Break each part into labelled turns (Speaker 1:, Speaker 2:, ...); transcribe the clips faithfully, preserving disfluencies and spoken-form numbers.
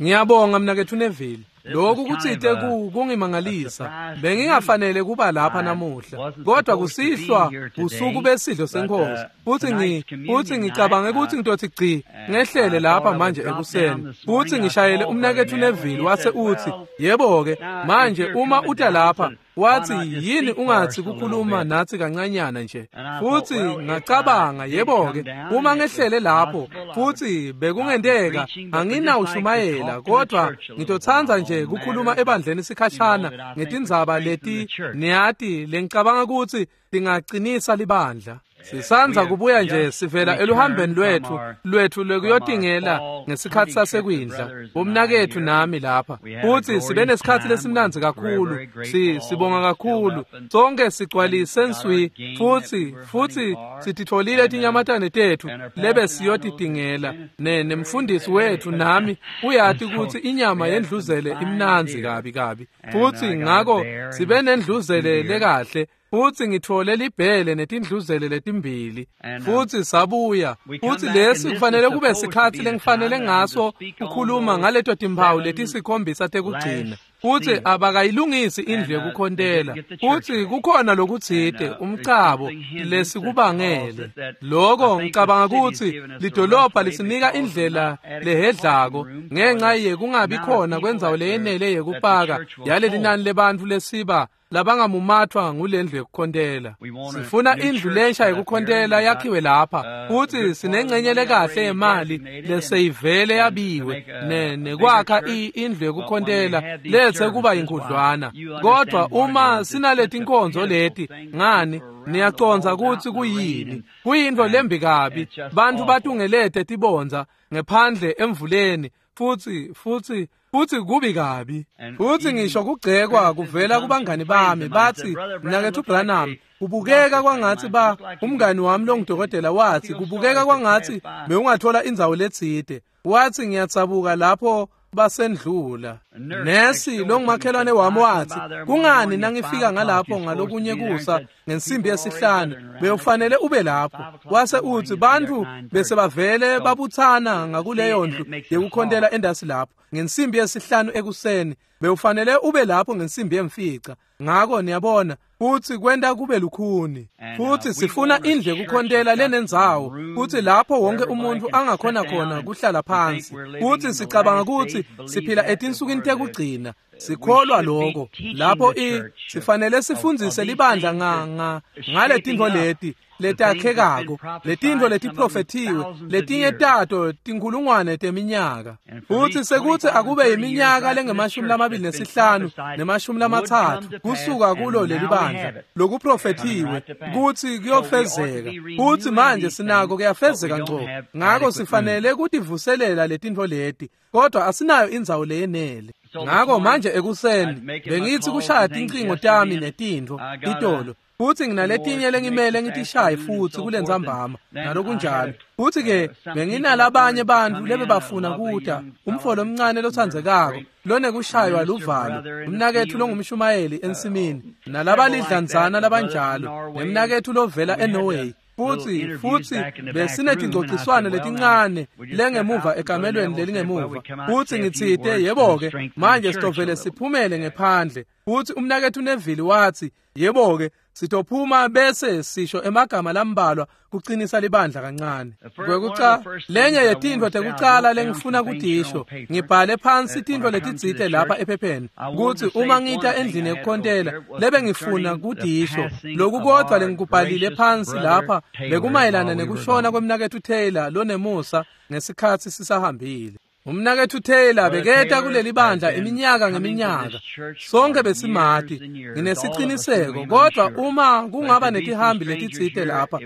Speaker 1: Ngiyabonga mnaketfu Neville. Lokhu kutsite kungimangalisa. Bengingafanele kuba lapha namuhla, kodwa kusihlwa usuku besidlo senkosi. Futhi ngi futhi ngicabange ukuthi ngitothi gci ngehlele lapha manje ekuseni. Futhi ngishayele umnaketfu Neville wase uthi, "Yebo ke, manje uma uta lapha, wathi yini ungathi kukhuluma nathi kancanyana nje." Futhi ngacabanga, yebo ke, uma ngehlele lapho futhi bekungenteka anginawushumayela, kodwa ngitotsandza nje kukhuluma ebandleni sikhashana ngetindzaba leti niyati lengicabanga ukuthi tingacinisa libandla. Sisanza kubuya nje sivela eluhambeni lwethu lwethu lwekuyotingela ngesikhathi sasekwindla, umnaketfu nami lapha. Futhi sibe nesikhathi lesimnandzi kakhulu, si sibonga kakhulu. Sonke sigcwalise nswi futhi futhi sititfolile tinyamatane tethu lebe siyotitingela. Ne nemfundisi wethu nami uyati ukuthi inyama yendluzele imnandzi kabi kabi. Futhi ngako sibe nendluzele lekahle. Futhi ngithole libhele netindluzele letimbili. Futhi sabuya. Futhi lesi kufanele kube sikhathi lengifanele ngaso ukukhuluma ngaleto timphawu letisikhombisa tekugcina. Futhi abakayilungisi indlu yekukhontela. Futhi kukhona lokutsite umcabo lesikubangele. Lokho ngicabanga ukuthi lidolobha lisinika indlela lehedlako ngenxa yekungabi khona kwendzawo leyenele yekupaka yaleli nani lebantfu lesiba labangamumathwa ngulendlu yekukhontela. Sifuna indlu lensha yekukhontela yakhiwe lapha. Futhi sinengcenye lekahle yemali leseyivele yabiwe ne nekwakha indlu yekukhontela lethe kuba inkudlwana. Kodwa uma sinaleti inkonzo leti, ngani niyaconza ukuthi kuyini? Kuyintfo lembi kabi. Bantu batungelete tibondza ngephandle emvuleni futhi futhi futhi kubi kabi. Futhi ngisho kugcekwa kuvela kubangani bami bathi, mnaketfu Branham, kubukeka kwangathi ba umngani wami longudokotela wathi kubukeka kwangathi bewungathola indzawo letsite. Wathi ngiyatsabuka lapho basendlula. Nesi longumakhelwane wami wathi, kungani nangifika ngalapho ngalokunye kusa ngensimbi yesihlanu bewufanele ube lapho. Wase uthi bantu bese bavele babuthana ngakuleyo ndlu yekukhontela endasi lapho ngensimbi yesihlanu ekuseni, bewufanele ube lapho ngensimbi yemfica. Ngako niyabona futhi kwenta kube lukhuni. Futhi sifuna indlu yekukhontela lenendzawo futhi lapho wonke umuntu angakhona khona kuhlala phansi. Futhi sicabanga ukuthi siphila etinsukwini tekugcina. Sikholwa lokho lapho i sifanele sifundzise libandla nga nga ngaletintfo leti letakhekako, letintfo letiprofethiwe, letinye tato tinkhulungwane teminyaka. Futhi sekuthi akube iminyaka lengemashumi lamabili nesihlanu nemashumi lamatsatfu kusuka kulo leli bandla lokuprofethiwe kuthi kuyofezeka. Futhi manje sinako kuyafezeka ngco. Ngako sifanele kutivuselela letintfo leti, kodwa asinayo indzawo leyenele. Ngako manje ekuseni bengithi kushaya tincingo tami netintfo itolo. Futhi nginaletinye lengimele ngitishaye futhi kulentsambama nalokunjalo. Futhi ke benginalabanye bantfu lebebafuna kuta, umfo lomncane lotsandzekako lonekushaywa luvalo, umnaketfu longumshumayeli ensimini, nalabalidlanzana labanjalo, nemnaketfu lovela eNorway. Futhi futhi besinetingcociswano letincane lengemuva ekamelweni lelingemuva. Futhi ngitsite, yebo ke, manje sitovele siphumele ngephandle. Futhi umnaketfu Neville wathi, yebo ke, sitophuma bese sisho emagama lambalwa kucinisa libandla kancane. Kwekuca lenye yetintfo tekucala lengifuna kutisho, ngibhale phansi tintfo letitsite lapha ephepheni kutsi uma ngita endlini yekukhontela lebe ngifuna kutisho. Lokhu kodwa lengikubhalile phansi lapha bekumayelana nekushona kwemnaketfu Taylor lonemusa ngesikhatsi sisahambile. Umnaketfu Taylor beketa kuleli bandla iminyaka ngeminyaka. Sonke besimati, nginesiciniseko, kodwa uma kungaba netihambi letitsite lapha,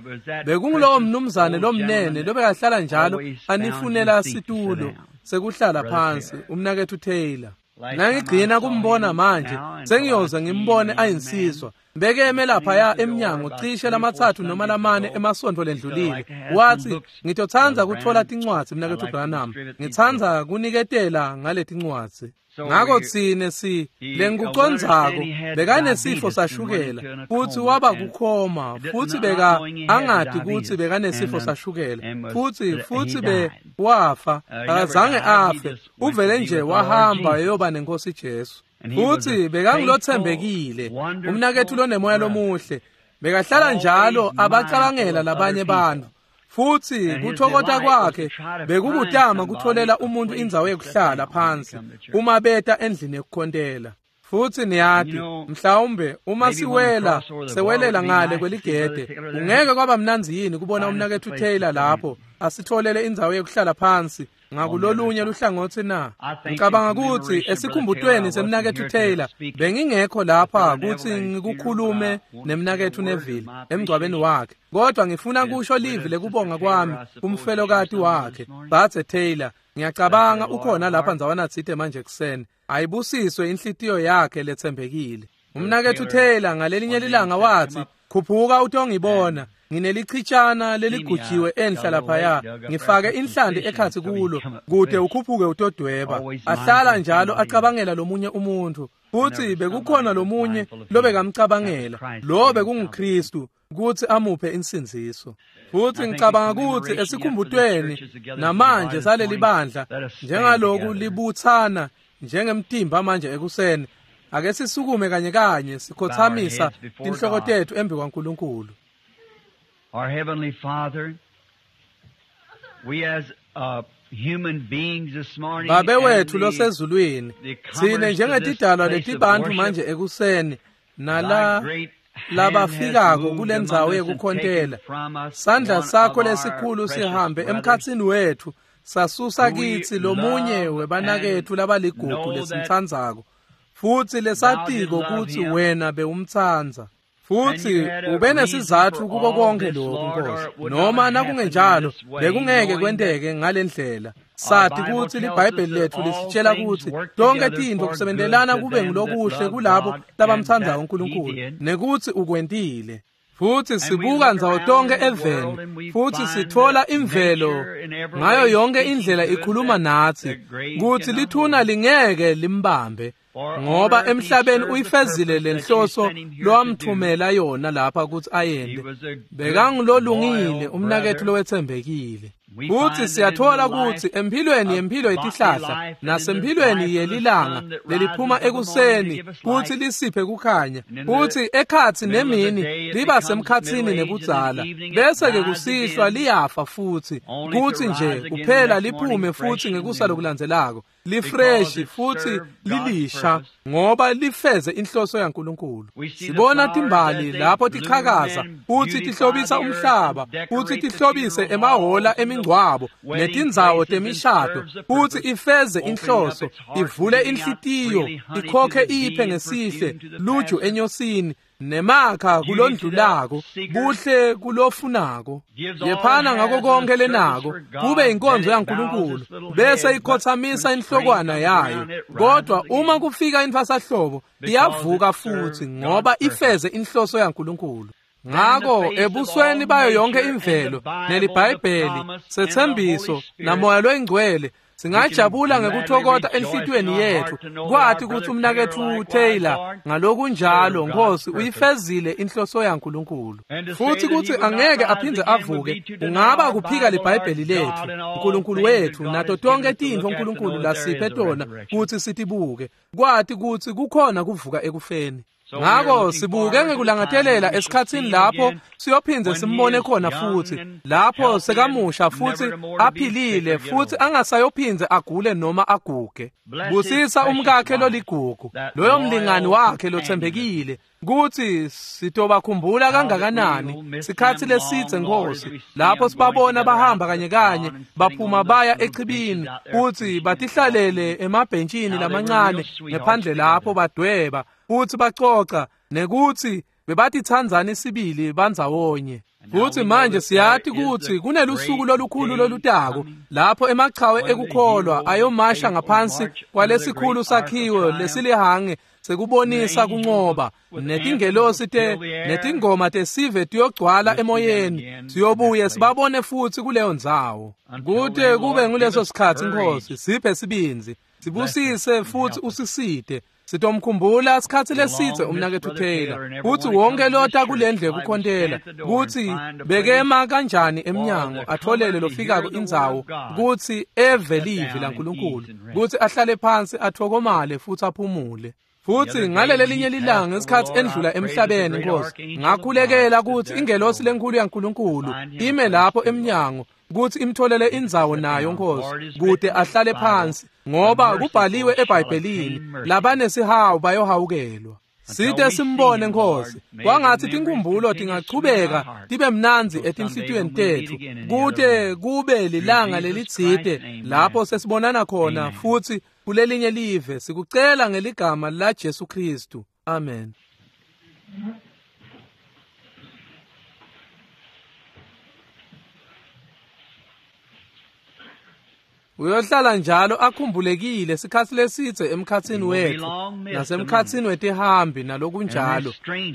Speaker 1: bekungulowo mnumzane lomnene lobekahlala njalo anifunela situlo sekuhlala phansi, umnaketfu Taylor. Nangigcina kumbona manje sengiyoze ngimbone ayinsizwa bekeme laphaya emnyango cishe lamatsatfu noma lamane emasontfo lendlulile. Wathi, ngitotsandza kutfola tincwadzi mnaketfu Branham, ngitsandza kuniketela ngaletincwadzi. Ngako tsine si lengikucondzako bekanesifo sashukela futsi waba kukhoma futsi beka angati kutsi bekanesifo sashukela futsi futsi be wafa akazange afe uvele nje wahamba eyoba nenkosi Jesu. Futsi bekangulotsembekile umnaketfu lonemoya lomuhle bekahlala njalo abacabangela labanye bantfu. Futsi kuthokota kwakhe bekukutama kutfolela umuntu indzawo yekuhlala phansi uma beta endlini yekukhontela. Futsi niyati mhlawumbe uma siwela sewelela ngale kweligede ungeke kwaba mnandzi yini kubona umnaketfu Taylor lapho asitfolele indzawo yekuhlala phansi ngakulolunye luhlangotsi na? Ngicabanga kutsi esikhumbutweni semnaketfu Taylor bengingekho lapha kutsi ngikukhulume nemnaketfu Neville emngcwabeni wakhe, kodwa ngifuna kusho livi lekubonga kwami kumfelokati wakhe Bathe Taylor. Ngiyacabanga ukhona lapha ndzawana tsite manje ekuseni. Ayibusiswe inhlitiyo yakhe letsembekile. Umnaketfu Taylor ngalelinye lilanga wathi, khuphuka utongibona, nginelichitshana leligujiwe enhla laphaya, ngifake inhlanti ekhatsi kulo kude ukhuphuke utodweba. Ahlala njalo acabangela lomunye umuntu, futsi bekukhona lomunye lobekamcabangela, lo bekunguKristu kutsi amuphe insindziso. Futsi ngicabanga kutsi esikhumbutweni namanje saleli bandla njengaloku libutsana njengemtimba manje ekuseni, ake sisukume kanye kanye sikhothamisa tinhloko tetfu embi kwaNkulunkulu.
Speaker 2: Our Heavenly Father, we as uh, human beings this morning,
Speaker 1: Babe wethu losezulwini, tsine njengetidalwa letibantfu manje ekuseni nala labafikako kulendzawo yekukhontela, sandla sakho lesikhulu sihambe emkhatsini wethu sasusa kitsi lomunye webanaketfu labaligugu lesimtsandzako futsi lesatiko kutsi wena bewumtsandza. Futsi ube nesizatfu kuko konke lokhu Nkosi, noma nakungenjalo bekungeke kwenteke ngalendlela. Sati kutsi liBhayibheli letfu lisitshela kutsi tonke tintfo kusebentelana kube ngulokuhle kulabo labamtsandzako uNkulunkulu, nekutsi ukwentile. Futsi sibuka ndzawo tonke eveni futsi sitfola imvelo ngayo yonke indlela ikhuluma natsi kutsi lithuna lingeke limbambe, ngoba emhlabeni uyifezile lenhloso lowamthumela yona lapha kutsi ayente. Bekangulolungile umnaketfu lowetsembekile. Futsi siyatfola kutsi emphilweni yemphilo yetihlahla nasemphilweni yelilanga leliphuma ekuseni kutsi lisiphe kukhanya, futsi ekhatsi nemini liba semkhatsini nebudzala, bese-ke kusihlwa liyafa futsi kutsi nje kuphela liphume futsi ngekusa lokulandzelako lifreshi futsi lilisha, ngoba lifeze inhloso yaNkulunkulu. Sibona timbali lapho tichakaza futsi tihlobisa umhlaba futsi tihlobise emahola emingcwabo netindzawo temishado, futsi ifeze inhloso, ivule inhlitiyo, ikhokhe iphe ngesihle luju enyosini nemakha kulondlulako, buhle kulofunako. Yephana ngako konke lenako kube inkonzo yaNkulunkulu, bese ikhothamisa inhlokwana yayo. Kodwa uma kufika intfwasahlobo iyavuka futsi, ngoba ifeze inhloso yaNkulunkulu. Ngako ebusweni bayo yonke imvelo neliBhayibheli setsembiso namoya loyingcwele singajabula ngekuthokota enhlitiyweni yetfu kwati kutsi umnaketfu Taylor ngalokunjalo Nkosi uyifezile inhloso yaNkulunkulu. Futsi kutsi angeke aphindze avuke ungaba kuphika liBhayibheli letfu, uNkulunkulu wetfu, nato tonke tintfo uNkulunkulu lasiphe tona kutsi sitibuke, kwati kutsi kukhona kuvuka ekufeni. Ngako sibuke ngekulangatelela esikhatsini lapho siyophindze simbone khona futsi, lapho sekamusha futsi aphilile futsi angasayophindze agule noma aguge. Busisa umkakhe loligugu, loyo mlingani wakhe lotsembekile, kutsi sitobakhumbula kangakanani sikhatsi lesidze Nkosi, lapho sibabona bahamba kanye kanye baphuma baya echibini kutsi batihlalele emabhentshini lamancane ngephandle lapho badweba futsi bacoca, nekutsi bebatitsandzani sibili bandzawonye. Futsi manje siyati kutsi kunelusuku lolukhulu lolutako lapho emachawe ekukholwa ayomasha ngaphansi kwalesikhulu sakhiwo lesilihange sekubonisa kuncoba, netingelosi te netingoma tesive tiyogcwala emoyeni. Siyobuye sibabone futsi kuleyo ndzawo. Kute kube nguleso sikhatsi, Nkosi, siphe sibindzi, sibusise futsi usisite. Sitomkhumbula sikhatsi lesitse umnaketfu Taylor, kutsi wonke lota kulendlu yekukhontela, kutsi bekema kanjani emnyango atholele lofikako indzawo kutsi eve livi laNkulunkulu, kutsi ahlale phansi athokomale futsi aphumule. Futsi ngalelelinye lilanga ngesikhatsi endlula emhlabeni, Nkosi, ngakhulekela kutsi ingelosi lenkulu yaNkulunkulu ime lapho emnyango kutsi imtholele indzawo nayo, Nkosi, kute ahlale phansi, ngoba kubhaliwe eBhayibhelini, labanesihawu bayohawukelwa. Site simbone, Nkosi, kwangatsi tinkhumbulo tingachubeka tibe mnandzi etinhlitiyweni tetfu, kute kube lilanga lelitsite lapho sesibonana khona futsi kulelinye live. Sikucela ngeligama la Jesu Kristu. Amen. Uyohlala njalo akhumbulekile sikhatsi lesitse emkhatsini wetfu nasemkhatsini wetihambi nalokunjalo,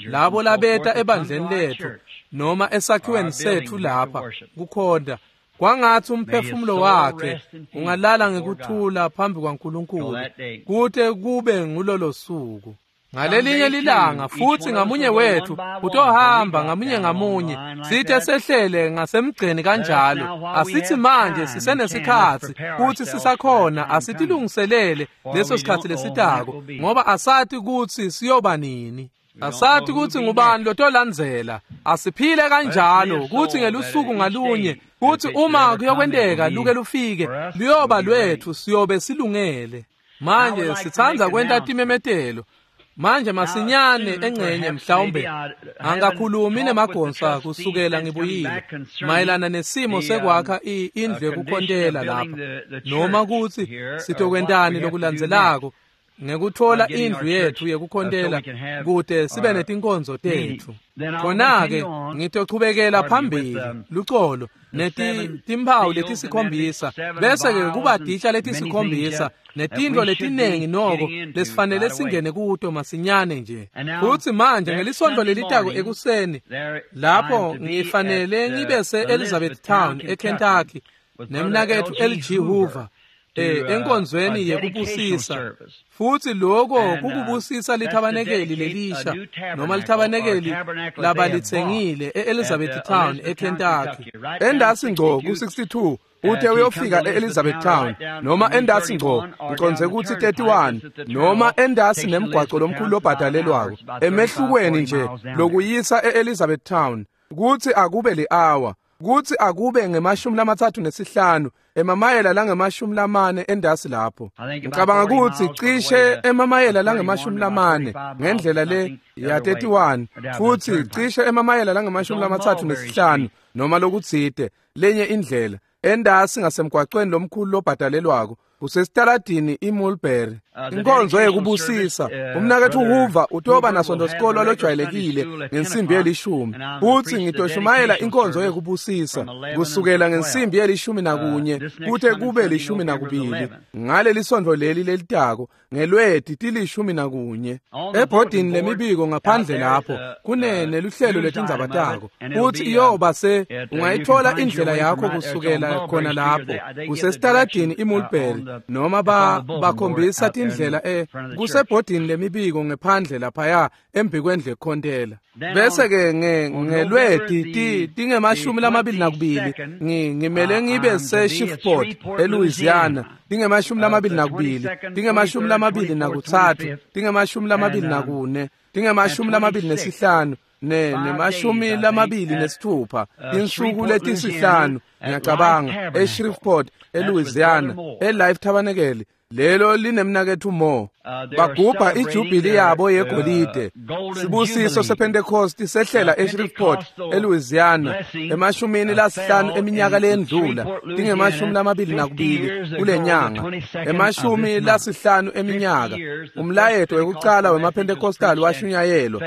Speaker 1: labo labeta ebandleni letfu noma esakhiweni setfu lapha kukhonta. Kwangatsi umphefumulo wakhe ungalala ngekuthula phambi kwaNkulunkulu kute kube ngulolo suku. Ngalelinye lilanga futsi ngamunye wethu utohamba ngamunye ngamunye, sithe sehlele ngasemgceni kanjalo. Asithi manje sisenesikhatsi kutsi sisakhona, asitilungiselele leso sikhatsi lesitako, ngoba asati kutsi siyoba nini. Asati kutsi ngubani lotolandzela. Asiphile kanjalo kutsi ngelusuku ngalunye, kutsi uma kuyokwenteka luke lufike, luyoba lwetfu, siyobe silungele. Manje sitsandza kwenta timemetelo. Manje masinyane engcenye mhlawumbe angakhulumi nemagonsa kusukela ngibuyile mayelana nesimo sekwakha indlu yekukhontela lapha, noma kutsi sitokwentani lokulandzelako ngekuthola indlu yetfu yekukhontela kute sibe netinkonzo tetfu. Khona-ke ngitochubekela phambili lucolo neti timphawu letisikhombisa, bese-ke kuba titsha letisikhombisa netintfo letinengi noko lesifanele singene kuto masinyane nje. Futsi manje ngelisontfo lelitako ekuseni lapho ngifanele ngibe se-Elizabethtown eKentucky nemnaketfu L G Hoover enkonzweni yekubusisa. Futsi lokho kukubusisa lithabanekeli lelisha noma lithabanekeli labalitsengile e-Elizabethtown eKentucky.
Speaker 3: Endasi ngco ku-sixty-two ute uyofika e-Elizabethtown, noma endasi ngco ngicondze kutsi thirty-one, noma endasi nemgwaco lomkhulu lobhadalelwako emehlukweni nje lokuyisa e-Elizabethtown, kutsi akube li-hour, kutsi akube ngemashumi lamatsatfu nesihlanu emamayela langemashumi lamane endasi lapho. Ngicabanga kutsi cishe emamayela langemashumi lamane ngendlela le ya thirty-one, futsi cishe emamayela langemashumi lamatsatfu nesihlanu noma lokutsite lenye indlela endasi ngasemgwacweni lomkhulu lobhadalelwako usesitaladini iMulberry. Inkonzo yekubusisa umnaketfu Hoover utoba nasonto sikolo lojwayelekile ngensimbi yelishumi, futsi ngitoshumayela inkonzo yekubusisa kusukela ngensimbi yelishumi nakunye kute kube lishumi nakubili ngaleli sontfo leli lelitako ngelweti tilishumi nakunye. Ebhodini lemibiko ngaphandle lapho kune neluhlelo letindzaba tako, futsi iyoba se ungayithola indlela yakho kusukela khona lapho kusesitaladini iMulberry, noma ba bakhombisa tindlela eh kusebhodini lemibiko ngephandle laphaya embikwendle ekhontela. Bese ke ngelweti tingemashumi lamabili nakubili ngimele ngibe se-Shreveport eLouisiana, tingemashumi lamabili nakubili, tingemashumi lamabili nakutsatfu, tingemashumi lamabili nakune, tingemashumi lamabili nesihlanu, ne nemashumi lamabili nesithupha, tinsuku letisihlanu ngiyacabanga eShreveport eLouisiana eLife Tabernacle Lelo linemnaketfu Mo. Bagubha ijubili yabo yegolide. Sibusiso sePentecost sehlela eShreveport, eLouisiana, emashumini lasihlanu eminyaka lendlula, tingemashumi lamabili nakubili kulenyanga, emashumi lasihlanu eminyaka. Umlayeto wekucala wemaPentecostal washunyayelwa,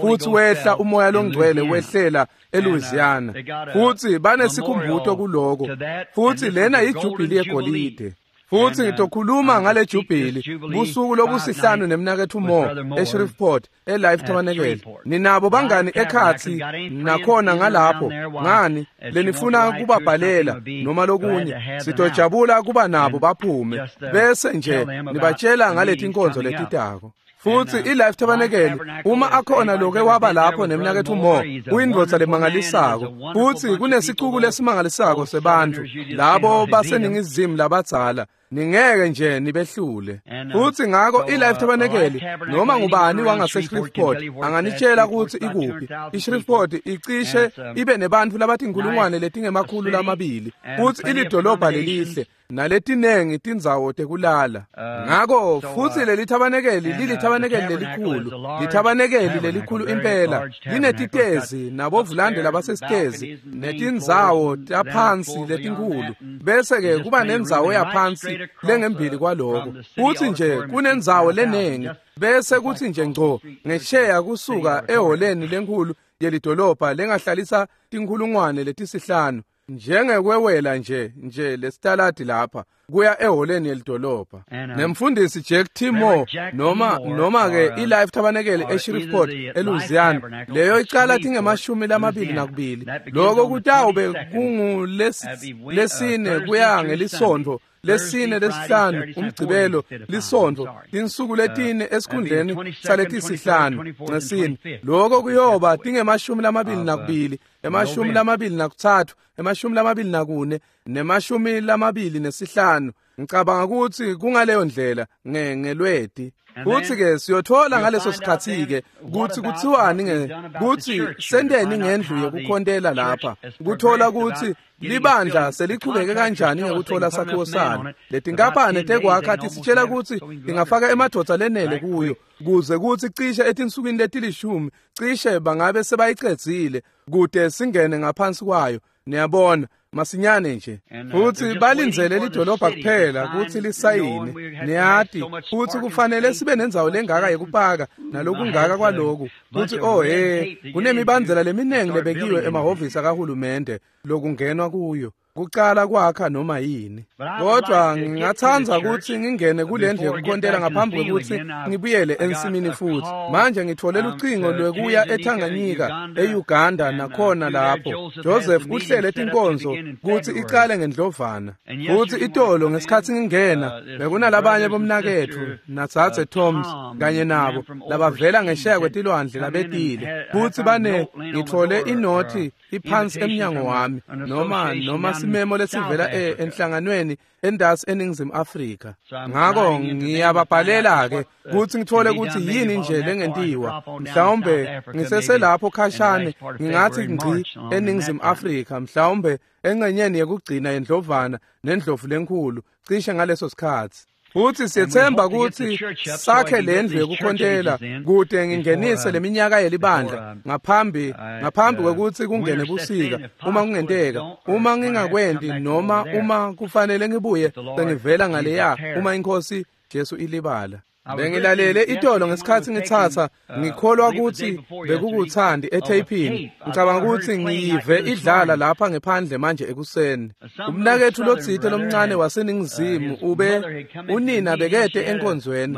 Speaker 3: futsi wehla umoya longcwele wehlela eLouisiana. Futsi banesikhumbuto kuloko. Futsi lena ijubili yegolide. Futsi ngitokhuluma ngale jubili busuku lobusihlanu nemnaketfu Mo eShreveport eLife Tabernacle. Ninabo bangani ekhatsi nakhona ngalapho ngani lenifuna kubabhalela noma lokunye, sitojabula kuba nabo baphume bese nje nibatshela ngaletinkonzo letitako. Futsi iLife Tabernacle uma akhona loke waba lapho nemnaketfu Mo, uyindvodza lemangalisako. Futsi kunesicuku lesimangalisako sebantfu labo baseningizimu labadzala, ningeke nje nibehlule. Futsi ngako iLife Tabernacle noma ngubani wangaseShreveport anganitshela kutsi ikuphi. iShreveport icishe ibe nebantfu labatinkhulungwane letingemakhulu lamabili, futsi ilidolobha lelihle naletinengi tindzawo tekulala. Ngako futsi leli thabanekeli lilithabanekeli lelikhulu, lithabanekeli lelikhulu impela, linetitezi nabovulande labasesitezi netindzawo taphansi letinkhulu, bese ke kuba nendzawo yaphansi lengembili kwaloko. Futsi nje kunendzawo lenengi, bese kuthi nje ngco ngesheya kusuka eholeni lenkhulu yelidolobha lengahlalisa tinkhulungwane letisihlanu, njengekwewela nje nje lesitaladi lapha kuya eholeni yelidolobha. Nemfundisi Jack T. Moore noma noma ke iLife Tabernacle eShreveport eLouisiana, leyo icala tingemashumi lamabili nakubili. Lokho kutawube kungulesine kuya ngelisonto lesine lesihlanu, umgcibelo lisonto, tinsuku letine esikhundleni saletisihlanu ngesine. Lokho kuyoba tingemashumi lamabili nakubili, emashumi lamabili nakutsatfu, emashumi lamabili nakune, nemashumi lamabili nesihlanu. Ngicabanga ukuthi kungaleyo ndlela ngelweti. Futsi ke siyothola ngaleso sikhatsi ke kutsi kutsiwani nge kutsi senteni ngendlu yekukhontela lapha, kuthola kutsi libandla selichubeke kanjani ngekuthola sakhiwo salo. Letinkampani tekwakha tisitshela kutsi ingafaka emadvodza lenele kuyo kuze kutsi cishe etinsukwini letilishumi cishe bangabe sebayicedzile kude singene ngaphansi kwayo. Niyabona, masinyane nje. Futsi balindzele lidolobha kuphela kutsi lisayine. Niyati futsi kufanele sibe nendzawo lengaka yekupaka nalokungaka kwaloku. Futsi oh he, kunemibandzela leminengi lebekiwe emahhovisi akahulumende lokungenwa kuyo kucala kwakha noma yini. Kodwa ngingatsandza kutsi ngingene kulendlu yekukhontela ngaphambi kwekutsi ngibuyele ensimini futhi. Manje ngithole lucingo lwekuya eTanganyika, eUganda nakhona lapho Joseph uhlele tinkonzo kutsi icale ngendlovana. Futsi itolo ngesikhatsi ngingena bekunalabanye bomnaketfu natsatse Toms kanye nabo labavela ngesheya kwetilwandle labetile. Futsi bane ngithole inothi iphansi emnyango wami noma noma simemo lesivela enhlanganweni endasi eNingizimu Afrika. Ngako ngiyababhalela ke kutsi ngithole kutsi yini nje lengentiwa. Mhlawumbe ngiseselapho khashane ngingathi ngci eNingizimu Afrika, mhlawumbe engcenyeni yekugcina yendlovana nendlovu lenkhulu cishe ngaleso sikhatsi. Futsi siyethemba kutsi sakhe lendlu yekukhontela kude ngingenise leminyaka yelibandla ngaphambi ngaphambi kwekutsi kungene busika, uma kungenteka, uma ngingakwenti noma uma kufanele ngibuye sengivela ngaleya uma inkosi Jesu ilibala. Bengilalele itolo ngesikhatsi ngitsatsa, ngikholwa kutsi bekukuthandi etheyphini. Ngicabanga kutsi ngiyive idlala lapha ngephandle manje ekuseni. Umnaketfu lotsite lomncane waseNingizimu ube unina bekete enkonzweni,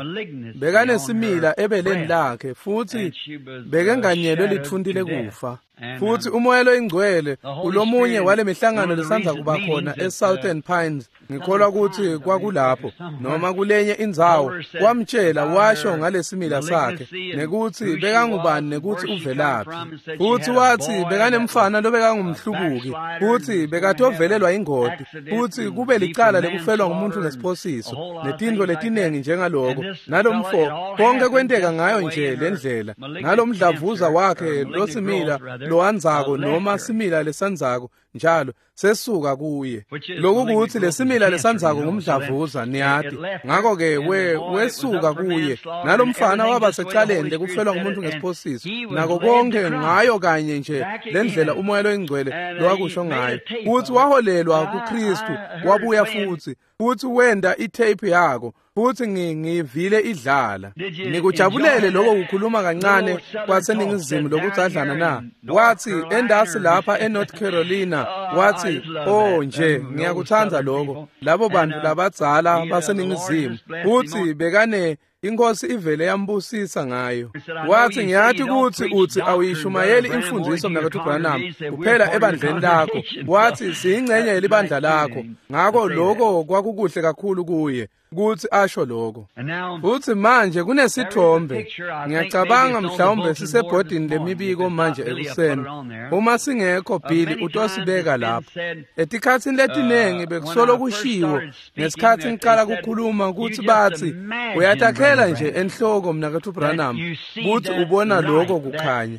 Speaker 3: bekanesimila ebeleni lakhe futsi bekenganyelwe litfunti lekufa. Futsi umoya loyingcwele ulomunye wale mihlangano lesandza kuba khona eSouthern Pines, ngikholwa kutsi kwakulapho noma kulenye indzawo, wamtshela washo ngalesimila sakhe nekutsi bekangubani nekutsi uvelaphi. Futsi watsi bekanemfana lobekangumhlubuki, futsi bekatovelelwa ingoti, futsi kube licala lekufelwa ngumuntu ngesiphosiso netintfo letinengi njengaloko. Nalomfo konke kwenteka ngayo nje lendlela, nalomdlavuza wakhe losimila lowandzako noma simila lesandzako
Speaker 1: njalo sesuka kuye. Lokhu kuthi lesimila lesandzako ngumdlavuza niyati. Ngakho ke we wesuka kuye nalomfana waba secaleni lekufelwa ngumuntu ngesiphosiso nako konke ngayo kanye nje lendlela umoya loyingcwele lowakusho ngayo futhi waholelwa kuKristu wabuya futhi futhi wenda itape yako futhi ngivile idlala. Nikujabulele lokho kukhuluma kancane kwaseningizimu lokudzadlana na? Wathi endasi lapha eNorth Carolina, wathi oh nje ngiyakuthanda lokho labo bantu labadzala baseningizimu. Futhi bekane inkosi ivele yambusisa ngayo. Wathi ngiyati ukuthi uthi awuyishumayeli imfundiso mnakethu Branham kuphela ebandleni lakho. Wathi siyingcenye yelibandla lakho. Ngakho lokho kwakukuhle kakhulu kuye ukuthi asho lokho. Futhi manje kunesithombe ngiyacabanga mhlawumbe sisebhodini lemibiko manje ekuseni. Uma singekho Billy utosibeka lapho. Etikhatsini letinengi bekusolo kushiwo ngesikhathi ngiqala ukukhuluma ukuthi bathi uyatakhela nje enhloko mnakethu Branham ukuthi ubona lokho kukhanya.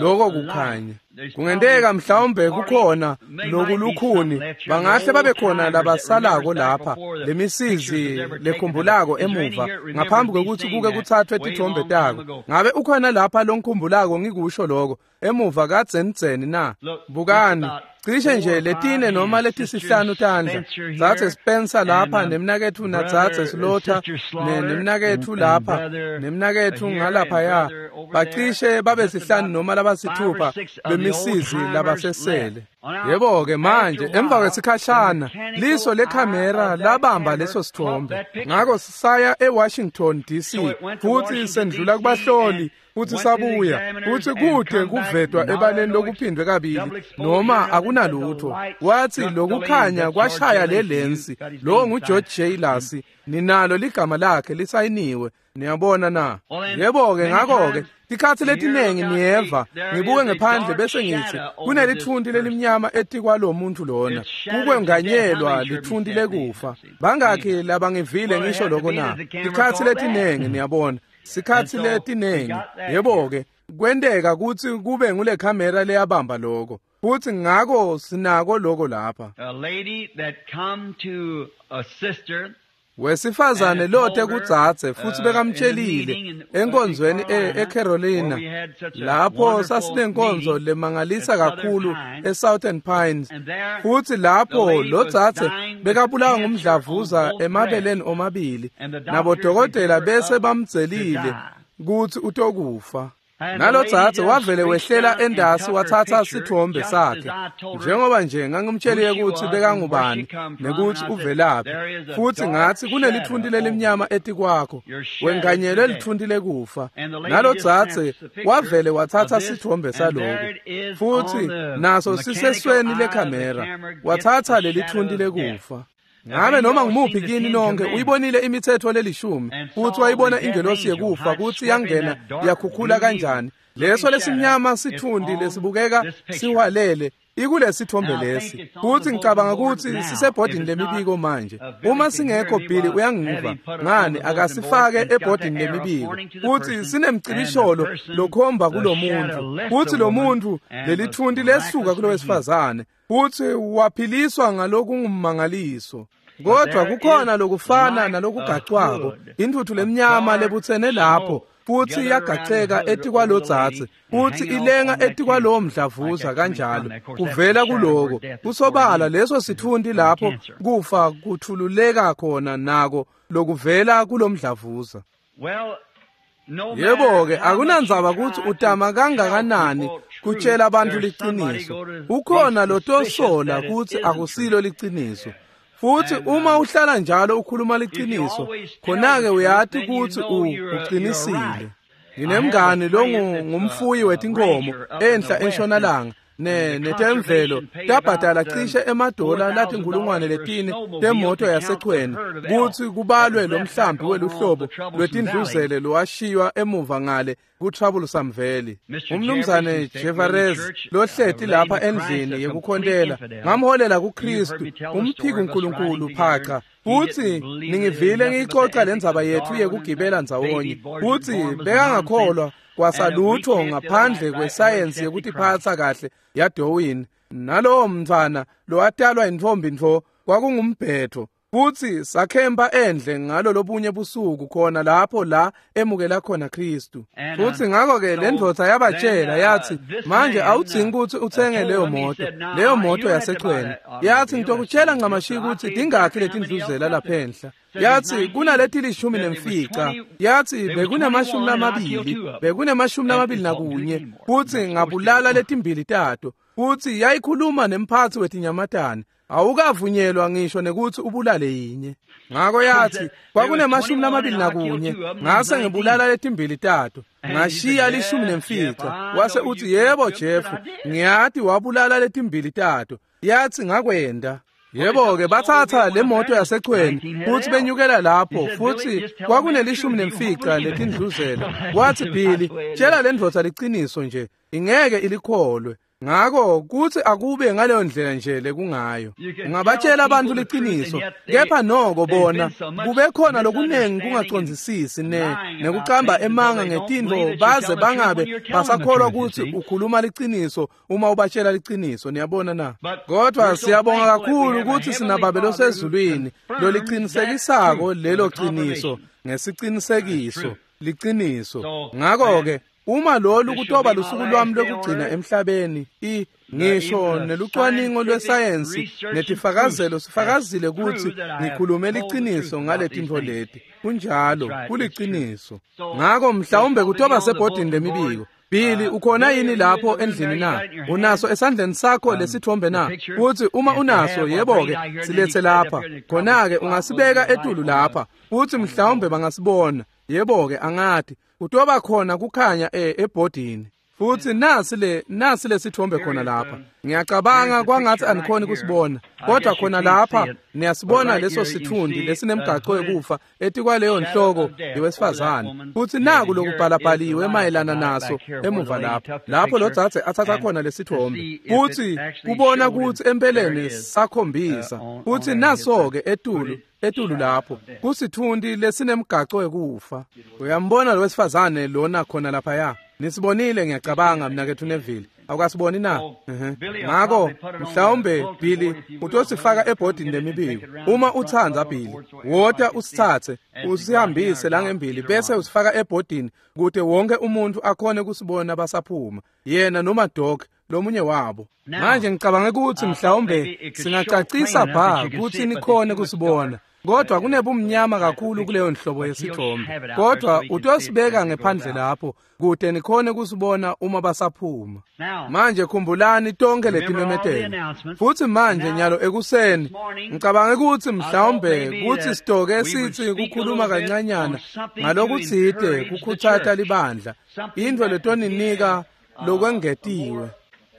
Speaker 1: Lokho kukhanya kungenteka mhlawumbe kukhona lokulukhuni bangahle babe khona labasalako lapha lemisizi lekhumbulako emuva ngaphambi kokuthi kuke kuthathwe tithombe tako. Ngabe ukhona lapha lonkhumbulako ngikusho lokho emuva kadzenidzeni na? Bukani cishe nje letine noma letisihlanu tandla Dzadze Spencer lapha nemnaketfu naDzadze Slaughter nemnaketfu lapha nemnaketfu ngalapha ya bacishe babe sihlanu noma labasithupha bemisizi labasesele. Yebo ke manje emva kwesikhashana liso lekhamera labamba leso sithombe. Ngakho sisaya eWashington D C futhi sendlula kubahloli futhi sabuya futhi kude kuvetwa ebaleni lokuphindwe kabili noma akunalutho. Wathi lokukhanya kwashaya le lensi lo nguGeorge J. Lasi ninalo ligama lakhe lisayiniwe. Niyabona na? Yebo ke ngakho ke tikhathi letinengi niyeva ngibuke ngephandle bese ngithi kunelithunti lelimnyama etikwalo muntu lona kukwenganyelwa lithunti lekufa. Bangakhi labangivile ngisho lokho na? Tikhathi letinengi niyabona sikhathi letinengi. Yebo ke kwenteka ukuthi kube ngule kamera leyabamba lokho futhi ngakho sinako lokho lapha.
Speaker 2: A lady that come to a sister
Speaker 1: wesifazane lote kudzadze futhi bekamtshelile enkonzweni eCarolina lapho sasinenkonzo lemangalisa kakhulu eSouthern Pines futhi lapho lo dzadze bekabulawa ngumdlavuza emabeleni omabili nabodokotela bese bamdzelile kuthi utokufa. Nalo dzadze wavele wehlela endasi wathatha sithombe sakhe njengoba nje ngangimtshelile ukuthi bekangubani nekuthi uvelaphi futhi ngathi kunelithunti lelimnyama etikwakho wenganyelwe lithunti lekufa. Nalo dzadze wavele wathatha sithombe saloko futhi naso sisesweni lekhamera wathatha lelithunti lekufa. Ngabe noma ngumuphi kini nonke uyibonile imithetho lelishumi futhi wayibona ingelosi yekufa kuthi yangena yakhukhula kanjani leso lesimnyama sithundi lesibukeka siwalele ikulesithombe lesi. Futhi ngicabanga ukuthi sisebhodini lemibiko manje. Uma singekho Billy uyangiva ngani akasifake ebhodini lemibiko futhi sinemcibisholo lokhomba kulomuntu futhi lo muntu lelithunti lesuka kulowesifazane futhi waphiliswa ngalokungummangaliso. Kodwa kukhona lokufana nalokugacwako intuthu lemnyama lebutsene lapho futhi iyagaceka etikwalodzadze futhi ilenga etikwalowo mdlavuza kanjalo kuvela kuloko kusobala leso sithundi lapho kufa kuthululeka khona nako lokuvela kulomdlavuza. Yebo ke akunandzaba ukuthi utama kangakanani kutshela abantu liqiniso ukhona lotosola ukuthi akusilo liqiniso. Futhi uma uhlala njalo ukhuluma liqiniso khona-ke uyati ukuthi uqinisile. Nginemngani lo ngumfuyi wetinkomo enhla entshonalanga ne netemvelo tabhadala cishe emadola latinkulungwane letine temoto yasechweni kuthi kubalwe lo mhlambi weluhlobo lwetindluzele lowashiywa emuva ngale ku-Troublesome Valley. Umnumzane Jevarez lohleti lapha endlini yekukhontela ngamholela kuKristu umphiki uNkulunkulu phaca. Futhi ningivile ngiyixoxa lendzaba yethu yekugibela ndzawonye futhi bekangakholwa kwasalutho ngaphandle kwesayensi yekutiphatsa kahle yaDarwin. Nalowo mntfwana lowatalwa intfombi ntfo kwakungumbhetho. Futsi sakhempa endle ngalo lobunye busuku khona lapho la emukela khona Kristu. Futsi ngakho-ke le ndvodza yabatshela yathi, manje awudzingi kutsi utsenge leyo moto, leyo moto yasechweni. Yathi, ngitokutshela ncamashi kutsi tingakhi letindluzela lapha enhla. Yathi kunaleti lishumi nemfica. Yathi bekunemashumi lamabili, bekunemashumi lamabili nakunye, futsi ngabulala letimbili tato. Futsi yayikhuluma nemphatsi wetinyamatane. Awukavunyelwa ngisho nekutsi ubulale yinye. Ngako yathi kwakunemashumi lamabili nakunye, ngase ngibulala letimbili tato, ngashiya lishumi nemfica. Wase utsi, yebo Jeff, ngiyati wabulala letimbili tato. Yathi ngakwenda. Yebo-ke bathatha le moto yasechweni futhi benyukela lapho, futhi kwakunelishumi nemfica letindluzela. Wathi, Billy, tshela le ndvodza liciniso nje, ingeke ilikholwe. Ngako kutsi akube ngaleyo ndlela nje lekungayo. Ungabatshela abantu liciniso, kepha noko bona kube khona lokunengi kungacondzisisi ne nekucamba emanga ngetintfo baze bangabe basakholwa kutsi ukhuluma liciniso uma ubatshela liciniso, niyabona na? Kodwa siyabonga kakhulu kutsi sinaBabe losezulwini lolicinisekisako lelo ciniso ngesicinisekiso liciniso. Ngako-ke uma lolu kutoba lusuku lwami lokugcina emhlabeni, i ngisho nelucwaningo lwesayensi netifakazelo sifakazile kutsi ngikhulume liciniso ngaletintfo leti. Kunjalo, kuliciniso. Ngako mhlawumbe kutoba sebhodini lemibiko. Billy, ukhona yini lapho endlini na? Unaso esandleni sakho lesithombe na? Futsi uma unaso, yebo-ke, silethe lapha. Khona-ke ungasibeka etulu lapha, futsi mhlawumbe bangasibona. Yebo-ke, angati. Kutoba khona kukhanya e ebhodini. Futsi nasi le nasi lesithombe khona lapha. Ngiyacabanga kwangathi anikhoni kusibona, kodwa khona lapha niyasibona leso sithundi lesinemgaqo wekufa etikwaleyo nhloko yewesifazane. Futsi naku lokubhalabhaliwe mayelana naso emuva lapha, lapho lo dzadze athatha khona lesithombe. Futsi kubona kutsi empeleni sakhombisa. Futsi naso-ke etulu etulu lapho kusithundi lesinemgaqo wekufa. Uyambona lo wesifazane lona khona laphaya? Nisibonile ngiyacabanga mnaketfu Neville. Awukasiboni na? Ngako mhlawumbe Billy utosifaka ebhodini lemibiko. Uma utsandza Billy, wota usitsatse usihambise langembili bese usifaka ebhodini kute wonke umuntu akhone kusibona basaphuma, yena noma Doc lomunye wabo. Manje ngicabanga ukuthi mhlawumbe singacacisa bha kutsi nikhone kusibona. Kodwa kunebumnyama kakhulu kuleyo nhlobo yesithombe. Kodwa utosibeka ngephandle lapho kute nikhone kusibona uma basaphuma. Manje khumbulani tonke letimemetelo. Futsi manje nyalo ekuseni ngicabanga ukuthi mhlawumbe kutsi sitoke sitsi kukhuluma kancanyana ngalokutsite kukhutsata libandla, intfo letoninika lokwengetiwe.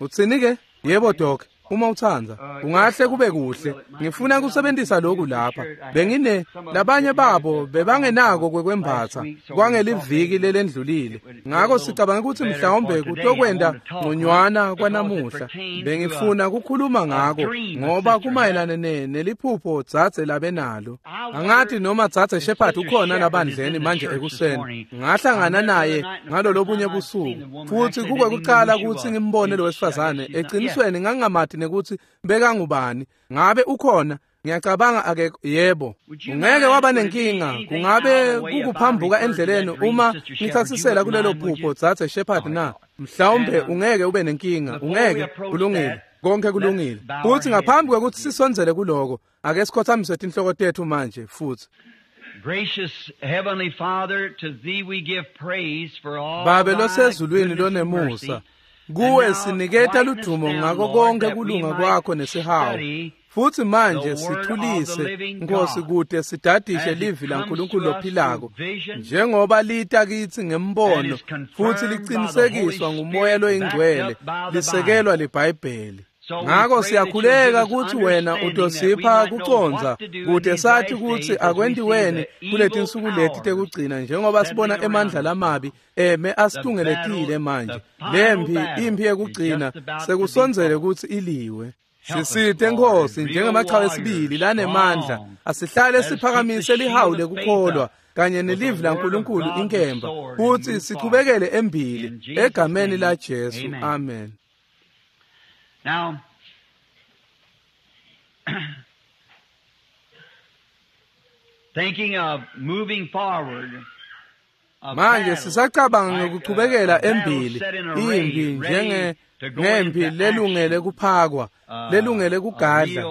Speaker 1: Utsini ke? Yebo Doc. Uma utsandza, ungahle kube kuhle. Ngifuna kusebentisa lokhu lapha. Bengine labanye babo bebangenako kwekwembatsa kwangeliviki lelendlulile. Ngako sicabanga ukuthi mhlawumbe kutokwenda ngconywana kwanamuhla. Bengifuna kukhuluma ngako ngoba kumayelana ne neliphupho dzadze labenalo. Angati noma dzadze Shepherd ukhona labandleni manje ekuseni. Ngahlangana naye ngalo lobunye busuku. Futsi kukwekucala kutsi ngimbone lo wesifazane. Eqinisweni ngangamati nekuthi bekangubani. Ngabe ukhona? Ngiyacabanga ake yebo. Ungeke waba nenkinga, kungabe kukuphambuka endleleni uma ngithatsisela kulelo phupho dzadze Shepherd na? Mhlawumbe ungeke ube nenkinga, ungeke. Kulungile, konke kulungile. Futhi ngaphambi kwekuthi sisondzele kuloko, ake sikhothamise tinhloko tetfu manje futhi.
Speaker 2: Gracious Heavenly Father, to thee we give praise for all
Speaker 1: Babe losezulwini lonemusa, kuwe siniketa ludumo ngako konke kulunga kwakho nesihawu. Futsi manje sithulise Nkosi kute sidadishe livi laNkulunkulu lophilako njengoba lita kitsi ngembono futsi licinisekiswa nguMoya loyingcwele lisekelwa liBhayibheli. Ngako siyakhuleka kutsi wena utosipha kucondza kute sathi kutsi akwentiweni kuletinsuku leti tekugcina njengoba sibona emandla lamabi eme asitungeletile manje. Lempi imphi yekugcina sekusondzele kutsi iliwe. Sisite Nkosi njengemachawe esibili lanemandla, asihlale siphakamise lihawu lekukholwa kanye nelivi laNkulunkulu inkemba, futsi sichubekele embili egameni la Jesu. Amen.
Speaker 2: Now, Thinking of moving forward.
Speaker 1: Manje sisacabanga ngekuchubekela embili impi njenge ngempi lelungele kuphakwa lelungele kugadla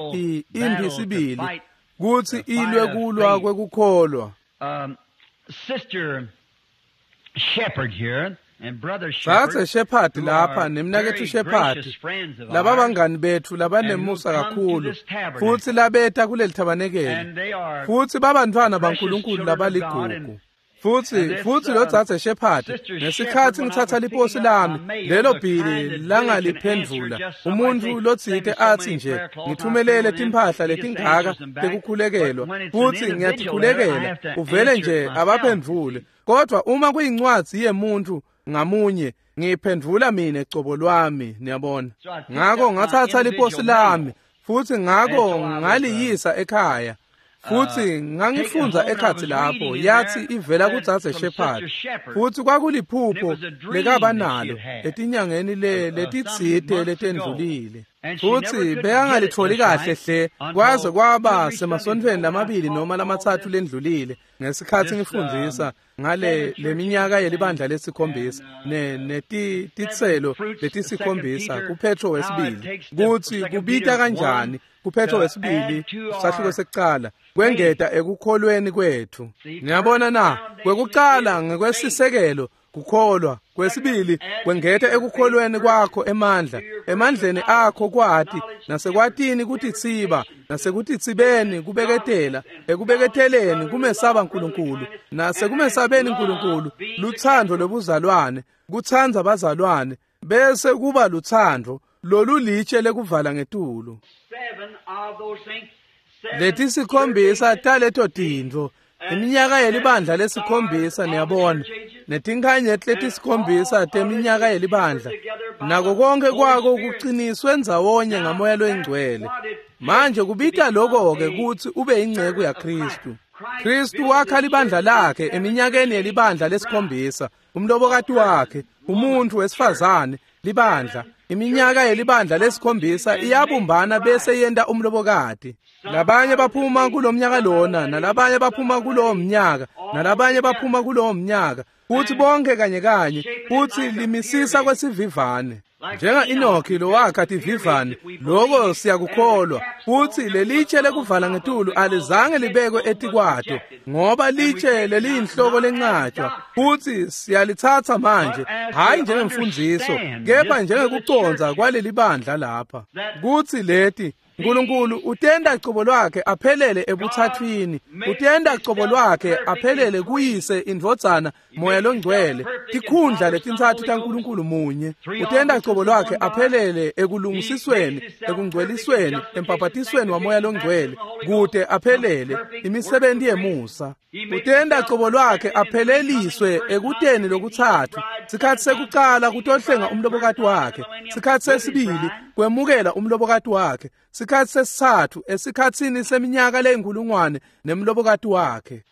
Speaker 1: impi sibili kutsi ilwe kulwa kwekukholwa.
Speaker 2: Sister Shepherd here and Brother Shepherd,
Speaker 1: Dzadze Shepherd lapha nemnaketfu Shepherd laba bangani betfu labanemusa kakhulu futsi labeta kuleli thabanekeli futsi babantfwana baNkulunkulu labaligugu. Futsi futsi lo dzadze Shepherd ngesikhatsi ngitsatsa liposi lami lelo bhili langaliphendvula umuntfu lotsite atsi nje ngithumelele timphahla letingaka tekukhulekelwa futsi ngiyatikhulekela uvele nje abaphendvule, kodwa uma kuyincwadzi yemuntfu ngamunye ngiyiphendvula mine cobo lwami, niyabona. Ngako ngatsatsa liposi lami futsi ngako ngaliyisa ekhaya. Futsi ngangifundza ekhatsi lapho yathi ivela kudzadze Shepherd futsi kwakuliphupho lekaba nalo etinyangeni le letitsite letendlulile futsi bekangalitholi kahle hle kwaze kwaba semasontfweni lamabili noma lamatsatfu lendlulile ngesikhatsi ngifundzisa ngale leminyaka yelibandla lesikhombisa ne netitselo letisikhombisa kuPetro wesibili kutsi kubita kanjani kuPetro wesibili sahluko sekucala kwengeta ekukholweni kwethu. Niyabona na, kwekucala ngekwesisekelo kukholwa, kwesibili kwengeta ekukholweni kwakho emandla, emandleni akho kwati, nasekwatini kutitsiba, nasekutitsibeni kubeketela, ekubeketeleni kumesaba Nkulunkulu, nasekumesabeni Nkulunkulu lutsandvo lobuzalwane, kutsandza bazalwane, bese kuba lutsandvo lolulitshe lekuvala ngetulu. Letisikhombisa taleto tintfo iminyaka yelibandla lesikhombisa, niyabona, netinkhanyeti letisikhombisa teminyaka yelibandla nako konke kwako kuqiniswe ndzawonye ngamoya loyingcwele. Manje kubita lokho-ke kutsi ube inceku yaKhristu. Khristu wakha libandla lakhe eminyakeni yelibandla lesikhombisa, umlobokati wakhe, umuntfu wesifazane, libandla. Iminyaka yelibandla lesikhombisa iyabumbana bese yenta umlobokati. Labanye baphuma kulomnyaka lona, nalabanye baphuma kulowo mnyaka, nalabanye baphuma kulowo mnyaka, futhi bonke kanye kanye, futhi limisisa kwesivivane. Njenga Enoki lowakha tivivane, loko siyakukholwa, futhi lelitshe lekuvala ngetulu alizange libekwe etikwato, ngoba litshe leliyinhloko lencatshwa, futhi siyalitsatsa manje, hhayi njengemfundziso, kepha njengekucondza kwaleli bandla lapha. Kutsi leti Nkulunkulu utenda cobo lwakhe aphelele ebuthathwini, utenda cobo lwakhe aphelele kuyise indvodzana moya longcwele, tikhundla letintsatfu taNkulunkulu munye. Utenda cobo lwakhe aphelele ekulungisisweni, ekungcwelisweni, empaphatisweni wamoya longcwele, kute aphelele imisebenti yemusa. Utenda cobo lwakhe apheleliswe ekuteni lokutsatfu, sikhatsi sekucala kutohlenga umlobokati wakhe, sikhatsi sesibili kwemukela umlobokati wakhe, sikhatsi sesitsatfu esikhatsini seminyaka leyinkulungwane nemlobokati wakhe.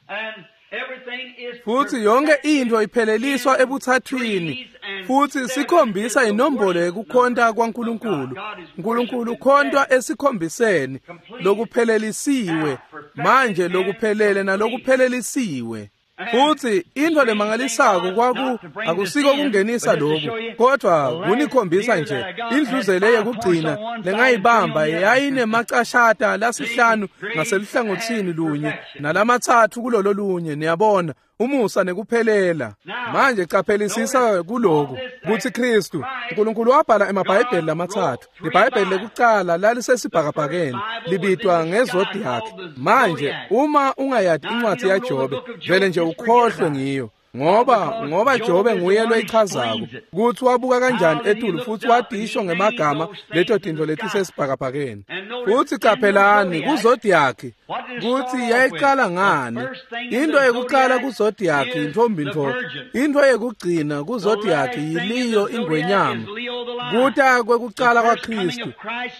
Speaker 1: Futsi yonke intfo ipheleliswa ebuthathwini, futsi sikhombisa inombolo yekukhonta kwaNkulunkulu. Nkulunkulu ukhontwa esikhombiseni lokuphelelisiwe, manje lokuphelele nalokuphelelisiwe. Futsi intfo lemangalisako kwaku akusiko kungenisa lokhu, kodwa kunikhombisa nje indluzele yekugcina lengayibamba yayinemacashata lasihlanu ngaseluhlangotsini lunye nalamatsatfu kulolo lunye, niyabona, umusa nekuphelela. Manje caphelisisa kuloku kutsi Khristu Nkulunkulu wabhala emabhayibheli lamatsatfu. Libhayibheli lekucala lalisesibhakabhakeni libitwa ngezodiac. Manje uma ungayati incwadzi yaJobe vele nje ukhohlwe ngiyo, ngoba ngoba Jobe nguye loyichazako kutsi wabuka kanjani etulu futsi watisho ngemagama leto tintfo letisesibhakabhakeni. Futsi caphelani kuzodiac kutsi yayiqala ngani. Into yekuqala kuzodiac yintfombi ntfo, into yekugcina kuzodiac yiliyo ingwenyama. Kuta kwekucala kwaKhristu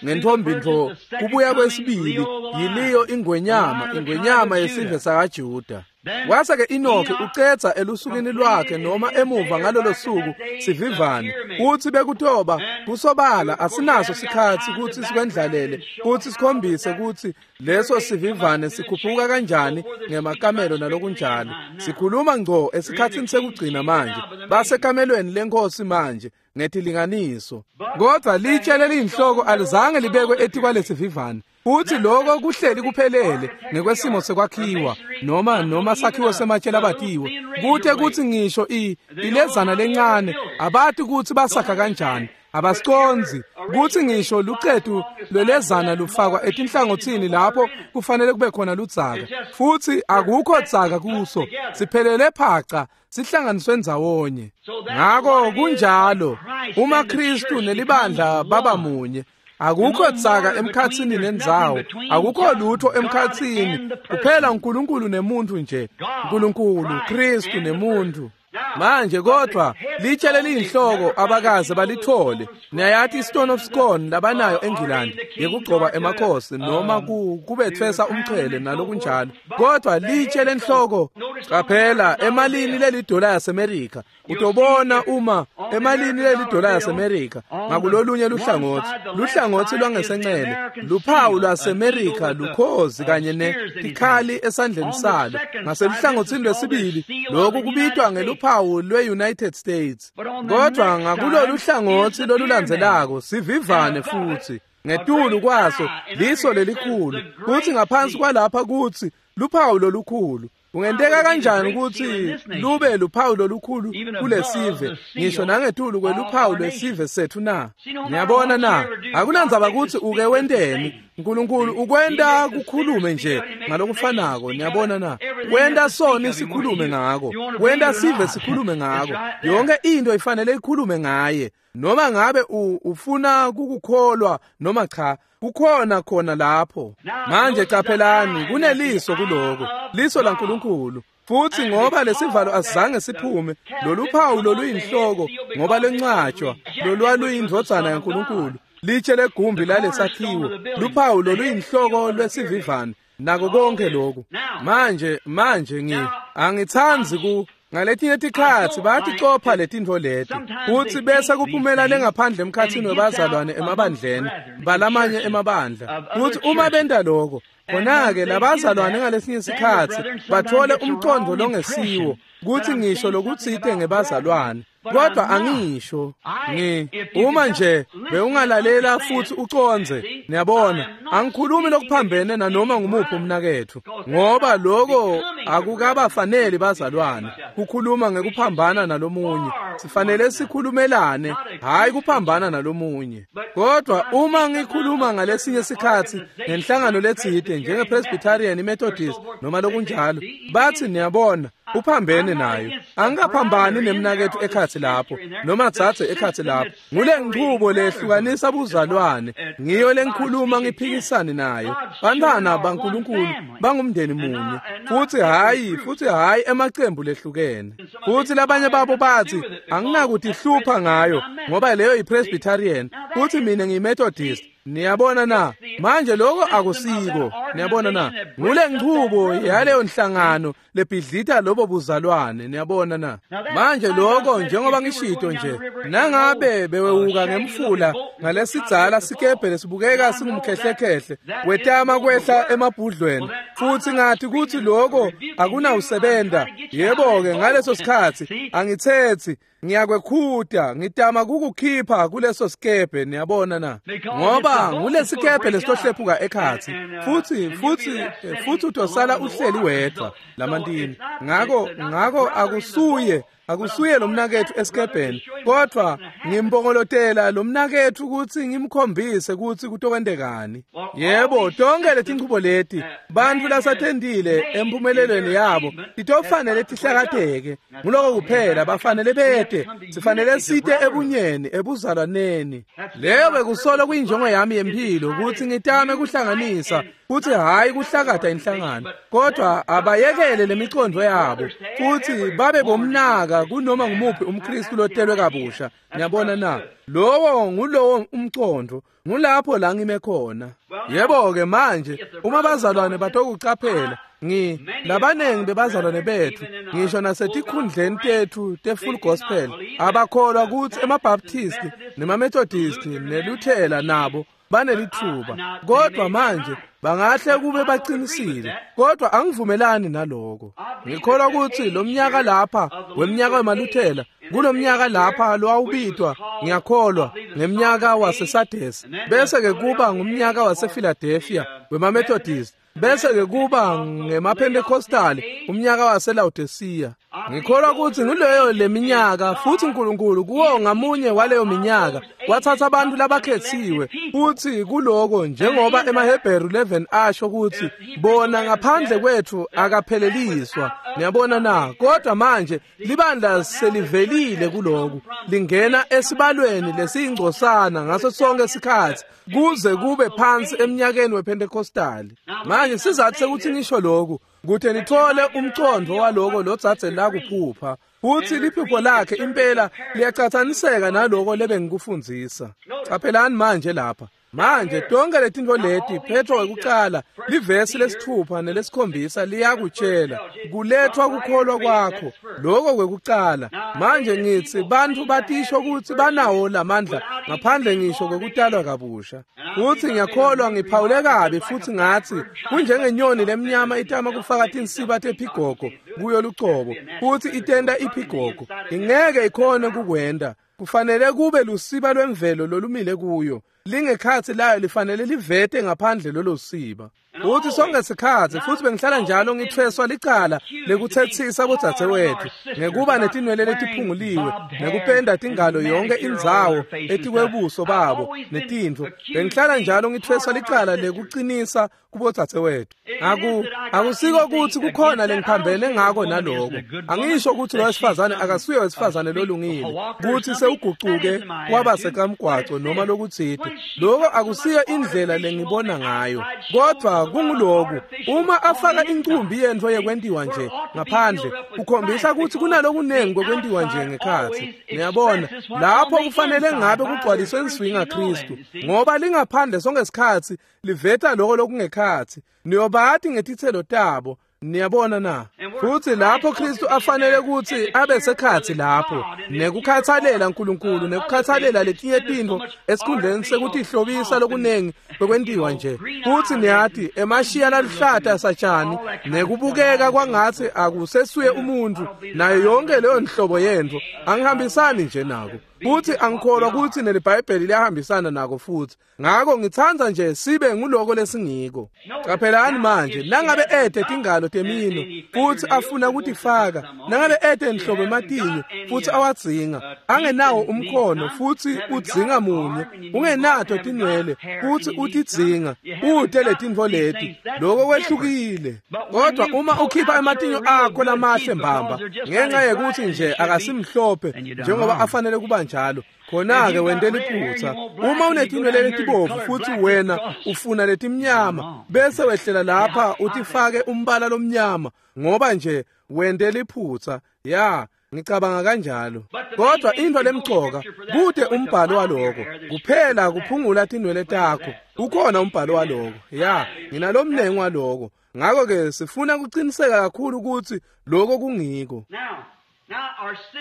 Speaker 1: ngentfombi ntfo, kubuya kwesibili yiliyo ingwenyama, ingwenyama yesive sakaJuda. Wase-ke Enoki ucedza elusukwini lwakhe noma emuva ngalolo suku sivivane kutsi bekutoba kusobala asinaso sikhatsi kutsi sikwendlalele kutsi sikhombise kutsi leso sivivane sikhuphuka kanjani ngemakamelo nalokunjalo. Sikhuluma ngco esikhatsini sekugcina manje, basekamelweni lenkosi manje ngetilinganiso. Kodwa litshe leliyinhloko alizange libekwe etikwalesivivane. Futhi lokho kuhleli kuphelele ngekwesimo sekwakhiwa noma noma sakhiwo sematshe labatiwe kute kuthi ngisho i ilezana lencane abati kutsi basakha kanjani, abasiconzi kutsi ngisho lucetu lwelezana lufakwa etinhlangothini lapho kufanele kube khona ludzaka, futhi akukho dzaka kuso, siphelele phaca sihlanganiswe ndzawonye. Ngako kunjalo uma Kristu nelibandla baba munye, akukho dzaka emkhatsini nendzawo, akukho lutho emkhatsini, kuphela uNkulunkulu nemuntu nje, uNkulunkulu Kristu nemuntu. Manje kodwa litshe leliyinhloko abakaze balithole. Niyayati i-Stone of Scone labanayo eNgilandi yekugcoba emakhosi noma kubethwesa umchele nalokunjalo. Kodwa litshe lenhloko, qaphela emalini lelidola yaseMerika, utobona uma emalini lelidola yaseMerika ngakulolunye luhlangotsi, luhlangotsi lwangesencele, luphawu lwaseMerika lukhozi kanye netikhali esandleni salo. Ngaseluhlangotsini lwesibili lokhu kubitwa ngeluphawu lwe-United States. Kodwa ngakulolu hlangotsi lolulandzelako sivivane futhi ngetulu kwaso liso lelikhulu, kuthi ngaphansi kwalapha kuthi luphawu lolukhulu. Kungenteka kanjani ukuthi lube luphawu lolukhulu kulesive ngisho nangetulu kweluphawu lwesive sethu na? Niyabona na? Akunandzaba kutsi uke wenteni, uNkulunkulu ukwenta kukhulume nje ngalokufanako. Niyabona na? Wenta soni sikhulume ngako, wenta sive sikhulume ngako, yonke into ifanele ikhulume ngaye, noma ngabe ufuna kukukholwa noma cha, kukhona khona lapho. Manje qaphelani, kuneliso kuloko, liso laNkulunkulu. Futhi ngoba lesivalo asizange siphume, loluphawu loluyinhloko ngoba lencwatshwa lolwaluyindvodzana yaNkulunkulu, litshe legumbi lalesakhiwo, luphawu loluyinhloko lwesivivane nako konke lokhu. Manje manje ngi angithandi ku ngaletinye tikhatsi bayaticopha letintfo leti kutsi bese kuphumela lengaphandle emkhatsini webazalwane emabandleni balamanye emabandla, kutsi uma benta lokho khona-ke labazalwane ngalesinye sikhatsi bathole umqondo longesiwo kutsi ngisho lokutsite ngebazalwane. Kodwa angisho ngi uma nje bewungalalela futhi ucondze, niyabona, angikhulumi lokuphambene nanoma ngumuphi umnaketfu, ngoba lokho akukabafaneli bazalwane kukhuluma ngekuphambana nalomunye. Sifanele sikhulumelane, hayi kuphambana nalomunye. Kodwa uma ngikhuluma ngalesinye sikhatsi ngenhlangano letsite njenge-Presbyterian, iMethodist noma lokunjalo, bathi niyabona uphambene nayo. Angikaphambani nemnaketfu ekhatsi lapho noma dzadze ekhatsi lapho. Ngule nchubo lehlukanisa buzalwane, ngiyo lengikhuluma ngiphikisane nayo. Bantwana baNkulunkulu bangumndeni munye, futhi hayi futhi hayi emacembu lehlukene. Futhi labanye babo bathi anginakudihlupha ngayo ngoba leyo yiPresbyterian futhi mina ngiyiMethodist. Niyabona na? Manje lokho akusiko. Niyabona na? Ngule nchubo yaleyo nhlangano lebhidlita lobo buzalwane. Niyabona na? Manje lokho njengoba ngishito nje, nangabe bewewuka ngemfula ngalesidzala sikebhe lesibukeka singumkhehlekhehle wetama kwehla emabhudlweni, futhi ngathi kuthi lokho akunawusebenta, yebo-ke ngaleso sikhatsi angithethi ngiyakwekhuta, ngitama kukukhipha kuleso sikebhe. Niyabona na? Ngoba ngulesikebhe lesitohlephuka ekhatsi, futhi futhi futhi utosala uhleli wedwa lamantini. Ngako ngako akusuye akusuye lo mnaketfu esikebheni, kodwa ngimpongolotela lo mnaketfu ukuthi ngimkhombise ukuthi kutokwentekani. Yebo, tonke letinchubo leti bantfu lasatendile empumelelweni yabo titofanele tihlakateke. Nguloko kuphela bafanele bete, sifanele site ebunyeni ebuzalwaneni. Leyo bekusolo kuyinjongo yami yempilo, ukuthi ngitame kuhlanganisa futhi hayi kuhlakata inhlangano, kodwa abayekele lemicondo yabo futhi babe bomnaka kunoma ngumuphi umKristu lotelwe kabusha. Niyabona na? Lowo ngulowo umcondo, ngulapho la ngime khona. Yebo-ke manje uma bazalwane batokucaphela, Ngi labanengi bebazalwane bethu ngisho nasetikhundleni tethu te-Full Gospel abakholwa kutsi emaBaptist nemaMethodist neLuthela nabo banelithuba, kodwa manje bangahle kube baqinisile, kodwa angivumelani naloko. Ngikholwa kutsi lo mnyaka lapha wemnyaka wemaLuthela, kulomnyaka lapha lowawubitwa ngiyakholwa ngemnyaka waseSardesi, bese ke kuba ngumnyaka wasePhiladelphia wemaMethodist, bese ke kuba ngemaPentecostal umnyaka waseLaodicea. Ngikholwa kutsi nguleyo leminyaka, futsi uNkulunkulu kuwo ngamunye waleyo minyaka wathatha abantu labakhethiwe, futhi kuloko njengoba emaHebheru eleven asho kutsi bona ngaphandle kwethu akapheleliswa. Niyabona na? Kodwa manje libandla selivelile kuloku, lingena esibalweni lesiyingcosana ngaso sonke isikhathi kuze kube phansi eminyakeni wePentecostal. Manje sizathu sekuthi ngisho lokhu kuthe nithole umcondo waloko lodzadze lakuphupha, futhi liphupho lakhe impela liyacathaniseka naloko lebengikufundzisa. Caphelani manje lapha. Manje tonke letintfo leti Petro wekucala livesi lesithupha nelesikhombisa liyakutshela kulethwa kukholwa kwakho, lokho kwekucala. Manje ngitsi bantfu batisho kutsi banawo lamandla ngaphandle ngisho kwekutalwa kabusha. Futsi ngiyakholwa ngiphawule kabi futhi ngatsi kunjengenyoni lemnyama itama kufaka tinsiba tephigogo kuyo lucobo, futsi itenta iphigogo, ingeke ikhone kukwenta. Kufanele kube lusiba lwemvelo lolumile kuyo, lingekhatsi layo lifanele livete ngaphandle lolo siba. Futhi sonke sikhatsi futhi bengihlala njalo ngithweswa licala lekuthethisa bodzadzewethu ngekuba netinwele letiphunguliwe nekupenda tingalo yonke indzawo etikwebuso babo netintfo. Bengihlala njalo ngithweswa licala lekuqinisa kubodzadzewethu. Aku akusiko kutsi kukhona lengiphambene ngako naloko. Angisho kutsi lo wesifazane akasuye wesifazane lolungile, kutsi sewugucuke kwaba sekamgwaco noma lokutsite. Lokho akusiyo indlela lengibona ngayo, kodwa kunguloku uma afaka incumbi yentfo yekwentiwa nje ngaphandle kukhombisa kutsi kunalokunengi kokwentiwa nje ngekhatsi. Niyabona lapho kufanele ngabe kugcwaliswe inswinga Kristu, ngoba lingaphandle sonke isikhatsi liveta lokho lokungekhatsi. Niyobati ngetitselo tabo. Niyabona na? Futhi lapho Kristu afanele kutsi abe sekhatsi lapho nekukhathalela uNkulunkulu nekukhathalela letinye tintfo esikhundleni sekutihlobisa lokunengi bekwentiwa nje. Futhi niyati emashiya laluhlata satshani nekubukeka kwangatsi akusesuye umuntu nayo yonke leyo nhlobo yentfo, angihambisani nje nako. Futhi angikholwa kutsi neliBhayibheli liyahambisana nako futhi. Ngako ngitsandza nje sibe nguloko lesingiko. Caphelani manje, nangabe ete tingalo temino futhi afuna kutifaka, nangabe ete nhlobo ematinyo futhi awadzinga, angenawo umkhono futhi udzinga munye, ungenato tinwele futhi utidzinga, ute letintfo leti, lokho kwehlukile. Kodwa uma ukhipha ematinyo akho lamahle mbamba ngenxa yekuthi nje akasimhlophe njengoba afanele kuba njalo, khona-ke wente liphutsa. Uma unetinwele letibovu futhi wena ufuna letimnyama, bese wehlela lapha utifake umbala lomnyama ngoba nje wente liphutsa. Ya, ngicabanga kanjalo. Kodwa into lemcoka kude umbhalo waloko kuphela kuphungula tinwele takho. Ukhona umbhalo waloko. Ya, nginalomnengi waloko. Ngakho-ke sifuna kuqiniseka kakhulu ukuthi lokho kungiko.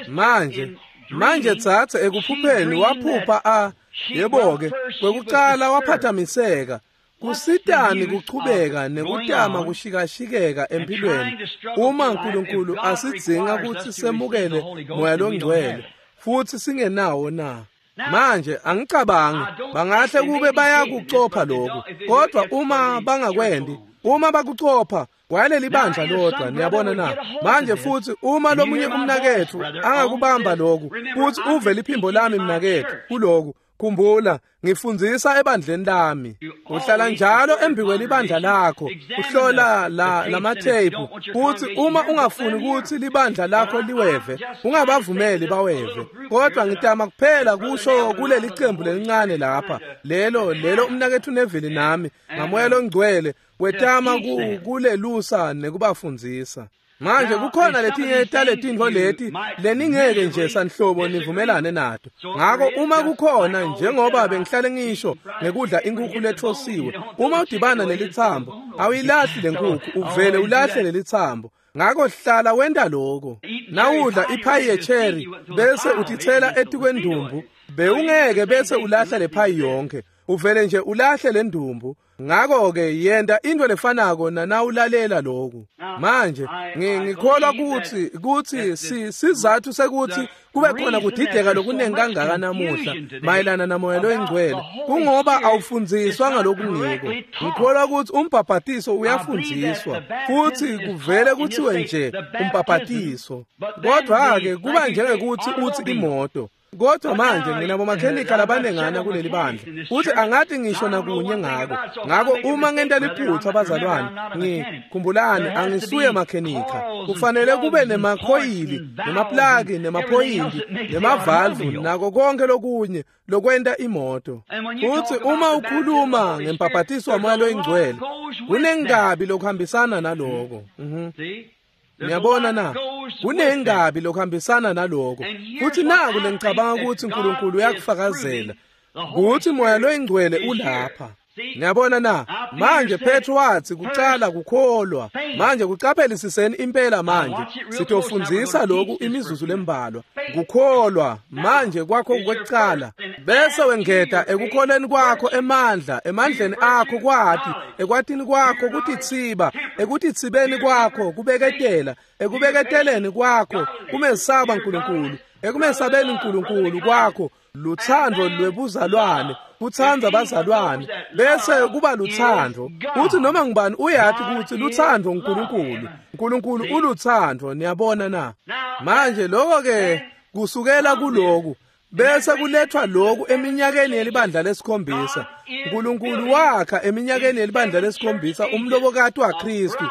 Speaker 1: Manje manje tsatse ekuphupheni waphupha a yebo-ke kwekucala waphathamiseka. Kusitani kuchubeka nekutama kushikashikeka empilweni uma uNkulunkulu asidzinga kutsi semukele moya longcwele futhi singenawo na? Manje angicabangi bangahle kube bayakucopha lokhu, kodwa uma bangakwendi, uma bakucopha kwaleli bandla lodwa. Niyabona na? Manje futhi uma lomunye umnakethu angakubamba lokhu futhi uve liphimbo lami mnakethu kuloku, khumbula ngifundzisa ebandleni lami. Uhlala njalo embikweli ibandla lakho, uhlola la lamatheyiphu, futhi uma ungafuni ukuthi libandla lakho liweve, ungabavumeli baweve. Kodwa ngitama kuphela kusho kuleli cembu lelincane lapha, lelo lelo umnakethu Neville nami ngamoya longcwele wetama kulelusa nekubafundzisa. Manje kukhona letinye taletintfo leti leningeke nje sanhlobo nivumelane nato. Ngako uma kukhona, njengoba bengihlale ngisho ngekudla inkukhu lethosiwe, uma udibana nelitsambo awuyilahli lenkukhu, uvele ulahle lelitsambo. Ngako hlala wenta lokho. Nawudla iphayi yecherry bese utitsela etikwendumbu, bewungeke bese ulahla lephayi yonke, uvele nje ulahle lendumbu. Ngako-ke yenta into lefanako nanawulalela lokhu. Manje ngikholwa kutsi kutsi sizathu sekuthi kube khona kudideka lokunengi kangaka namuhla mayelana namoya loyingcwele kungoba awufundziswa ngalokungiko. Ngikholwa kutsi umbhabhatiso uyafundziswa futhi kuvele kuthiwe nje umbhabhatiso, kodwa-ke kuba njengekuthi uthi imoto. Kodwa manje nginabo makhenika labanengana kuleli bandla futhi angathi ngisho nakunye ngako. Ngako uma ngenta liphutha bazalwane, ngikhumbulani angisuye makhenika. Kufanele kube nemakhoyili, nemaplagi, nemaphoyinti, nemavalvu nako konke lokunye lokwenta imoto. Futhi uma ukhuluma ngembhabhatiso wamoya loyingcwele, kunengabi lokuhambisana naloko. Mhm. Niyabona na? Kunengabi lokuhambisana naloko. Futhi naku lengicabanga ukuthi uNkulunkulu uyakufakazela ukuthi moya loyingcwele ulapha. Niyabona na? Manje Petro wathi kucala kukholwa. Manje kucaphelisiseni impela manje. Sitofundzisa lokhu imizuzu lembalwa. Kukholwa manje kwakho kwekucala, bese wengeta ekukholeni kwakho emandla, emandleni akho kwati, ekwatini kwakho kutitsiba, ekutitsibeni kwakho kubeketela, ekubeketeleni kwakho kumesaba uNkulunkulu, ekumesabeni uNkulunkulu kwakho luthando lwebuzalwane, kutsandza bazalwane, bese kuba luthando. Uthi noma ngubani uyathi ukuthi luthando uNkulunkulu, uNkulunkulu uluthando. Niyabona na? Manje lokho ke kusukela kuloku bese kulethwa lokhu eminyakeni yelibandla lesikhombisa. uNkulunkulu wakha eminyakeni yelibandla lesikhombisa umlobokati waKristu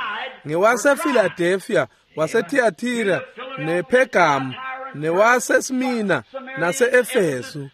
Speaker 1: ngewasePhiladelphia, waseThiatira, nePergam, newaseSmina nase-Efesu.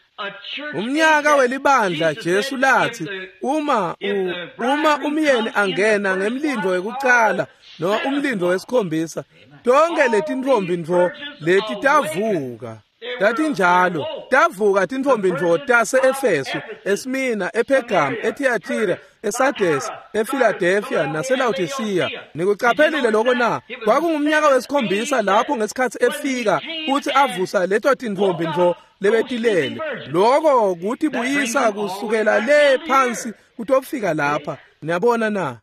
Speaker 1: Umnyaka welibandla Jesu lathi uma u, uma umyeni angena ngemlindo wekucala noma umlindo wesikhombisa, tonke letintfombi ntfo leti tavuka. Tatinjalo tavuka tintfombi ntfo tase-Efesu, eSmina, ePergam, eThiatira, eSardes, ePhiladelphia naseLaodicea. Nikucaphelile lokho na? Kwakungumnyaka wesikhombisa lapho ngesikhathi efika futhi avusa leto tintfombi ntfo lebetilele. Lokho kutibuyisa kusukela le phansi kutofika lapha. Niyabona na?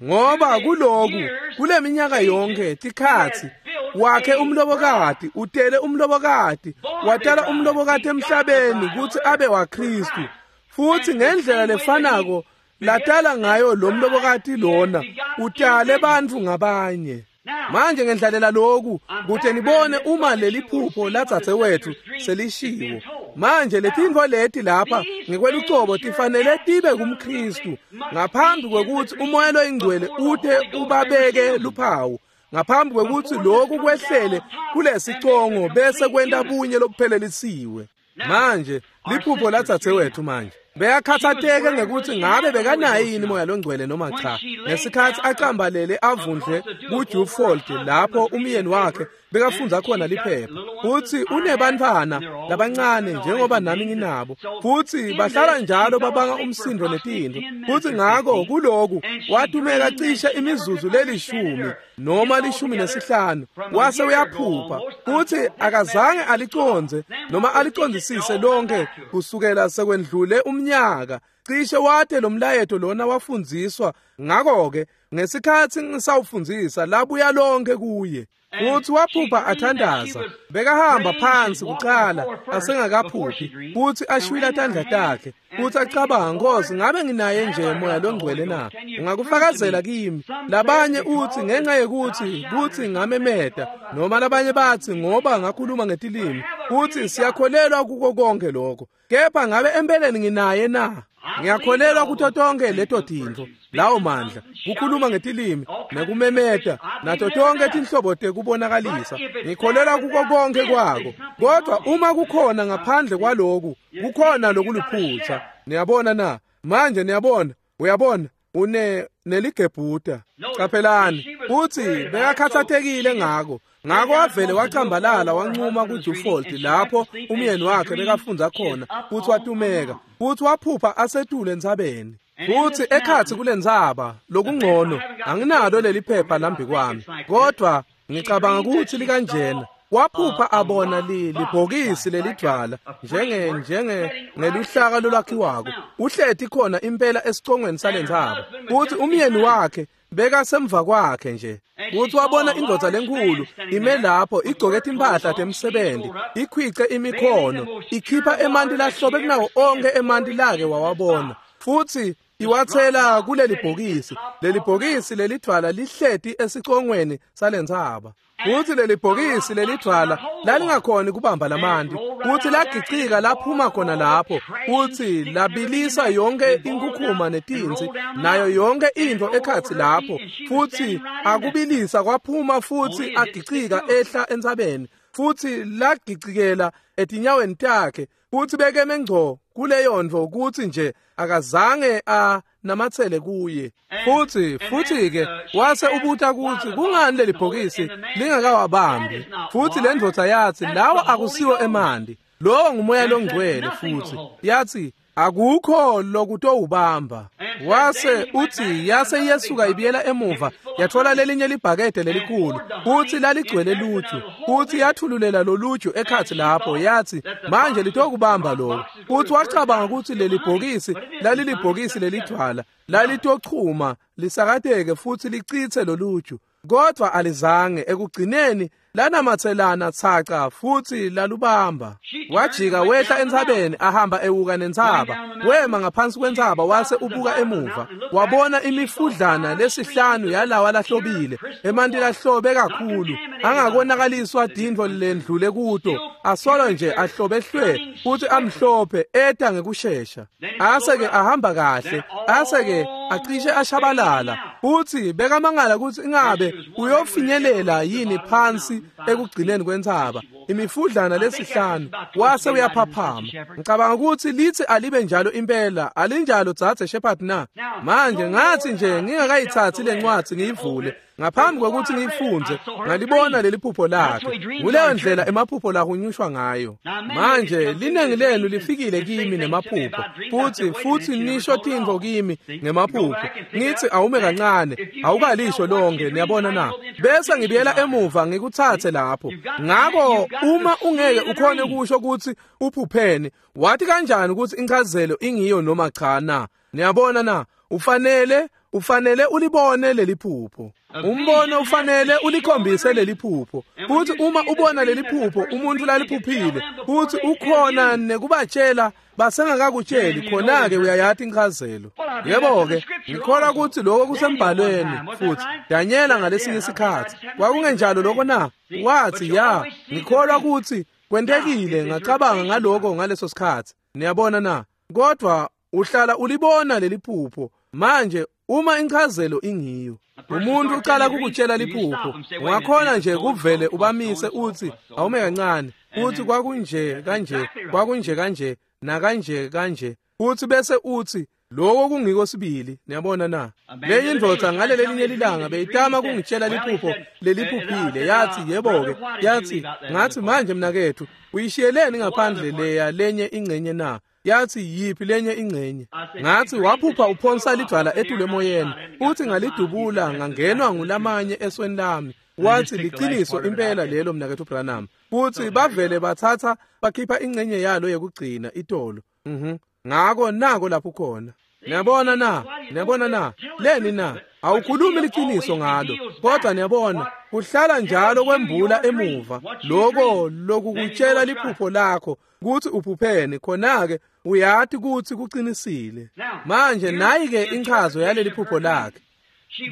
Speaker 1: Ngoba kuloku kuleminyaka yonke tikhatsi wakhe umlobokati, utele umlobokati, watala umlobokati emhlabeni kutsi abe waKristu. Futhi ngendlela lefanako latala ngayo lo mlobokati lona utale bantfu ngabanye. Manje ngendlalela lokhu kute nibone uma leli phupho ladzadzewethu selishiwo. Manje letintfo leti lapha ngekwelucobo tifanele tibe kumKristu ngaphambi kwekutsi umoya loyingcwele ute ubabeke luphawu, ngaphambi kwekutsi lokhu kwehlele kulesicongo bese kwenta bunye lobuphelelisiwe. Manje liphupho ladzadzewethu manje beyakhathateke ngekuthi ngabe bekanaye yini moya longcwele noma cha. Ngesikhathi acambalele avundle kuJufold lapho umyeni wakhe bekafundza khona liphepha, futhi unebantfwana labancane njengoba nami nginabo, futhi bahlala njalo babanga umsindo netintfo. Futhi ngako kuloku watumeka cishe imizuzu lelishumi noma lishumi nesihlanu wase uyaphupha, futhi akazange alicondze noma alicondzisise lonke kusukela sekwendlule umnyaka. Cishe wate lo mlayeto lona wafundziswa. Ngako-ke ngesikhathi ngisawufundzisa labuya lonke kuye. Futhi waphupha athandaza, bekahamba phansi kucala asengakaphuphi, futhi ashwila tandla takhe, futhi acabanga, Nkosi, ngabe nginaye nje moya longcwele na? Ungakufakazela kimi. Labanye uthi ngenxa yekuthi kuthi ngamemeta, noma labanye bathi ngoba ngakhuluma ngetilimi. Futhi siyakholelwa kuko konke lokho, kepha ngabe empeleni nginaye na? Ngiyakholelwa kuto tonke leto tintfo, lawo mandla, kukhuluma ngetilimi nekumemeta nato tonke tinhlobo tekubonakalisa. Ngikholelwa kuko konke kwako, kodwa uma kukhona ngaphandle kwaloku, kukhona lokuliphutha. Niyabona na? Manje niyabona, uyabona, une neligebhuta. Caphelani, Futsi bekakhatsatekile ngako. Ngako wavele wacambalala wancuma kuDufold lapho umyeni wakhe bekafundza khona futsi watumeka futsi waphupha asetule entsabeni. Futsi ekhatsi kulentsaba lokungcono anginalo leli phepha lambi kwami, kodwa ngicabanga kutsi likanjena. Waphupha abona li libhokisi lelidvwala njenge njenge ngeluhlaka lolwakhiwako uhleti khona impela esicongweni salentsaba, futsi umyeni wakhe bekasemva kwakhe nje. Futsi wabona indvodza lenkulu ime lapho igcoke timphahla temsebenzi, ikhwice imikhono, ikhipha emanti lahlobe kunawo onke emanti lake wawabona, futsi iwathela kuleli bhokisi. Leli bhokisi lelidvwala lihleti esicongweni salentsaba, futsi leli bhokisi lelidvwala lalingakhoni kubamba lamanti, futsi lagicika laphuma khona lapho, futsi labilisa yonke inkukhuma netinsi nayo yonke intfo ekhatsi lapho, futsi akubilisa kwaphuma futsi agicika ehla entsabeni, futsi lagicikela etinyaweni takhe, futsi bekeme ngco kuleyo ntfo kutsi nje akazange a namatsele kuye. Futsi futsi ke wase ubuta kutsi kungani leli bhokisi lingakawabambi, futsi le ndvodza yatsi lawa akusiwo emanti, lowo ngumoya longcwele. Futsi yatsi akukho lokutowubamba. Wase utsi yase iyesuka ibiyela emuva yathola lelinye libhakede lelikhulu, futsi laligcwele luju, futsi yathululela loluju ekhatsi lapho, yatsi manje litokubamba lokho. Futsi wacabanga kutsi leli bhokisi lalilibhokisi lelidvwala lalitochuma lisakateke futsi licitse loluju, kodwa alizange. Ekugcineni lanamatselana tsaca futsi lalubamba. Wajika wehla entsabeni ahamba ewuka nentsaba, wema ngaphansi kwentsaba wase ubuka emuva, wabona imifudlana lesihlanu yalawa lahlobile, emanti lahlobe kakhulu angakonakaliswa tintfo lendlule kuto, asolo nje ahlobe hlwe futsi amhlophe eta ngekushesha. Ase-ke ahamba kahle, ase-ke acishe ashabalala, futsi bekamangala kutsi ingabe uyofinyelela yini phansi ekugcineni kwentsaba imifudlana lesihlanu. Wase uyaphaphama. Ngicabanga kutsi litsi alibe njalo impela, alinjalo dzadze Shepherd na? Manje ngathi nje ngingakayithathi lencwadi ngiyivule ngaphambi kwekutsi ngiyifundze, ngalibona leli phupho lakhe. Nguleyo ndlela emaphupho lahunyushwa ngayo. Manje linengi lenu lifikile kimi nemaphupho, futsi futsi nisho tintfo kimi ngemaphupho, ngithi awume kancane, awukalisho lonke, niyabona na? Bese ngibuyela emuva ngikutsatse lapho. Ngako uma ungeke ukhone kusho kutsi uphupheni, wathi kanjani kutsi inchazelo ingiyo noma cha na? Niyabona na? Ufanele ufanele ulibone leli phupho. Umbono ufanele ulikhombise leli phupho. Futhi uma ubona leli phupho umuntu laliphuphile, futhi ukhona nekubatshela basengakakutsheli, khona-ke uyayati inchazelo. Yebo-ke, ngikholwa kutsi lokho kusembhalweni. Futhi Danyela ngalesinye isikhatsi kwakungenjalo lokho na? Wathi ya, ngikholwa kutsi kwentekile, ngacabanga ngaloko ngaleso sikhatsi. Niyabona na? Kodwa uhlala ulibona leli phupho. Manje uma inchazelo ingiyo, umuntu uqala kukutshela liphupho, ungakhona nje kuvele ubamise uthi awume kancane, uthi kwakunje kanje, kwakunje kanje, nakanje kanje, uthi bese uthi lokho kungiko sibili. Niyabona na? Lenye indvodza ngaleli linye lilanga beyitama kungitshela liphupho leliphuphile, yathi yebo-ke, yathi ngathi manje mnakethu uyishiyeleni ngaphandle leya lenye ingcenye na? Yathi yiphi lenye ingcenye? Ngathi waphupha uphonsa lidvwala etulu emoyeni, futhi ngalidubula ngangenwa ngulamanye esweni lami. Wathi liciniso impela lelo mnakethu Branham. Futhi bavele bathatha bakhipha ingcenye yalo yekugcina itolo. Mhm. Ngako nako lapho khona. Niyabona na? Niyabona na? Leni na? Awukhulumi liciniso ngalo, kodwa niyabona kuhlala njalo kwembula emuva lokho lokukutshela liphupho lakho kutsi uphupheni, khona-ke uyati kutsi kucinisile. Manje nayi-ke inchazo yaleli phupho lakhe.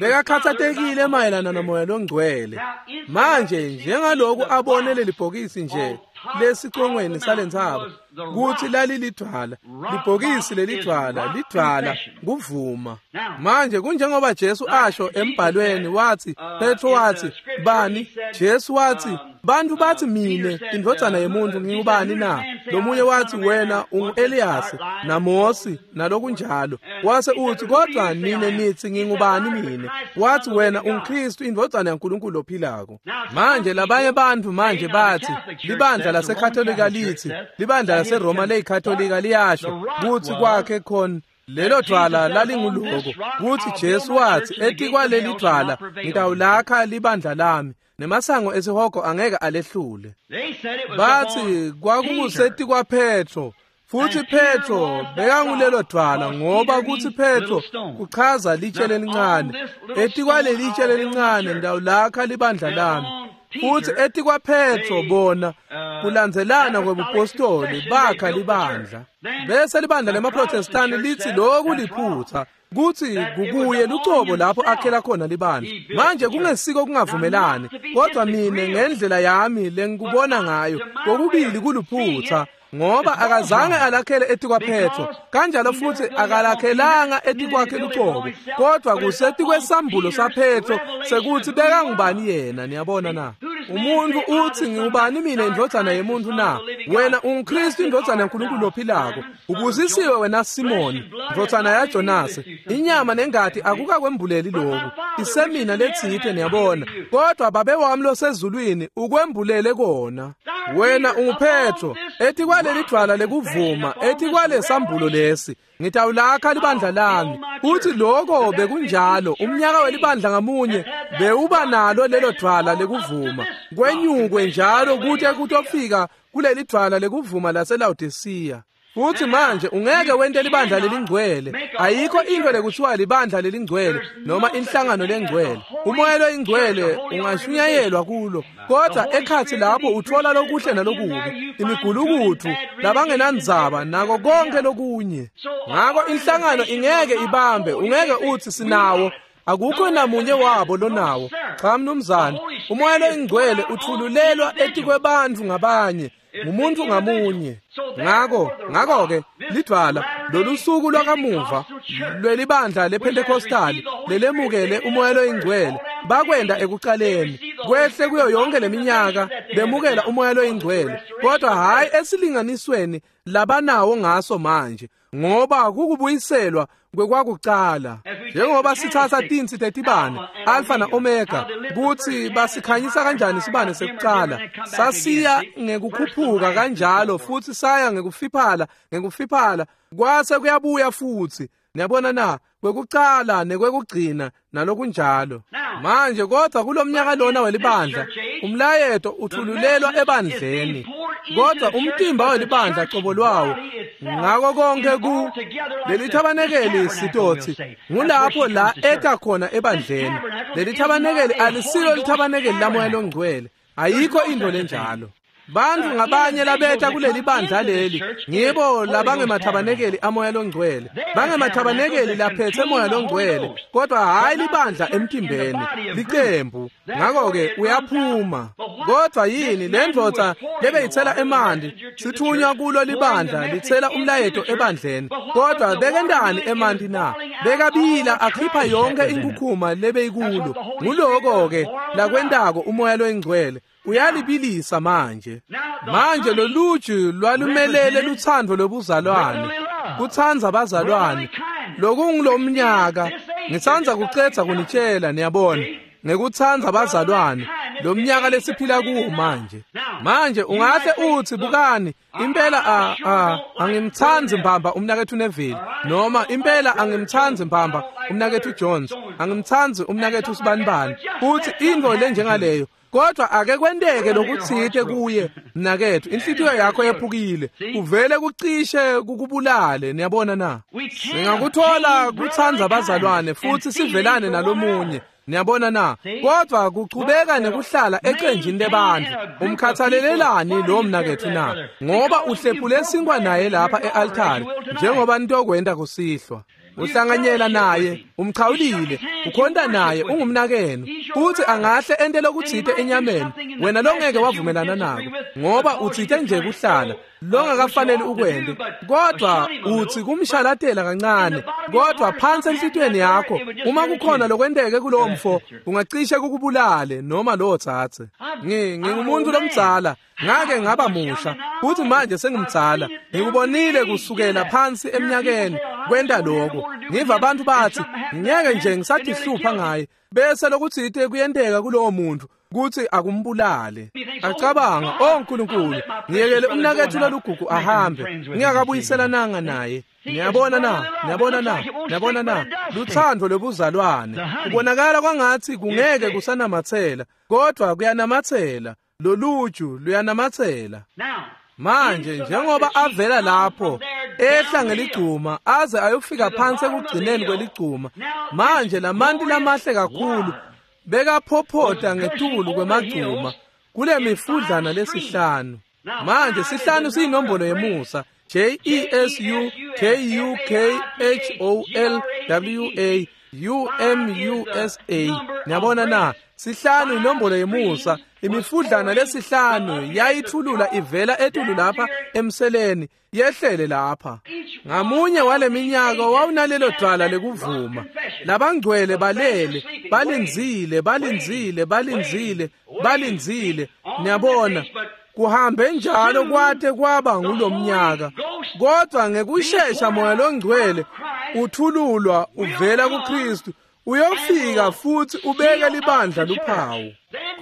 Speaker 1: Bekakhathatekile mayelana nomoya longcwele. Manje njengaloku abone leli bhokisi nje lesicongweni salentsaba kutsi lalilidvwala, libhokisi lelidvwala, lidvwala kuvuma. Manje kunjengoba Jesu asho embhalweni, wathi Petro wathi bani? Jesu wathi bantu bathi mine indvodzana yemuntu ngingubani na? Lomunye wathi wena ungu-Eliyasi naMosi nalokunjalo. Wase uthi kodwa nine nithi ngingubani mine? Wathi wena unguKristu indvodzana yaNkulunkulu ophilako. Manje labanye bantu manje bathi libandla laseKatolika lithi libandla laseRoma leyiKatolika liyasho kutsi kwakhe khona lelo dvwala lalinguloko kutsi Jesu wathi etikwaleli dvwala ngitawulakha libandla lami nemasango esihogo angeke alehlule. Bathi kwakungusetikwa Petro futhi Petro bekangulelo dvwala ngoba kutsi Petro kuchaza litshe lelincane. Etikwaleli litshe lelincane ngitawulakha libandla lami. Futhi etikwa Petro bona kulandzelana kwebupostoli bakha libandla. Bese libandla lemaProtestani lithi lokhu liphutha kuthi kukuye lucobo lapho akhela khona libandla. Manje kungesiko kungavumelani, kodwa mine ngendlela yami lengikubona ngayo kokubili kuluphutha ngoba akazange alakhele etikwa Petro, kanjalo futhi akalakhelanga etikwakhe lucobo, kodwa kusetikwesambulo saPetro sekuthi bekangubani yena. Niyabona na? Umuntu uthi ngubani mina indvodzana yemuntu na? Wena unguKristu indvodzana yaNkulunkulu ophilako. Ubusisiwe wena Simoni, ndvodzana yaJonase. Inyama nengati akukakwembuleli lokhu, isemina letsite, niyabona, kodwa babe wami losezulwini ukwembulele kona. Wena unguPetro, etikwaleli dvwala lekuvuma, etikwalesambulo lesi ngitawulakha libandla lami. Uthi lokho bekunjalo umnyaka welibandla ngamunye bewuba nalo lelo dvwala lekuvuma, kwenyukwe njalo kute kutofika kuleli dvwala lekuvuma laseLawodisiya. Futhi manje ungeke wente libandla lelingcwele. Ayikho into lekuthiwa libandla lelingcwele noma inhlangano lengcwele. Umoya loyingcwele ungashunyayelwa kulo, kodwa ekhathi lapho uthola lokuhle nalokubi, imigulukudu, labangenandzaba nako konke lokunye. Ngako inhlangano ingeke ibambe, ungeke uthi sinawo. Akukho namunye wabo lonawo. Cha mnumzane, umoya loyingcwele uthululelwa etikwebantfu ngabanye, ngumuntu ngamunye. Ngako ngako-ke lidvwala lolusuku lwakamuva lwelibandla lePentecostali lelemukele umoya loyingcwele bakwenda ekucaleni kwehle kuyo yonke leminyaka bemukela umoya loyingcwele, kodwa hhayi esilinganisweni labanawo ngaso manje, ngoba kukubuyiselwa kwekwakucala. Njengoba sithatha tinsi tetibane Alpha na Omega kutsi basikhanyisa kanjani sibane sekucala, sasiya ngekukhuphuka kanjalo futhi saya ngekufiphala ngekufiphala kwase kuyabuya futhi. Niyabona na? Kwekucala nekwekugcina nalokunjalo. Manje kodwa kulomnyaka lona welibandla umlayeto uthululelwa ebandleni, kodwa umtimba welibandla cobo lwawo ngako konke ku leli thabanekeli sitothi ngulapho la eta khona ebandleni. Leli thabanekeli alisilo lithabanekeli lamoya longcwele, ayikho into lenjalo. Bantu ngabanye labetha kuleli bandla leli ngibo labangemathabanekeli amoya longcwele, bangemathabanekeli laphethe moya longcwele, kodwa hayi libandla emtimbeni, licembu. Ngako-ke uyaphuma. Kodwa yini le ndvodza lebeyitsela emanti sithunywa kulo libandla litsela umlayeto ebandleni, kodwa bekentani emanti na? Bekabila akhipha yonke inkukhuma lebeyikulo. Nguloko-ke lakwentako umoya loyingcwele, uyalibilisa manje. Manje loluju lwalumelele lutsandvo lobuzalwane, kutsandza bazalwane lokungulomnyaka. Ngitsandza kucedza kunitshela, niyabona, ngekutsandza bazalwane lomnyaka lesiphila kuwo manje. Manje ungahle uthi bukani, impela a a angimtsandzi mbamba umnakethu Neville, noma impela angimtsandzi mbamba umnakethu Jones, angimtsandzi umnakethu Sibanibani, futhi intfo lenjengaleyo. Kodwa ake kwenteke lokutsite kuye mnakethu, inhlitiyo yakho yephukile, kuvele kucishe kukubulale. Niyabona na? Singakuthola kutsandza bazalwane futhi sivelane nalomunye. Niyabona na? Kodwa kuchubeka nekuhlala ecenjini lebantfu. Umkhathalelelani lo mnakethu na? Ngoba uhlephule sinkwa naye lapha e-altari njengoba nitokwenta kusihlwa. Uhlanganyela naye, umchawulile, ukhonta naye, ungumnakenu. Futhi angahle ente lokutsite enyameni wena longeke wavumelana nako, ngoba utsite nje kuhlala longakafanele ukwente, kodwa uthi kumshalatela kancane. Kodwa phansi enhlitiyweni yakho, uma kukhona lokwenteke kulowo mfo, ungacishe kukubulale noma lowo tsatse. Ngi ngingumuntu lomdzala, ngake ngaba musha, futhi manje sengimdzala. Ngikubonile kusukela phansi eminyakeni kwenta lokho. Ngiva abantu bathi ngeke nje ngisatihlupha ngaye, bese lokutsite kuyenteka kulowo muntu kuthi akumbulale. Acabanga, "Oh Nkulunkulu, ngiyekele umnakethu lolugugu ahambe, ngingakabuyiselananga naye." Niyabona na? Niyabona na? Niyabona na? Luthando lobuzalwane. Kubonakala kwangathi kungeke kusanamathela, kodwa kuyanamathela. Loluju luyanamathela. Manje njengoba avela lapho ehla ngeligcuma aze ayofika phansi ekugcineni kweligcuma, manje lamanti lamahle kakhulu bekaphophota ngetulu kwemagcuma kule mifudlana lesihlanu. Manje sihlanu siyinombolo yemusa, J E S U K U K H O L W A U M U S A. Niyabona na? Sihlanu inombolo yemusa. Imifudlana lesihlanu yayithulula ivela etulu lapha emseleni yehlele lapha. Ngamunye wale minyaka wawunalelo dwala lekuvuma. Labangcwele balele, balindzile, balindzile, balindzile, balindzile. Niyabona, kuhambe njalo kwate kwaba ngulomnyaka. Kodwa ngekushesha Moya loNgcwele uthululwa uvela kuKristu, uyofika futhi ubeke libandla luphawu.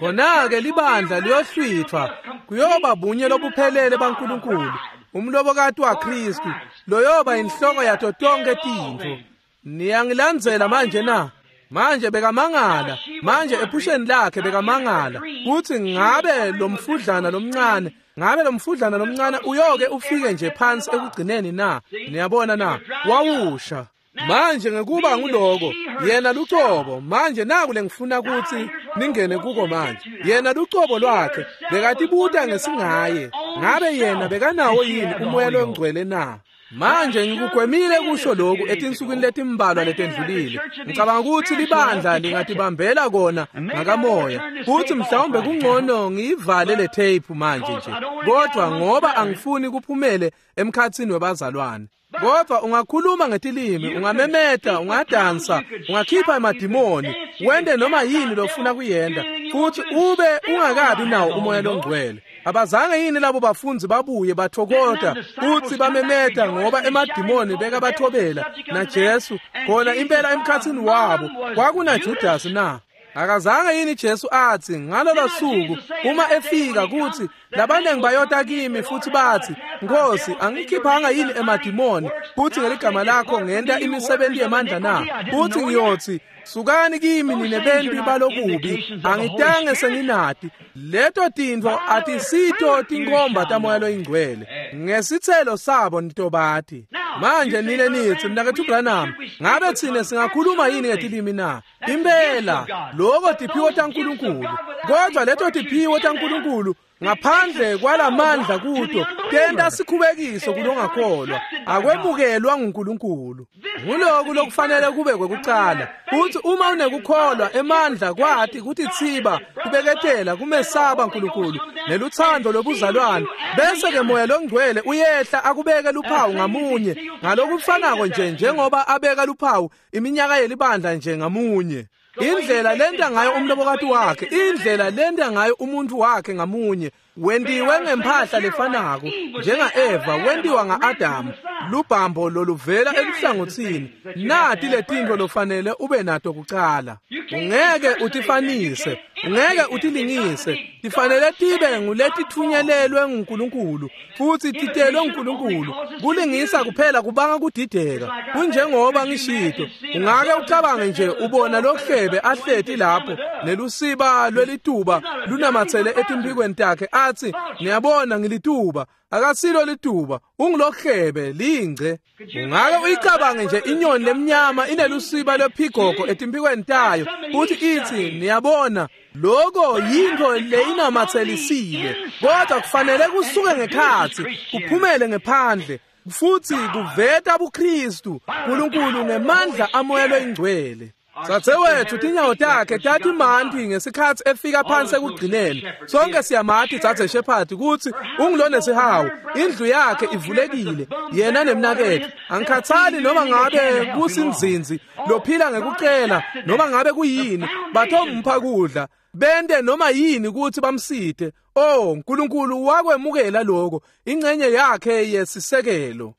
Speaker 1: Khona-ke libandla liyohlwithwa, kuyoba bunye lobuphelele baNkulunkulu, umlobokati waKristu, loyoba inhloko yato tonke tintfo. Niyangilandzela manje na? Manje bekamangala, manje ephusheni lakhe bekamangala kuthi ngabe lomfudlana lomncane, ngabe lomfudlana lomncane uyoke ufike nje phansi ekugcineni na? Niyabona na? Wawusha. Manje ngekuba nguloko, yena lucobo, manje naku lengifuna kuthi ningene kuko manje. Yena lucobo lwakhe bekatibuta ngesingaye, ngabe yena bekanawo yini uMoya loNgcwele na? Manje ngikugwemile kusho lokhu etinsukwini letimbalwa letendlulile. Ngicabanga ukuthi libandla lingatibambela kona ngakamoya, futhi mhlawumbe kungcono ngiyivale le tape manje nje, kodwa ngoba angifuni kuphumele emkhathini webazalwane. Kodwa ungakhuluma ngetilimi, ungamemeta, ungadansa, ungakhipha emadimoni, wende noma yini lofuna kuyenda, futhi ube ungakabi nawo uMoya loNgcwele. Abazange yini labo bafunzi babuye bathokota futhi bamemeta ngoba emadimoni bekabathobela na Jesu khona impela emkhathini wabo kwakunaJudas na? Akazange yini Jesu athi ngalolo suku uma efika kuthi labanengi bayota kimi futhi bathi, Nkosi, angikhiphanga yini emadimoni futhi ngeligama lakho ngenta imisebenzi yemandla na? Futhi ngiyothi, sukani kimi nine benti balokubi, angitange senginati. Leto tintfo atisito tinkhomba taMoya loyiNgcwele. Ngesitselo sabo nitobati. Manje nine nithi, mnaketfu Branham, ngabe tsine singakhuluma yini ngetilimi na? Impela loko tiphiwo taNkulunkulu. Kodwa leto tiphiwo taNkulunkulu ngaphandle kwalamandla kuto tenta sikhubekiso kulongakholwa, akwemukelwa nguNkulunkulu. Nguloku lokufanele kube kwekucala, futhi uma unekukholwa emandla kwati kutitsiba, kubeketela, kumesaba uNkulunkulu neluthando lobuzalwane, bese ke Moya loNgcwele uyehla akubeke luphawu ngamunye ngalokufanako nje njengoba abeka luphawu iminyaka yelibandla nje ngamunye. Indlela lenta ngayo umlobokati wakhe, indlela lenta ngayo umuntu wakhe ngamunye, wentiwe ngempahla lefanako njenga-Eva wentiwa nga-Adamu, lubhambo loluvela eluhlangotsini. Nati letintfo lofanele ube nato kucala. Ungeke utifanise, ungeke utilingise, tifanele tibe nguletitfunyelelwe nguNkulunkulu futhi titelwe nguNkulunkulu. Kulingisa kuphela kubanga kudideka. Kunjengoba ngishito, ungake ucabange nje ubona lohlebe ahleti lapho nelusiba lwelituba lunamathele etimphikweni takhe, athi, niyabona ngilituba. Akasilo lituba, ungulohlebe lingce. Ungake uyicabange nje inyoni lemnyama inelusiba lwephigogo etimphikweni tayo futhi ithi, niyabona loko yintfo leyinamathelisile. Kodwa kufanele kusuke ngekhatsi kuphumele ngephandle. Futsi kuveta buKristu uNkulunkulu ngemandla amoya loyingcwele. Dzadzewethu tinyawo takhe tatimanti ngesikhatsi efika phansi ekugcineni. Sonke siyamati Dzadze Shepherd kutsi ungulonesihawu, indlu yakhe ivulekile, yena nemnaketfu. Angikhathali noma ngabe kusinzinzi lophila ngekucela noma ngabe kuyini, batompha kudla, bente noma yini kutsi bamsite. Oh, uNkulunkulu wakwemukela lokho, ingcenye yakhe yesisekelo.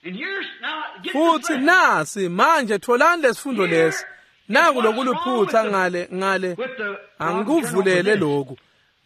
Speaker 1: Futsi nasi manje tholani lesifundo lesi. Naku lokuliphutha ngale ngale angikuvulele lokhu.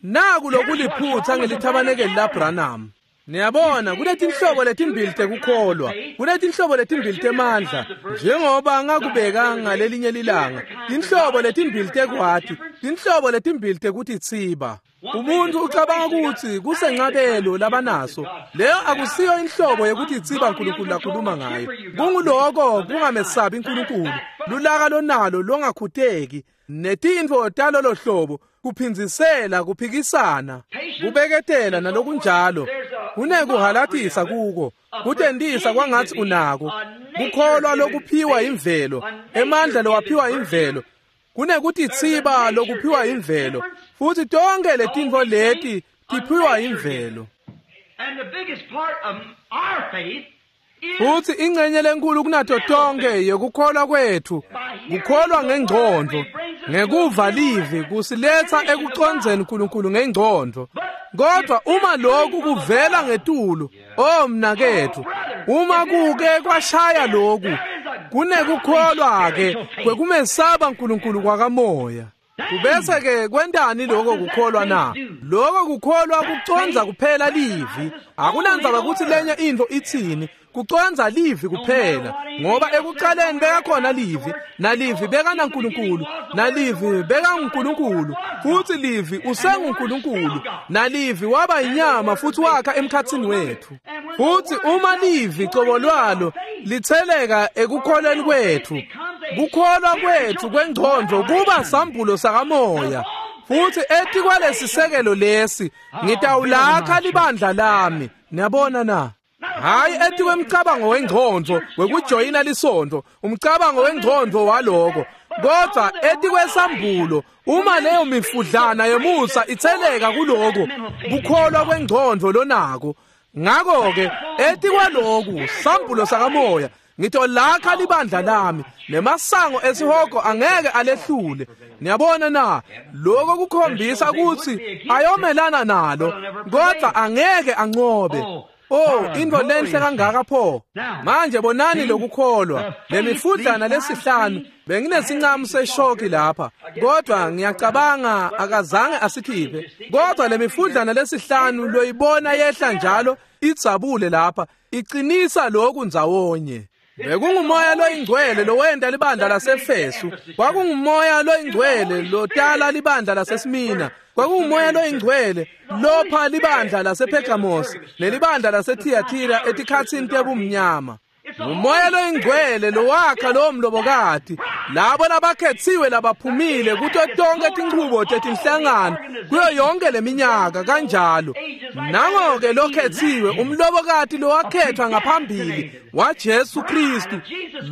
Speaker 1: Naku lokuliphutha ngelithabanekeli laBranham. Niyabona kunetinhlobo letimbili tekukholwa, kunetinhlobo letimbili temandla, njengoba ngakubeka ngalelinye lilanga, tinhlobo letimbili tekwati, tinhlobo letimbili tekutitsiba. Umuntu ucabanga ukuthi kusencabelo labanaso, leyo akusiyo inhlobo yekutitsiba uNkulunkulu lakhuluma ngayo. Kunguloko kungamesabi uNkulunkulu, lulaka lonalo longakhuteki, netintfo talolo hlobo, kuphindzisela, kuphikisana, kubeketela nalokunjalo. Kunekuhalatisa kuko, kutentisa kwangatsi unako, kukholwa lokuphiwa imvelo, emandla lowaphiwa imvelo, kunekutitsiba lokuphiwa imvelo, futhi tonke letintfo leti tiphiwa imvelo. Futhi ingcenye lenkulu kunato tonke yekukholwa kwethu, kukholwa ngengcondvo, ngekuva livi kusiletsa ekucondzeni uNkulunkulu ngengcondvo. Kodwa uma lokhu kuvela ngetulu, oh mnaketfu, uma kuke kwashaya lokhu, kunekukholwa ke kwekumesaba uNkulunkulu kwakamoya. Kubese ke kwentani lokho kukholwa na? Lokho kukholwa kucondza kuphela livi. Akunandzaba kutsi lenye intfo itsini, kucondza livi kuphela, ngoba ekucaleni bekakhona livi, nalivi bekanaNkulunkulu, nalivi bekanguNkulunkulu, futsi livi usenguNkulunkulu, nalivi waba inyama futhi wakha emkhatsini wethu. Futsi uma livi cobo lwalo litheleka ekukholweni kwethu, kukholwa kwethu kwengcondvo kuba sambulo sakamoya. Futhi etikwalesisekelo lesi ngitawulakha libandla lami. Niyabona na? Hayi etikwemcabango wengcondvo wekujoyina lisonto, umcabango wengcondvo waloko, kodwa etikwesambulo. Uma leyo mifudlana yemusa itheleka kuloko kukholwa kwengcondvo lonako, ngakho-ke etikwaloku sambulo sakamoya ngitolakha libandla lami, nemasango esihogo angeke alehlule. Niyabona na? Lokho kukhombisa kutsi ayomelana nalo, kodwa angeke anqobe. Oh, intfo lenhle kangaka pho. Manje bonani lokukholwa, lemifudlana lesihlanu. Benginesincamu seshoki lapha, kodwa ngiyacabanga akazange asikhiphe. Kodwa lemifudlana lesihlanu loyibona yehla njalo idzabule lapha, iqinisa lokhu ndzawonye. Bekungumoya loyingcwele lowenta libandla laseFesu, kwakungumoya loyingcwele lotala libandla laseSmina, kwakungumoya loyingcwele lopha libandla lasePhergamos nelibandla laseThiatira etikhatsini tebumnyama. Ngumoya loyingcwele lowakha lowo mlobokati, labo labakhetsiwe labaphumile kuto tonke tinchubo tetinhlangano kuyo yonke leminyaka kanjalo. Nango-ke lokhetsiwe, umlobokati lowakhethwa ngaphambili waJesu Kristu,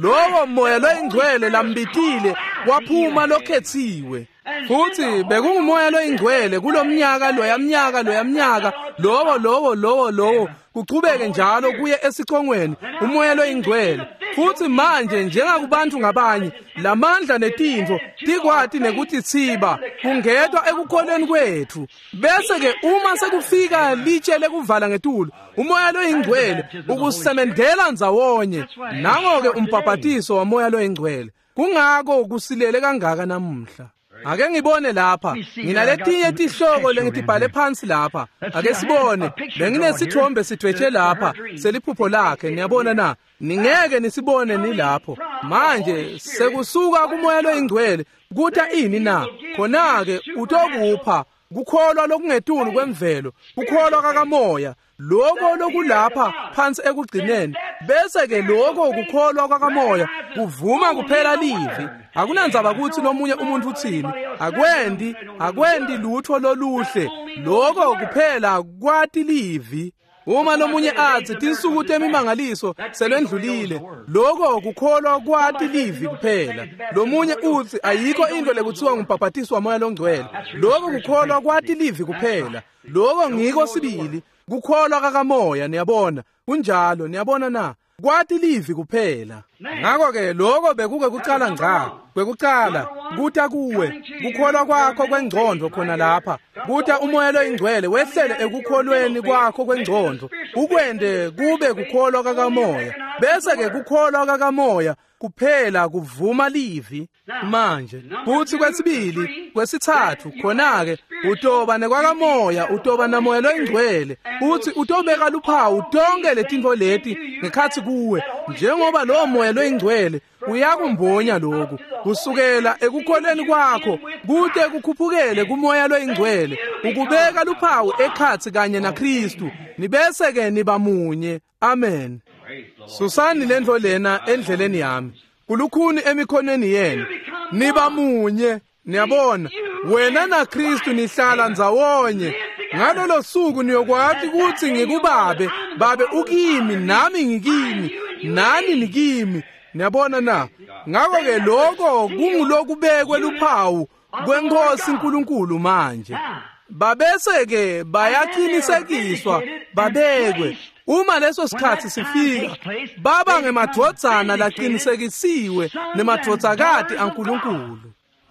Speaker 1: lowo moya loyingcwele lambitile waphuma lokhetsiwe. Futhi bekungumoya loyingcwele kulomnyaka loyamnyaka loyamnyaka lowo lowo lowo lowo kuchubeke njalo kuye esicongweni, umoya loyingcwele. Futhi manje njengakubantu ngabanye, lamandla netintfo tikwati nekutitsiba kungetwa ekukholweni kwethu. Bese ke uma sekufika litshe lekuvala ngetulu, umoya loyingcwele ukusemendela ndzawonye. Nango-ke umbhabhatiso wamoya loyingcwele. Kungako kusilele kangaka namuhla. Ake ngibone lapha, nginaletinye tihloko lengitibhale phansi lapha. Ake sibone, benginesithombe sidwetshe lapha seliphupho lakhe. Niyabona na? Ningeke nisibone nilapho. Manje sekusuka kumoya loyingcwele kuta ini na? Khona-ke utokupha kukholwa lokungetulu kwemvelo, kukholwa kakamoya, lokho lokulapha phansi ekugcineni. Bese ke lokho kukholwa kwakamoya kuvuma kuphela livi. Akunandzaba kutsi lomunye umuntu utsini, akwendi akwendi lutho loluhle, lokho kuphela kwati livi. Uma lomunye atsi tinsuku temimangaliso selwendlulile, loko kukholwa kwati livi kuphela. Lomunye utsi ayikho into lekuthiwa ngumbhabhatiso wamoya longcwele, loko kukholwa kwati livi kuphela. Loko ngiko sibili kukholwa kakamoya, niyabona. Kunjalo, niyabona na? Kwati livi kuphela. Ngakho-ke lokho bekuke kucala ngca, kwekucala kuta kuwe kukholwa kwakho kwengcondvo khona lapha, kuta umoya loyingcwele wehlele ekukholweni kwakho kwengcondvo, ukwende kube kukholwa kakamoya. Bese-ke kukholwa kakamoya kuphela kuvuma livi. Manje kuthi kwesibili, kwesithathu, khona-ke utoba nekwakamoya, utoba namoya loyingcwele, uthi utobeka luphawu tonke letintfo leti ngekhatsi kuwe, njengoba lowo moya loyingcwele uyakumbonya lokhu kusukela ekukholweni kwakho kute kukhuphukele kumoya loyingcwele, ukubeka luphawu ekhatsi kanye naKristu, nibese-ke niba munye. Amen. Susani lentfo lena endleleni yami, kulukhuni emikhonweni yenu, niba munye. Niyabona, wena naKristu nihlala ndzawonye. Ngalolo suku niyokwati kutsi ngikubabe, babe ukimi, nami ngikimi, nani nikimi. Niyabona na? Ngakho-ke lokho kungulokubekwe luphawu kweNkosi uNkulunkulu manje. Babese-ke bayaqinisekiswa babekwe. Uma leso sikhathi sifika, baba ngemadvodzana laqinisekisiwe nemadvodzakati aNkulunkulu.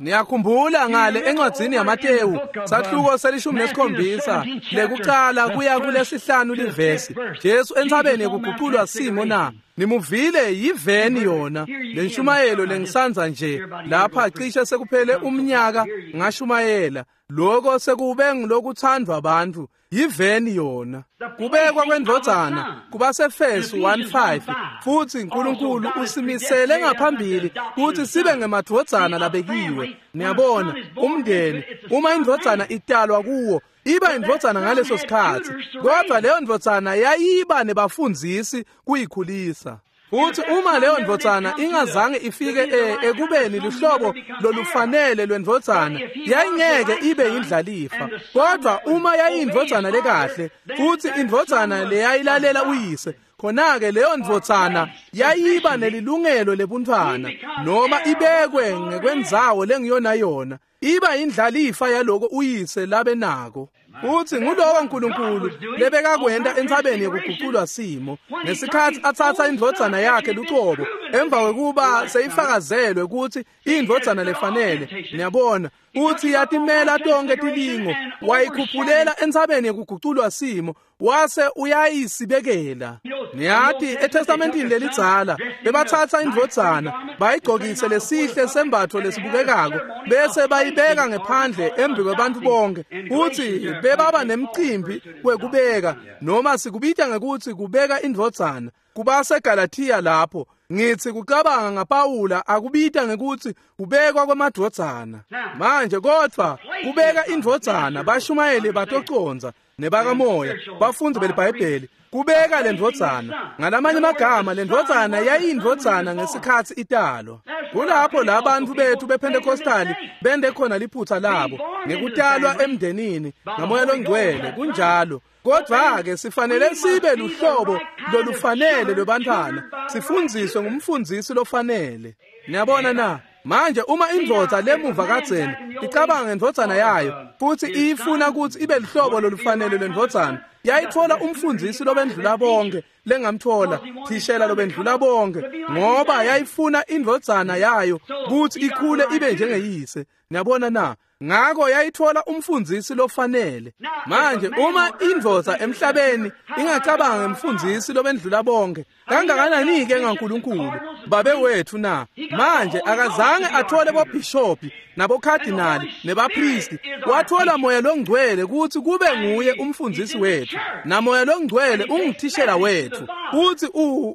Speaker 1: Niyakhumbula ngale encwadzini yaMatewu sahluko selishumi nesikhombisa lekucala kuya kulesihlanu livesi, Jesu entsabeni yekuguculwa simo na? Nimuvile yiveni yona lenshumayelo lengisanza nje lapha, cishe sekuphele umnyaka ngashumayela lokho, sekube ngilokuthandwa abantu. Yiveni yona kubekwa kwendvodzana kubaseFesu one five, futhi uNkulunkulu usimisele ngaphambili ukuthi sibe ngemadvodzana labekiwe. Niyabona, umndeni uma indvodzana italwa kuwo iba indvodzana ngaleso sikhathi, kodwa leyo ndvodzana yayiba nebafundzisi kuyikhulisa. Futhi uma leyo ndvodzana ingazange ifike ekubeni luhlobo lolufanele lwendvodzana, yayingeke ibe yindlalifa. Kodwa uma yayindvodzana lekahle, futhi indvodzana leyayilalela uyise, khona-ke leyo ndvodzana yayiba nelilungelo lebuntfwana, noma ibekwe ngekwendzawo lengiyona yona, iba indlalifa yaloko uyise labenako. Futhi nguloko uNkulunkulu lebekakwenta entsabeni yekuguculwa simo ngesikhathi atsatsa indvodzana yakhe lucobo, emva kwekuba seyifakazelwe ukuthi indvodzana lefanele. Niyabona, uthi yatimela tonke tilingo, wayikhuphulela entsabeni yekuguculwa simo, wase uyayisibekela. Niyati eTestamentini lelidzala bebathatha indvodzana bayigcokise lesihle sembatfo lesibukekako, bese bayibeka ngephandle embi kwebantfu bonke, futhi bebaba nemcimbi wekubeka, noma sikubita ngekutsi kubeka indvodzana. KubaseGalathiya lapho ngithi kucabanga ngaPawula akubita ngekutsi kubekwa kwemadvodzana. Manje kodwa kubeka indvodzana, bashumayeli batoconza nebakamoya, bafundzi beliBhayibheli, kubeka lendvodzana. Ngalamanye amagama, lendvodzana yayindvodzana ngesikhathi italwa. Kulapho labantu bethu bePentecostali bende khona liphutha labo ngekutalwa emndenini ngamoya longcwele. Kunjalo. Kodwa-ke sifanele sibe luhlobo lolufanele lwebantfwana, sifundziswe ngumfundzisi lofanele. Niyabona na? Manje uma indvodza lemuva kadzeni icabanga ngendvodzana yayo futhi iyifuna ukuthi ibe luhlobo lolufanele lwendvodzana, yayitfola umfundzisi lobendlula bonke lengamtfola, thishela lobendlula bonke, ngoba yayifuna indvodzana yayo ukuthi ikhule ibe njengeyise. Niyabona na? Ngako yayitfola umfundzisi lofanele. Manje uma indvodza emhlabeni ingacabanga ngemfundzisi lobendlula bonke, kangakanani-ke ngaNkulunkulu babe wethu na? Manje akazange athole bobhishopi nabokhadinali nebapristi, wathola moya longcwele ukuthi kube nguye umfundzisi wethu, namoya longcwele ungithishela wethu, futhi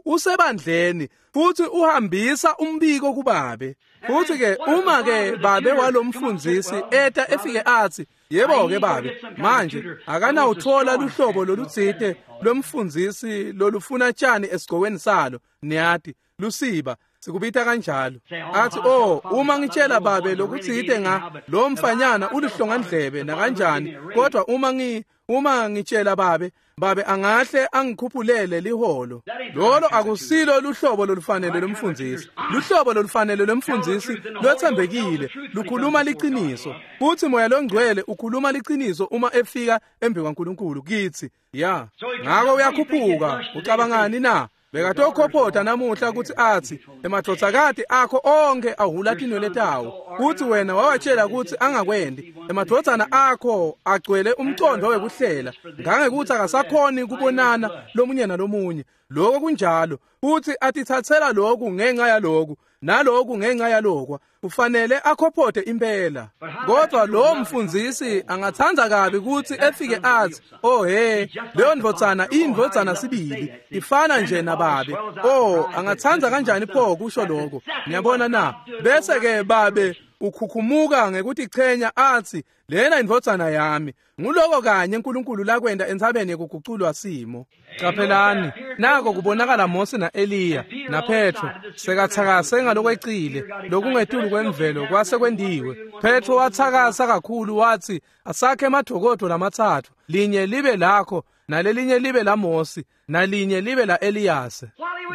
Speaker 1: usebandleni, futhi uhambisa umbiko kubabe. Futhi ke uma ke babe walomfundzisi eta efike athi, yebo ke babe, manje akanawuthola luhlobo lolutsite lomfundzisi lolufuna tshani esigcokweni salo, niyati lusiba, Sikubita kanjalo. Athi, oh, uma ngitshela babe lokutsite nga lo mfanyana ulihlongandlebe nakanjani, kodwa uma ngi uma ngitshela babe, babe angahle angikhuphulele liholo. Lolo akusilo luhlobo lolufanele lomfundisi. Luhlobo lolufanele lomfundisi lwethembekile, lukhuluma liqiniso. Futhi Moya loNgcwele ukhuluma liqiniso uma efika embi kwaNkulunkulu kithi. Ya. Ngako uyakhuphuka, ucabangani na? Bekatokhophotha namuhla ukuthi athi emadvodzakati akho onke ahula tinwele tawo, kuthi wena wawatshela ukuthi angakwendi. Emadvodzana akho agcwele umcondo wekuhlela ngangekuthi akasakhoni kubonana lomunye nalomunye. Lokho kunjalo, futhi atithathela lokhu ngenxa yaloku naloku ngenxa yalokwa. Kufanele akhophothe impela. Kodwa lo mfundzisi angathanda kabi ukuthi efike athi, oh he, leyo ndvodzana indvodzana sibili, ifana nje nababe. Oh, angathanda kanjani pho kusho lokho? Niyabona na? Bese ke babe ukhukhumuka ngekutichenya athi, lena indvodzana yami. Nguloko kanye uNkulunkulu lakwenda entsabeni yekuguculwa simo. Qaphelani, nako kubonakala Mose na-Eliya naPetro sekathakase ngalokwecile lokungetulu kwemvelo kwase kwendiwe. Petro wathakasa kakhulu wathi, asakhe emadokodo lamatsatfu, linye libe lakho nalelinye libe la Mose nalinye libe la Eliyase.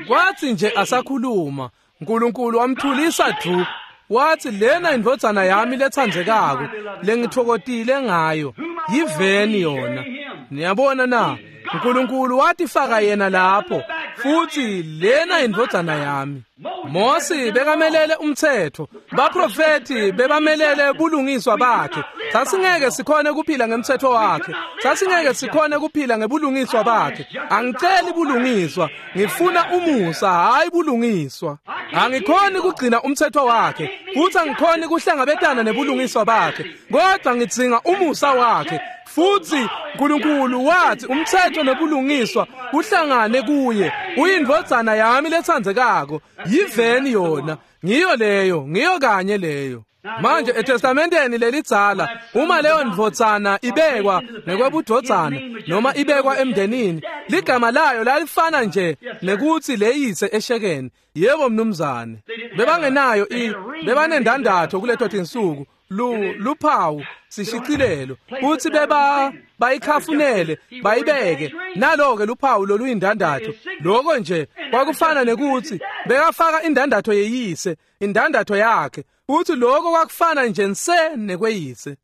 Speaker 1: Kwathi nje asakhuluma, uNkulunkulu wamthulisa du. Wathi, lena indvodzana yami letsandzekako lengitfokotile ngayo, yiveni yona. Niyabona na? uNkulunkulu watifaka yena lapho, futhi lena indvodzana yami. Mose bekamelele umthetho, baprofeti bebamelele bulungiswa bakhe. Sasingeke sikhone kuphila ngemthetho wakhe, sasingeke sikhone kuphila ngebulungiswa bakhe. Angiceli bulungiswa, ngifuna umusa, hayi bulungiswa. Angikhoni kugcina umthetho wakhe, futhi angikhoni kuhlangabetana nebulungiswa bakhe, kodwa ngidzinga umusa wakhe. Futhi uNkulunkulu wathi umthetho nebulungiswa kuhlangane kuye. Uyindvodzana yami letsandzekako, yiveni yona. Ngiyo leyo, ngiyo kanye leyo. Manje eTestamenteni lelidzala, uma leyo ndvodzana ibekwa ngekwebudvodzana noma ibekwa emndenini, ligama layo lalifana nje nekuthi leyise eshekeni. Yebo mnumzane. Bebangenayo i bebanendandatho kuleto tinsuku, lu luphawu sishicilelo, kuthi beba bayikhafunele bayibeke nalo ke luphawu loluyindandatho. Lokho nje kwakufana nekuthi bekafaka indandatho yeyise, indandatho yakhe, futhi lokho kwakufana nje nse nekweyise.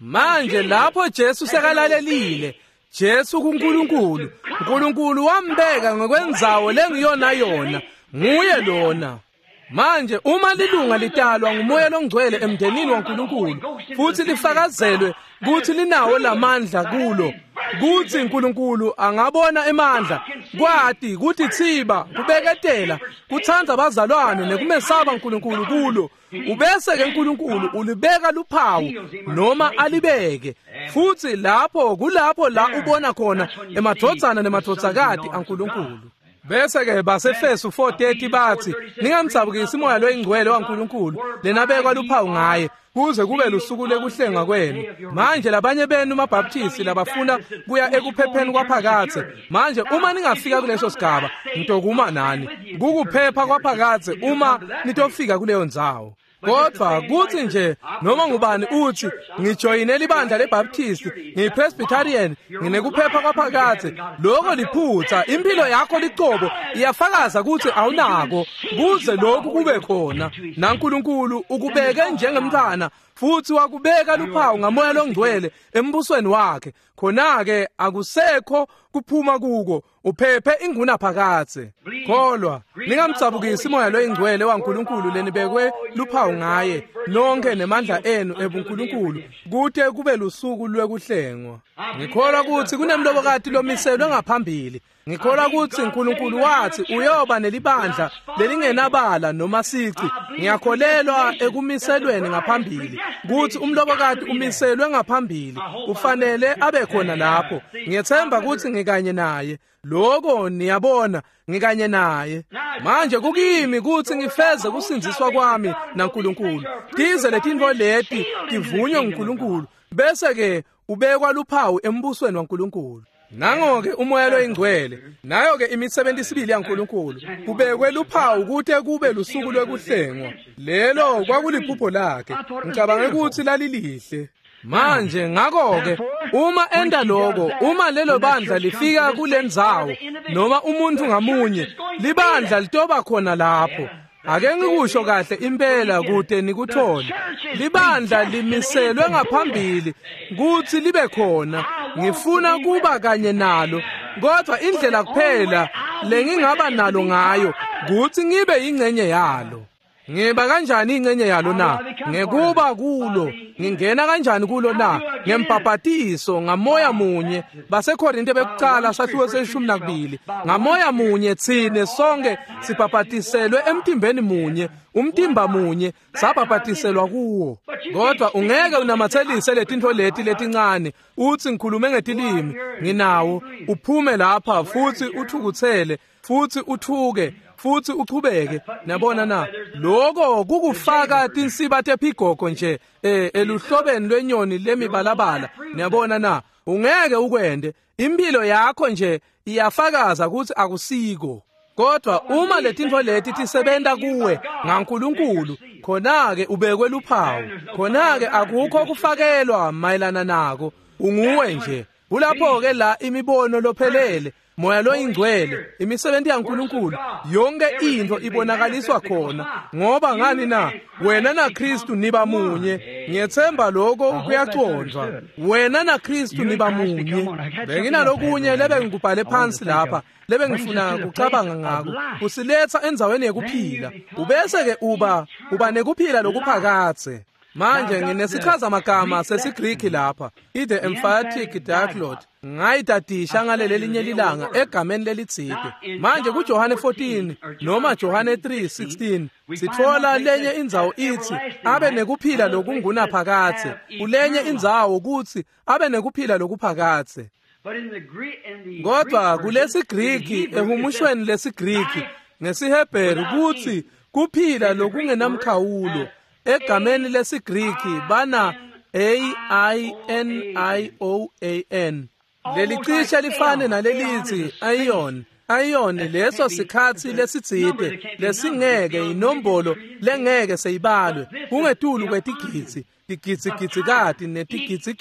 Speaker 1: Manje lapho Jesu sekalalelile, Jesu kuNkulunkulu, uNkulunkulu wambeka ngokwendzawo lengiyona yona, nguye lona. Manje uma lilunga litalwa nguMoya loNgcwele emndenini waNkulunkulu, futhi lifakazelwe kuthi linawo lamandla kulo, kuthi uNkulunkulu angabona emandla, kwati kuthi thiba, kubeketela, kutsandza abazalwane nekumesaba uNkulunkulu kulo, ubese ke uNkulunkulu ulibeka luphawu noma alibeke. Futhi lapho kulapho la ubona khona emadvodzana nemadvodzakati aNkulunkulu. Bese ke baseFesu four thirty bathi, ningamdzabukisi uMoya loyiNgcwele waNkulunkulu lenabekwa luphawu ngaye kuze kube lusuku lekuhlenga kwenu. Manje labanye benu maBaptisti labafuna kuya ekuphepheni kwaphakadze, manje uma ningafika kuleso sigaba, ngitokuma nani. Kukuphepha kwaphakadze uma nitofika kuleyo ndzawo. Kodwa kuthi nje noma ngubani uthi ngijoyine libandla leBaptist, ngiyiPresbyterian, nginekuphepha kwaphakadze, lokho liphutha. Impilo yakho licobo iyafakaza ukuthi awunako kuze lokhu kube khona. NaNkulunkulu ukubeke njengemntwana futhi wakubeka luphawu ngaMoya loNgcwele embusweni wakhe. Khona-ke akusekho kuphuma kuko, uphephe ingunaphakadze. Kholwa, ningamdzabukisi uMoya loyiNgcwele waNkulunkulu lenibekwe luphawu ngaye nonke nemandla enu ebuNkulunkulu kute kube lusuku lwekuhlengwa. Ngikholwa ukuthi kunemlobokati lomiselwe ngaphambili. Ngikholwa ukuthi uNkulunkulu wathi uyoba nelibandla lelingenabala noma sici. Ngiyakholelwa ekumiselweni ngaphambili, kuthi umlobokati umiselwe ngaphambili, ufanele abe khona lapho. Ngiyethemba ukuthi ngikanye naye. Lokho niyabona, ngikanye naye. Manje kukimi ukuthi ngifeze kusindziswa kwami naNkulunkulu. Tize letintfo leti tivunywe nguNkulunkulu, bese ke ubekwa luphawu embusweni waNkulunkulu. Nango-ke umoya loyingcwele, nayo-ke imisebenzi isibili yaNkulunkulu kubekwe luphawu kute kube lusuku lwekuhlengwa. Lelo kwakuliphupho lakhe, ngicabange ukuthi lalilihle. Manje ngakho-ke uma enda lokho, uma lelo bandla lifika kulendzawo noma umuntu ngamunye, libandla litoba khona lapho. Ake ngikusho kahle impela kude nikuthole. Libandla limiselwe ngaphambili kuthi libe khona. Ngifuna kuba kanye nalo, kodwa indlela kuphela lengingaba nalo ngayo kuthi ngibe ingcenye yalo. Ngiba kanjani ingcenye yalo na? Ngekuba kulo. Ngingena kanjani kulo na? Ngembhabhatiso ngamoya munye. BaseKorinte bekuqala sahluko seshumi nakubili. Ngamoya munye thine sonke sibhabhatiselwe emtimbeni munye, umtimba munye sabhabhatiselwa kuwo. Kodwa ungeke unamathelise letinto leti letincane uthi ngikhulume ngetilimi nginawo, uphume lapha futhi uthukuthele futhi uthuke futhi uchubeke. Nabona na? Lokho kukufaka tinsiba tephigogo nje eh eluhlobeni lwenyoni lemibalabala. Niyabona na? Ungeke ukwende. Impilo yakho nje iyafakaza ukuthi akusiko. Kodwa uma letinto leti tisebenta kuwe ngaNkulunkulu, khona-ke ubekwe luphawu, khona-ke akukho kufakelwa mayelana nako, unguwe nje. Kulapho-ke la imibono lophelele, moya loyingcwele, imisebenzi yaNkulunkulu, yonke into ibonakaliswa khona. Ngoba ngani na? Wena naKristu niba munye. Ngiyethemba lokho kuyacondwa. Wena naKristu niba munye. Benginalokunye lebe ngikubhale phansi lapha, lebe ngifuna kucabanga ngako. Usiletha endzaweni yekuphila, ubese ke uba uba nekuphila lokuphakathe. Manje nginesichaza magama sesiGriki lapha, i-the emphatic diaglot. Ngayidadisha ngaleli linye lilanga egameni lelitsite. Manje kuJohane fourteen noma Johane three sixteen sithola lenye indzawo ithi abe nekuphila lokungunaphakathe, kulenye indzawo kuthi abe nekuphila lokuphakathe. Kodwa kulesiGriki, ehumushweni lesiGriki ngesiHebheru kuthi kuphila lokungenamkhawulo. Egameni lesiGriki bana A I N I O A N. Lelicishe lifane nalelithi aeon. Aeon leso sikhathi lesitsite lesingeke, inombolo lengeke seyibalwe, kungetulu kwetigidzi, tigidzigidzi netigidzi.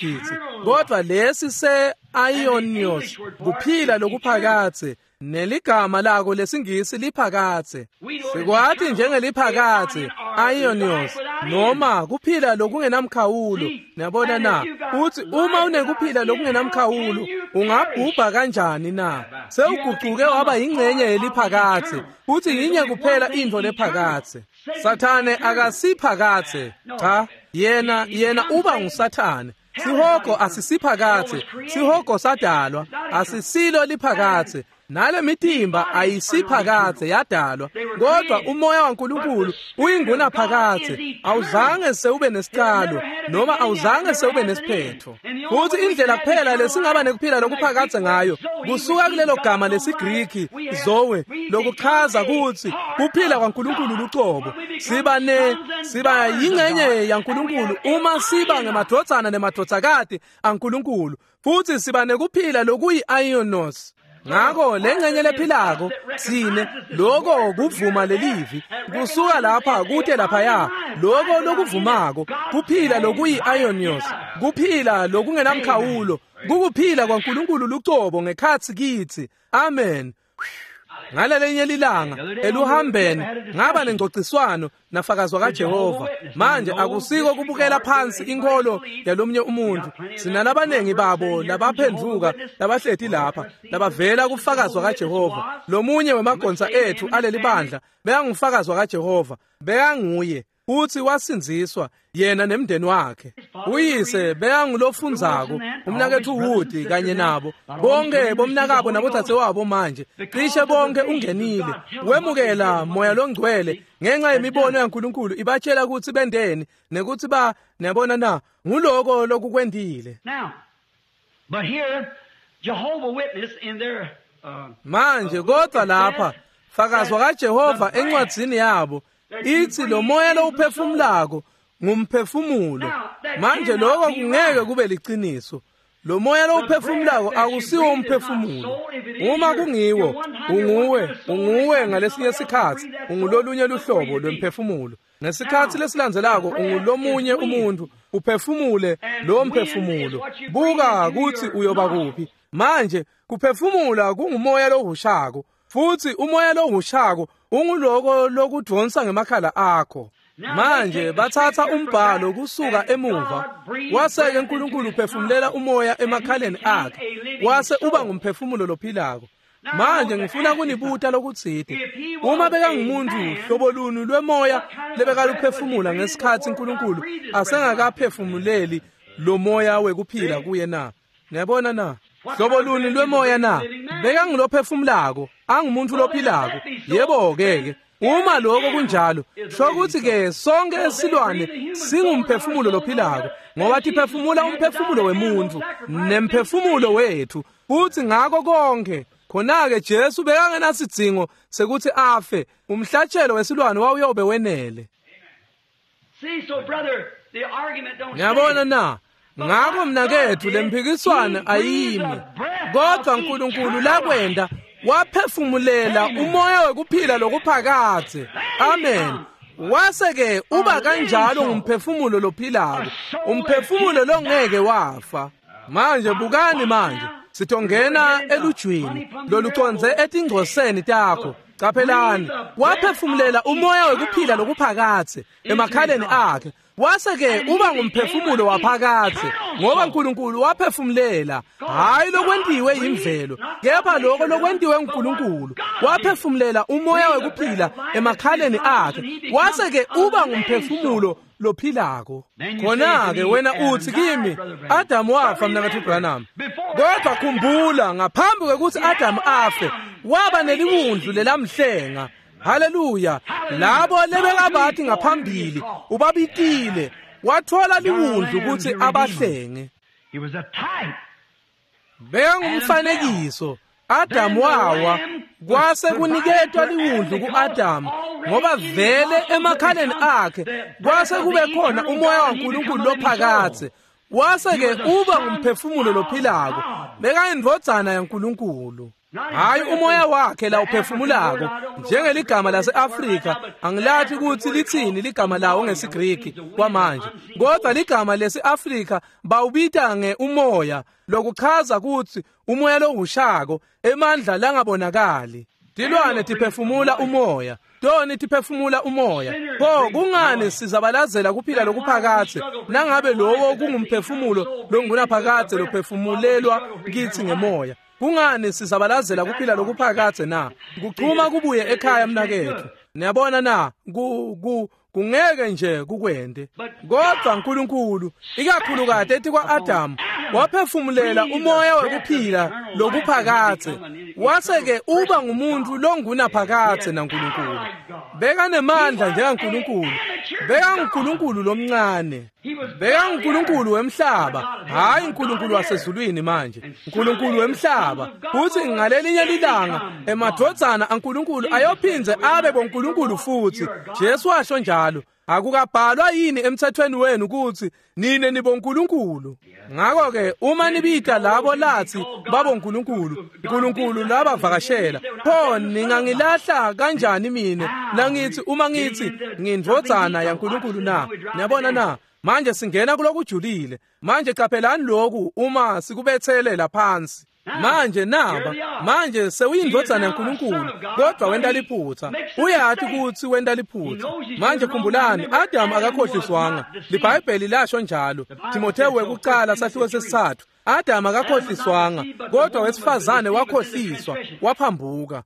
Speaker 1: Kodwa lesi se-aionios kuphila lokuphakathe, neligama lako lesingisi liphakathe. Sikwati njengeliphakathe aionios noma kuphila lokungenamkhawulo. Niyabona na? Uthi uma unekuphila lokungenamkhawulo ungabhubha kanjani na? Sewuguquke waba ingcenye yeliphakathe. Uthi yinye kuphela into lephakathe. Sathane akasiphakathe. Cha, yena yena uba nguSathane. Sihogo asisiphakathe, sihogo sadalwa, asisilo liphakathe. Nale mitimba ayisiphakathe, yadalwa. Kodwa umoya waNkulunkulu uyinguna phakathe, awuzange sewube nesiqalo noma awuzange sewube nesiphetho. Futhi indlela kuphela lesingaba nekuphila lokuphakathe ngayo kusuka kulelo gama lesiGriki zoe, lokuchaza ukuthi kuphila kwaNkulunkulu lucobo. Siba ne siba yingcenye yaNkulunkulu uma siba ngemadvodzana nemadvodzakati aNkulunkulu, futhi siba nekuphila lokuyi-aionos. Ngakho lengcenye lephilako sine lokho kuvuma lelivi kusuka lapha kude laphaya, lokho lokuvumako kuphila lokuyi-aionios, kuphila lokungenamkhawulo, kukuphila kwaNkulunkulu lucobo ngekhatsi kithi. Amen. Ngalelinye lilanga eluhambeni ngaba nengcociswano nafakazwa kaJehova. Manje akusiko kubukela phansi inkolo yalomnye umuntu. Sinalabanengi babo labaphendvuka labahleti lapha labavela kufakazwa kaJehova. Lomunye wemagonsa ethu aleli bandla bekangufakazwa kaJehova, bekanguye uthi wasindziswa yena nemndeni wakhe. Uyise bekangulofundzako, umnakethu Wood kanye nabo bonke bomnakabo nabodzadzewabo. Manje cishe bonke ungenile wemukela moya longcwele ngenxa yemibono yaNkulunkulu ibatshela ukuthi bendeni nekuthi ba niyabona na nguloko lokukwendile.
Speaker 2: But here Jehovah Witness in their
Speaker 1: manje kodwa lapha fakazwa kaJehova encwadzini yabo ithi lo moya lowuphefumulako ngumphefumulo. Manje lokho kungeke kube liqiniso. Lo moya lowuphefumulako akusiwo umphefumulo. Uma kungiwo, unguwe, unguwe ngalesinye sikhatsi, ungulolunye luhlobo lwemphefumulo. Ngesikhatsi lesilandzelako ungulomunye umuntu, uphefumule lo mphefumulo. Buka kutsi uyoba kuphi. Manje kuphefumula kungumoya lohushako, futsi umoya lohushako unguloko lokudvonsa ngemakhala akho. Manje bathatha umbhalo kusuka emuva, wase-ke uNkulunkulu uphefumulela umoya emakhaleni akhe, wase uba ngumphefumulo lophilako. Manje ngifuna kunibuta lokutsite. Uma bekangumuntu hlobo luni lwemoya lebekaluphefumula ngesikhatsi uNkulunkulu asengakaphefumuleli lo moya wekuphila kuye na? Niyabona na? Hlobo luni lwemoya na? Bekangulophefumulako, angumuntu lophilako. Yebo-ke ke. Uma lokho kunjalo, sho ukuthi ke sonke esilwane singumphefumulo lophilako, ngoba tiphefumula umphefumulo wemuntu nemphefumulo wethu, futhi ngako konke. Khona-ke Jesu bekangenasidzingo sekuthi afe, umhlatshelo wesilwane wawuyobe wenele. Ngiyabona na? Ngakho mnakethu lemphikiswano ayimi, kodwa uNkulunkulu lakwenda waphefumulela umoya wekuphila lokuphakadze. Amen. Wase-ke uba kanjalo ngumphefumulo lophilako, umphefumulo longeke wafa. Manje bukani manje, sitongena elujwini loluconze etingcoseni takho. Caphelani, waphefumulela umoya wekuphila lokuphakadze emakhaleni akhe, wase-ke uba ngumphefumulo waphakadze, ngoba uNkulunkulu waphefumulela, hhayi lokwentiwe yimvelo, kepha lokho lokwentiwe nguNkulunkulu. Waphefumulela umoya wekuphila emakhaleni akhe, wase-ke uba ngumphefumulo lophilako. Khona-ke wena uthi kimi, Adamu wafa mnaketfu Branham. Kodwa khumbula, ngaphambi kwekuthi Adamu afe, waba neliwundlu lelamhlenga. Haleluya. Labo lebekabathi ngaphambili ubabitile, wathola liwundlu ukuthi abahlenge. Bekangumfanekiso. Adamu wawa, kwase kuniketwa liwundlu ku-Adamu, ngoba vele emakhaleni akhe kwase kube khona umoya waNkulunkulu lophakadze. Wase-ke uba ngumphefumulo lophilako, bekayindvodzana yaNkulunkulu. Hayi umoya wakhe la uphefumulako, njengeligama lase-Afrika, angilathi ukuthi lithini ligama lawo ngesiGriki kwamanje, kodwa ligama lesi-Afrika bawubita nge-umoya, lokuchaza ukuthi umoya lohushako, emandla langabonakali. Tilwane tiphefumula umoya, toni tiphefumula umoya. Pho kungani sizabalazela kuphila lokuphakadze nangabe lowo kungumphefumulo longunaphakadze lophefumulelwa kithi ngemoya? Kungani sizabalazela kuphila lokuphakadze na? Kuchuma kubuye ekhaya mnaketfu. Niyabona na? Ku ku kungeke nje kukwende. Kodwa uNkulunkulu ikakhulukati etikwa-Adamu waphefumulela umoya wekuphila lokuphakadze, wase-ke uba ngumuntu longunaphakadze naNkulunkulu. Bekanemandla njengaNkulunkulu, bekanguNkulunkulu lomncane, bekanguNkulunkulu wemhlaba, hhayi uNkulunkulu wasezulwini manje, uNkulunkulu wemhlaba. Futhi ngalelinye lilanga emadvodzana aNkulunkulu ayophindze abe boNkulunkulu futhi. Jesu washo njalo. Akukabhalwa yini emthethweni wenu ukuthi nine nibonkulunkulu? Ngakho-ke uma nibita labo lathi babonkulunkulu, uNkulunkulu labavakashela, pho ningangilahla kanjani mina nangithi uma ngithi ngindvodzana yaNkulunkulu na? Niyabona na? Manje singena kulokujulile. Manje qaphelani lokhu uma sikubethelela phansi. Manje naba, manje sewuyindvodzana yaNkulunkulu, kodwa wenta liphutha. Uyathi ukuthi wenta liphutha. Manje khumbulani, Adamu akakhohliswanga. LiBhayibheli lasho njalo. Timothewu wekucala sahluko sesithathu. Adamu akakhohliswanga, kodwa wesifazane wakhohliswa, waphambuka.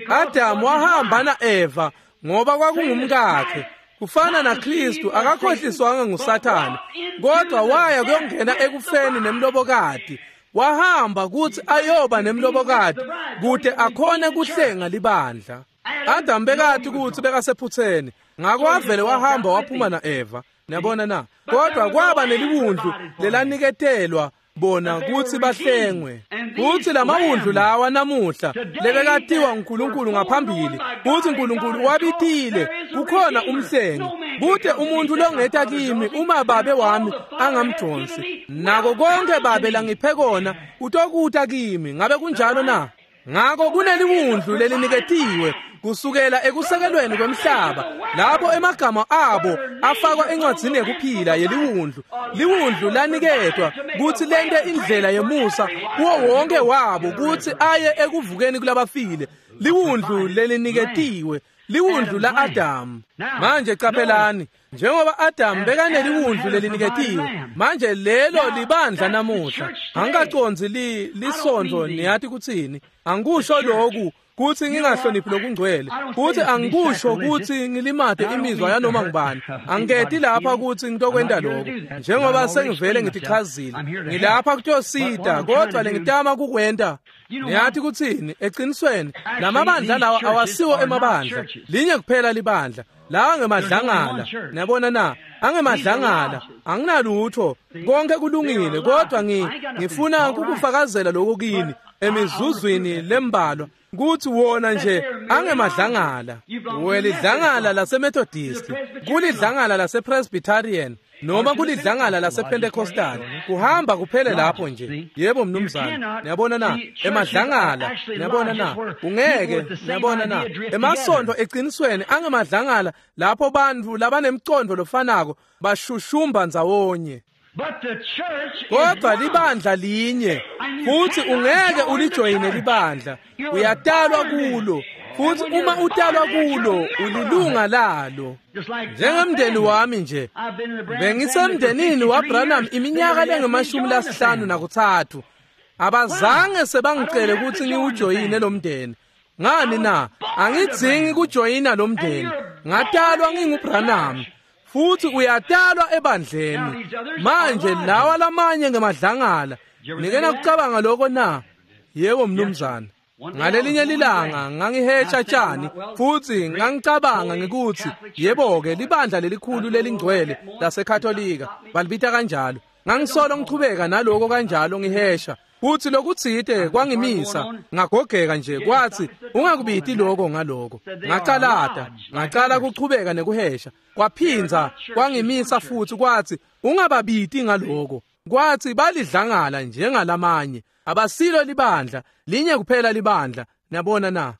Speaker 1: Adamu wahamba na-Eva ngoba kwakungumkakhe. Kufana naKristu akakhohliswanga nguSathane, kodwa waya kuyongena ekufeni nemlobokati. Wahamba kuthi ayoba nemlobokati kude akhone kuhlenga libandla. Adamu bekathi ukuthi bekasephutheni, ngakho wavele wahamba waphuma na-Eva. Niyabona na? Kodwa kwaba neliwundlu lelaniketelwa Bona kutsi bahlengwe. Kutsi lamawundlu lawa namuhla lebekatiwa uNkulunkulu ngaphambili, kutsi uNkulunkulu wabitile, kukhona umhlengi. Kute umuntu longeta kimi uma babe wami angamdonsi. Nako konke babe langiphe kona utokuta kimi. Ngabe kunjalo na? Ngako kuneliwundlu leliniketiwe kusukela ekusekelweni kwemhlaba, lapho emagama abo afakwa encwadzini yekuphila yeliwundlu. Liwundlu laniketwa kutsi lente indlela yemusa kuwo wonke wabo kutsi aye ekuvukeni kulabafile. Liwundlu leliniketiwe, liwundlu la-Adamu. Manje caphelani, njengoba Adamu bekaneliwundlu leliniketiwe, manje lelo libandla namuhla. Angikacondzi li lisondvo, niyati kutsini. Angikusho lokhu kutsi ngingahloniphi lokungcwele, kutsi angikusho kutsi ngilimate imizwa yanoma ngubani. Angiketi lapha kutsi ngitokwenta lokho, njengoba sengivele ngitichazile. Ngilapha kutosita, kodwa lengitama kukwenta, niyati kutsini, eqinisweni lamabandla lawa awasiwo emabandla, linye kuphela libandla. Lawa ngemadlangala, niyabona na? Angemadlangala, anginalutho, konke kulungile, kodwa ngi ngifuna ukukufakazela lokho kini emizuzwini lembalwa, kutsi wona nje angemadlangala. Welidlangala laseMethodist, kulidlangala lasePresbyterian, noma kulidlangala lasePentecostal, kuhamba kuphele lapho nje. Yebo mnumzane, niyabona na? Emadlangala, niyabona na? Ungeke, niyabona na? Emasonto eqinisweni angemadlangala lapho bantfu labanemcondo lofanako bashushumba ndzawonye. Kodwa libandla linye, futhi ungeke ulijoyine libandla, uyatalwa kulo, futhi uma utalwa kulo ulilunga lalo. Njengemndeni wami nje, bengisemndenini waBranham iminyaka lengemashumi lasihlanu nakutsatfu. Abazange sebangicele kutsi ngiwujoyine lo mndeni. Ngani na? Angidzingi kujoyina lo mndeni. Ngatalwa nginguBranham. Futhi uyatalwa ebandleni. Manje lawa lamanye ngemadlangala. Nike nakucabanga lokho na? Yebo mnumzane. Ngalelinye lilanga ngangihetsha tshani, futhi ngangicabanga ngikuthi yebo-ke libandla lelikhulu lelingcwele laseKatolika balibita kanjalo. Ngangisolo ngichubeka naloko kanjalo ngihesha, futhi lokutsite kwangimisa, ngagogeka nje, kwathi ungakubiti lokho ngaloko. Ngacalata, ngacala kuchubeka nekuhesha, kwaphindza kwangimisa futhi kwathi ungababiti ngaloko. Kwathi balidlangala njengalamanye, abasilo libandla, linye kuphela libandla. Niyabona na?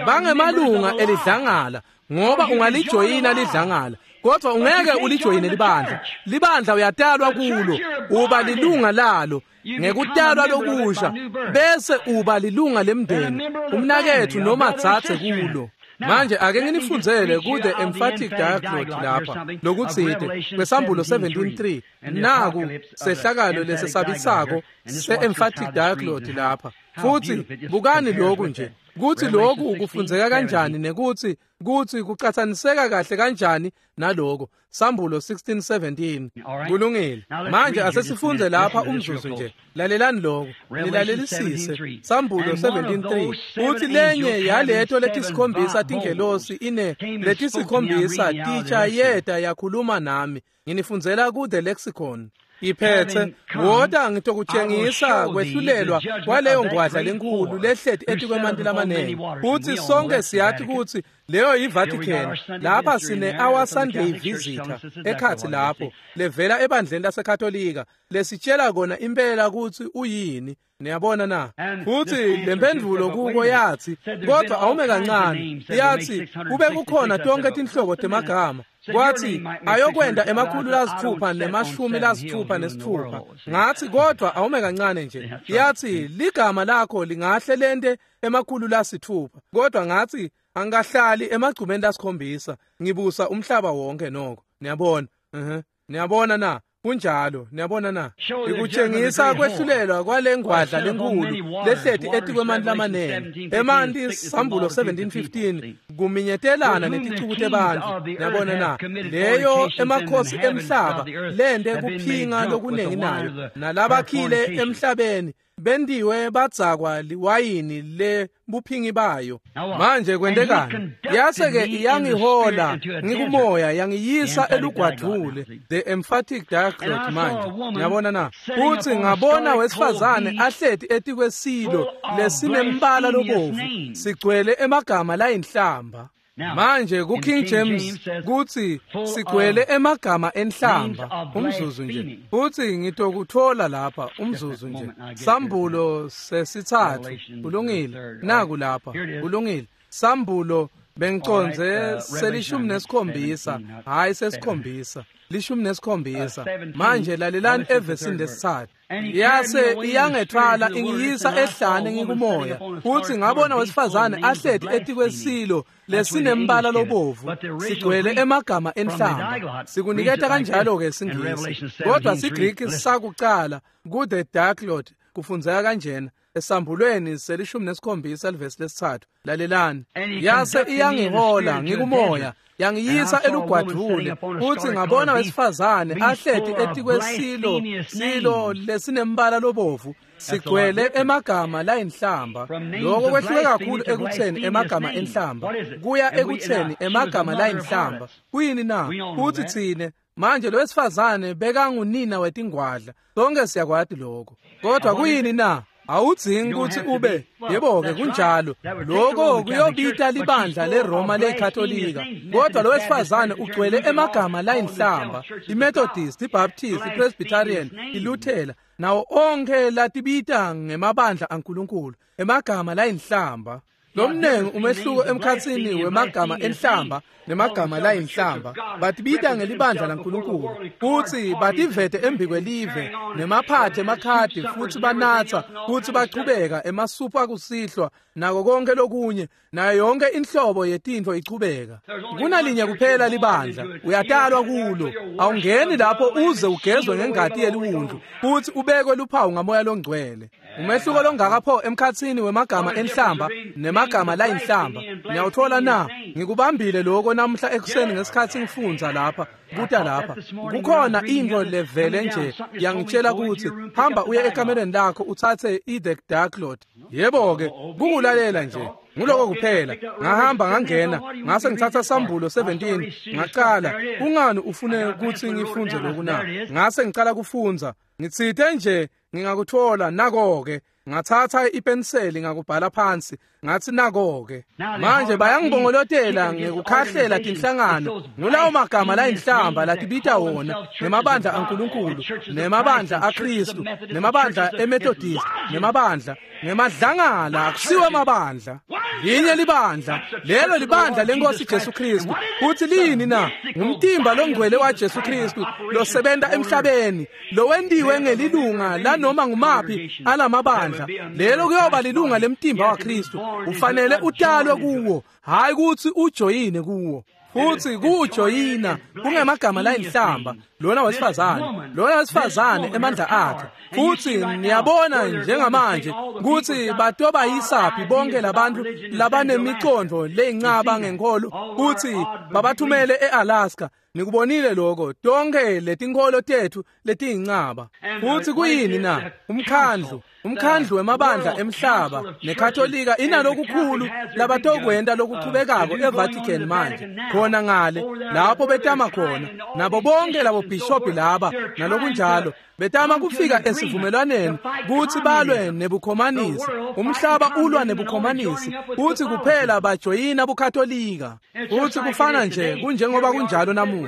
Speaker 1: Bangemalunga elidlangala, ngoba ungalijoyina lidlangala, kodwa ungeke ulijoyine libandla. Libandla uyatalwa kulo, uba lilunga lalo ngekutalwa lokusha, bese uba lilunga lemndeni, umnaketfu noma dzadze kulo. Manje ake nginifundzele ku The Emphatic Diaglott lapha lokutsite kwesambulo seventeen three. Naku sehlakalo lesesabisako se-Emphatic Diaglott lapha. Futhi bukani lokhu nje, kutsi lokhu kufundzeka kanjani nekutsi kutsi kucatsaniseka kahle kanjani naloko. Sambulo sixteen seventeen. Kulungile. Manje asesifundze lapha umzuzu nje. Lalelani lokho, nilalelisise. Sambulo seventeen three. Uthi lenye yaleto letisikhombisa tingelosi ine letisikhombisa titsha yeta yakhuluma nami. Nginifundzela ku The Lexicon. Iphethe, wota ngitokutshengisa kwehlulelwa kwaleyo ngwadla lenkulu lehleti etikwemanti lamanengi. Futhi sonke siyathi kutsi leyo yiVatican. Lapha sine Our Sunday Visitor ekhatsi lapho levela ebandleni laseKatolika lesitshela kona impela kutsi uyini. Niyabona na? Futhi lemphendvulo kuko yathi, kodwa awume kancane. Yathi kube kukhona tonke tinhlobo temagama. Kwathi ayokwenda emakhulu lasithupha nemashumi lasithupha nesithupha. Ngathi kodwa awume kancane nje. Yathi ligama lakho lingahle lente emakhulu lasithupha. Kodwa ngathi angahlali emagcumeni lasikhombisa, ngibusa umhlaba wonke noko. Niyabona? Mhm. Niyabona na? Kunjalo, niyabona na? Ikutshengisa kwehlulelwa kwalengwadla lenkulu lehleti etikwemanti lamanengi. Emanti sambulo seventeen fifteen kuminyetelana neticuku tebantfu. Niyabona na? Leyo emakhosi emhlaba lente kuphinga lokunengi nayo, nalabakhile emhlabeni Bendiwe badzakwa liwayini le buphingi bayo. Manje kwentekani? Yase-ke iyangihola ngikumoya yangiyisa elugwadvule, the emphatic diaglot manje. Ngiyabona na? Futhi ngabona wesifazane ahleti etikwesilo lesinembala lobovu sigcwele emagama layinhlamba. Manje ku King James kuthi sigcwele emagama enhlamba umzuzu nje. Futhi ngitokuthola lapha umzuzu nje. Sambulo sesithathu kulungile. Naku lapha kulungile. Sambulo bengiconze selishumi nesikhombisa, hayi sesikhombisa, lishumi nesikhombisa. Manje lalelani evesini lesithathu. Yase iyangethwala ingiyisa ehlane ngikumoya. Futhi ngabona wesifazane ahleti etikwesilo lesinembala lobovu sigcwele emagama enhlamba. Sikuniketa kanjalo ke siNgisi, kodwa siGreek sakucala ku the diaglot kufundzeka kanjena. Esambulweni selishumi nesikhombisa livesi lesithathu. Lalelani. Yase iyangihola ngikumoya yangiyisa elugwadvule. Futhi ngabona wesifazane ahleti etikwesilo silo lesinembala lobovu sigcwele emagama layinhlamba. Lokho kwehluke kakhulu ekutheni emagama enhlamba kuya ekutheni emagama layinhlamba. Kuyini na? Futhi thine manje lo wesifazane bekangunina wetingwadla. Sonke siyakwati lokho. Kodwa kuyini na? Awudzingi ukuthi ube yebo-ke kunjalo. Lokho kuyobita libandla leRoma leKatolika. Kodwa lo wesifazane ugcwele emagama layinhlamba, iMethodist, iBaptist, iPresbyterian, iLuthela, nawo onke latibita ngemabandla aNkulunkulu, emagama layinhlamba. Lomnengi umehluko emkhatsini wemagama enhlamba nemagama layinhlamba. Batibita ngelibandla laNkulunkulu futhi bativete embikwelive nemaphathe emakhadi futhi banatsa futhi bachubeka emasupha akusihlwa nako konke lokunye nayo yonke inhlobo yetintfo ichubeka. Kunalinye kuphela libandla, uyatalwa kulo. Awungeni lapho uze ugezwe ngengati yeliwundlu futhi ubekwe luphawu ngamoya longcwele. Umehluko longaka pho emkhatsini wemagama enhlamba nemagama layinhlamba. Niyawuthola na? Ngikubambile lokho namuhla ekuseni ngesikhathi ngifundza lapha kuta lapha. Kukhona into levele nje yangitshela ukuthi hamba uye ekamereni lakho uthathe i-the diaglot. Yebo-ke kukulalela nje. Nguloko kuphela. Ngahamba ngangena ngase ngithatha Sambulo seventeen ngaqala. Kungani ufune ukuthi ngifunze lokhu na? Ngase ngicala kufundza. Ngitsite nje ngingakuthola nako-ke. Ngathatha ipenseli ngakubhala phansi ngathi nako-ke. Manje bayangibongolotela ngekukhahlela tinhlangano ngulawo magama layinhlamba latibita wona nemabandla aNkulunkulu nemabandla aKristu nemabandla eMethodist nemabandla ngemadlangala. Akusiwo amabandla, linye libandla, lelo libandla lenkosi Jesu Kristu. Futhi lini na? Ngumtimba longcwele waJesu Kristu losebenta emhlabeni, lowentiwe ngelilunga lanoma ngumaphi alamabandla. Lelo kuyoba lilunga lemtimba waKristu. Ufanele utalwe kuwo, hayi ukuthi ujoyine kuwo. Futhi kujoyina kungemagama layinhlamba lona wesifazane, lona wesifazane emandla akhe. Futhi niyabona njengamanje ukuthi batoba yisaphi bonke labantu labanemicondo leyincaba ngenkolo futhi babathumele eAlaska. Nikubonile lokho, tonke letinkholo tethu letiyincaba. Futhi kuyini na? Umkhandlu, umkhandlu wemabandla emhlaba neKatolika inalokukhulu labatokwenta lokuchubekako eVatican manje. Khona ngale lapho betama khona nabo bonke labo bishophi laba nalokunjalo betama kufika esivumelwaneni kuthi balwe nebukhomanisi. Umhlaba ulwa nebukhomanisi futhi kuphela bajoyina buKatolika. Futhi kufana nje kunjengoba kunjalo namuhla.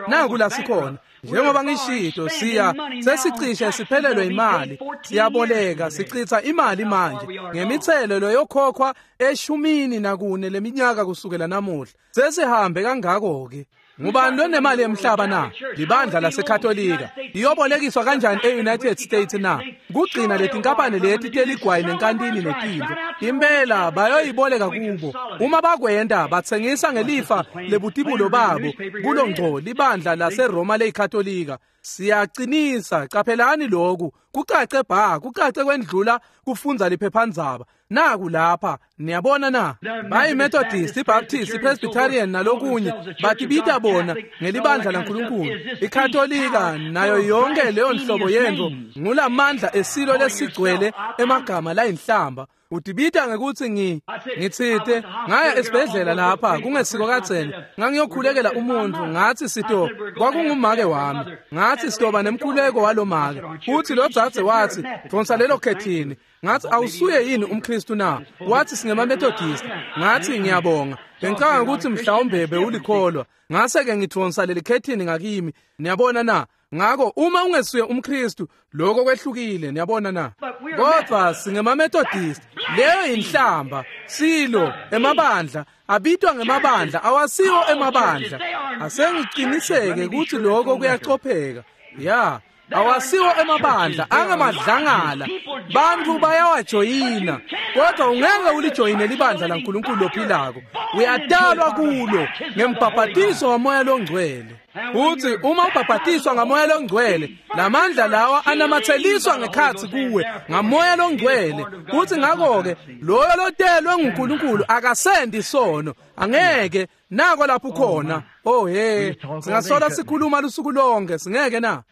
Speaker 1: Naku la sikhona. Njengoba ngishito, siya sesicishe siphelelwe imali, siyaboleka, sichitha imali manje ngemithelelo yokhokhwa eshumini nakune leminyaka kusukela namuhla. Sesihambe kangako ke. Ngubani lonemali yemhlaba na? Libandla laseKatolika. Iyobolekiswa kanjani e-United States na? Kugcina letinkampani leti teligwayi nenkantini netintfo. Impela bayoyiboleka kubo. Uma bakwenta batsengisa ngelifa lebutibulo babo kulo ngco libandla laseRoma leyiKatolika. Siyacinisa, qaphelani lokhu, kucace bha, kucace kwendlula kufundza liphephandzaba. Naku lapha, niyabona na? BayiMethodist, iBaptist, iPresbyterian nalokunye, batibita bona ngelibandla laNkulunkulu. IKatolika nayo yonke leyo nhlobo yento ngulamandla esilo lesigcwele emagama layinhlamba. Utibita ngekuthi ngi ngitsite ngaya esibhedlela lapha kungesiko kadzeni, ngangiyokhulekela umuntu, ngathi sito kwakungumake wami, ngathi sitoba nemkhuleko walomake. Uthi lo dzadze wathi dvonsa lelo khethini. Ngathi awusuye yini umKristu na? Wathi singemaMethodist. Ngathi ngiyabonga, bengicabanga ukuthi mhlawumbe bewulikholwa. Ngase ke ngidvonsa leli khethini ngakimi. Niyabona na? Ngako uma ungesuye umKristu lokho kwehlukile, niyabona na? Kodwa singemaMethodist, leyo inhlamba, silo emabandla abitwa ngemabandla, awasiwo emabandla. Asengiqiniseke ukuthi lokho kuyacopheka. Ya, awasiwo emabandla, angamadlangala. Bantu bayawajoyina, kodwa ungeke ulijoyine libandla laNkulunkulu lophilako. Uyadalwa kulo ngembhabhatiso waMoya loNgcwele. Uthi uma ubhabhatiswa ngaMoya loNgcwele, lamandla lawa anamatheliswa ngekhathi kuwe ngaMoya loNgcwele. Uthi ngakho-ke loyo lotelwe nguNkulunkulu akasendi isono, angeke. Nako lapho ukhona. Oh he, singasola sikhuluma lusuku lonke, singeke na?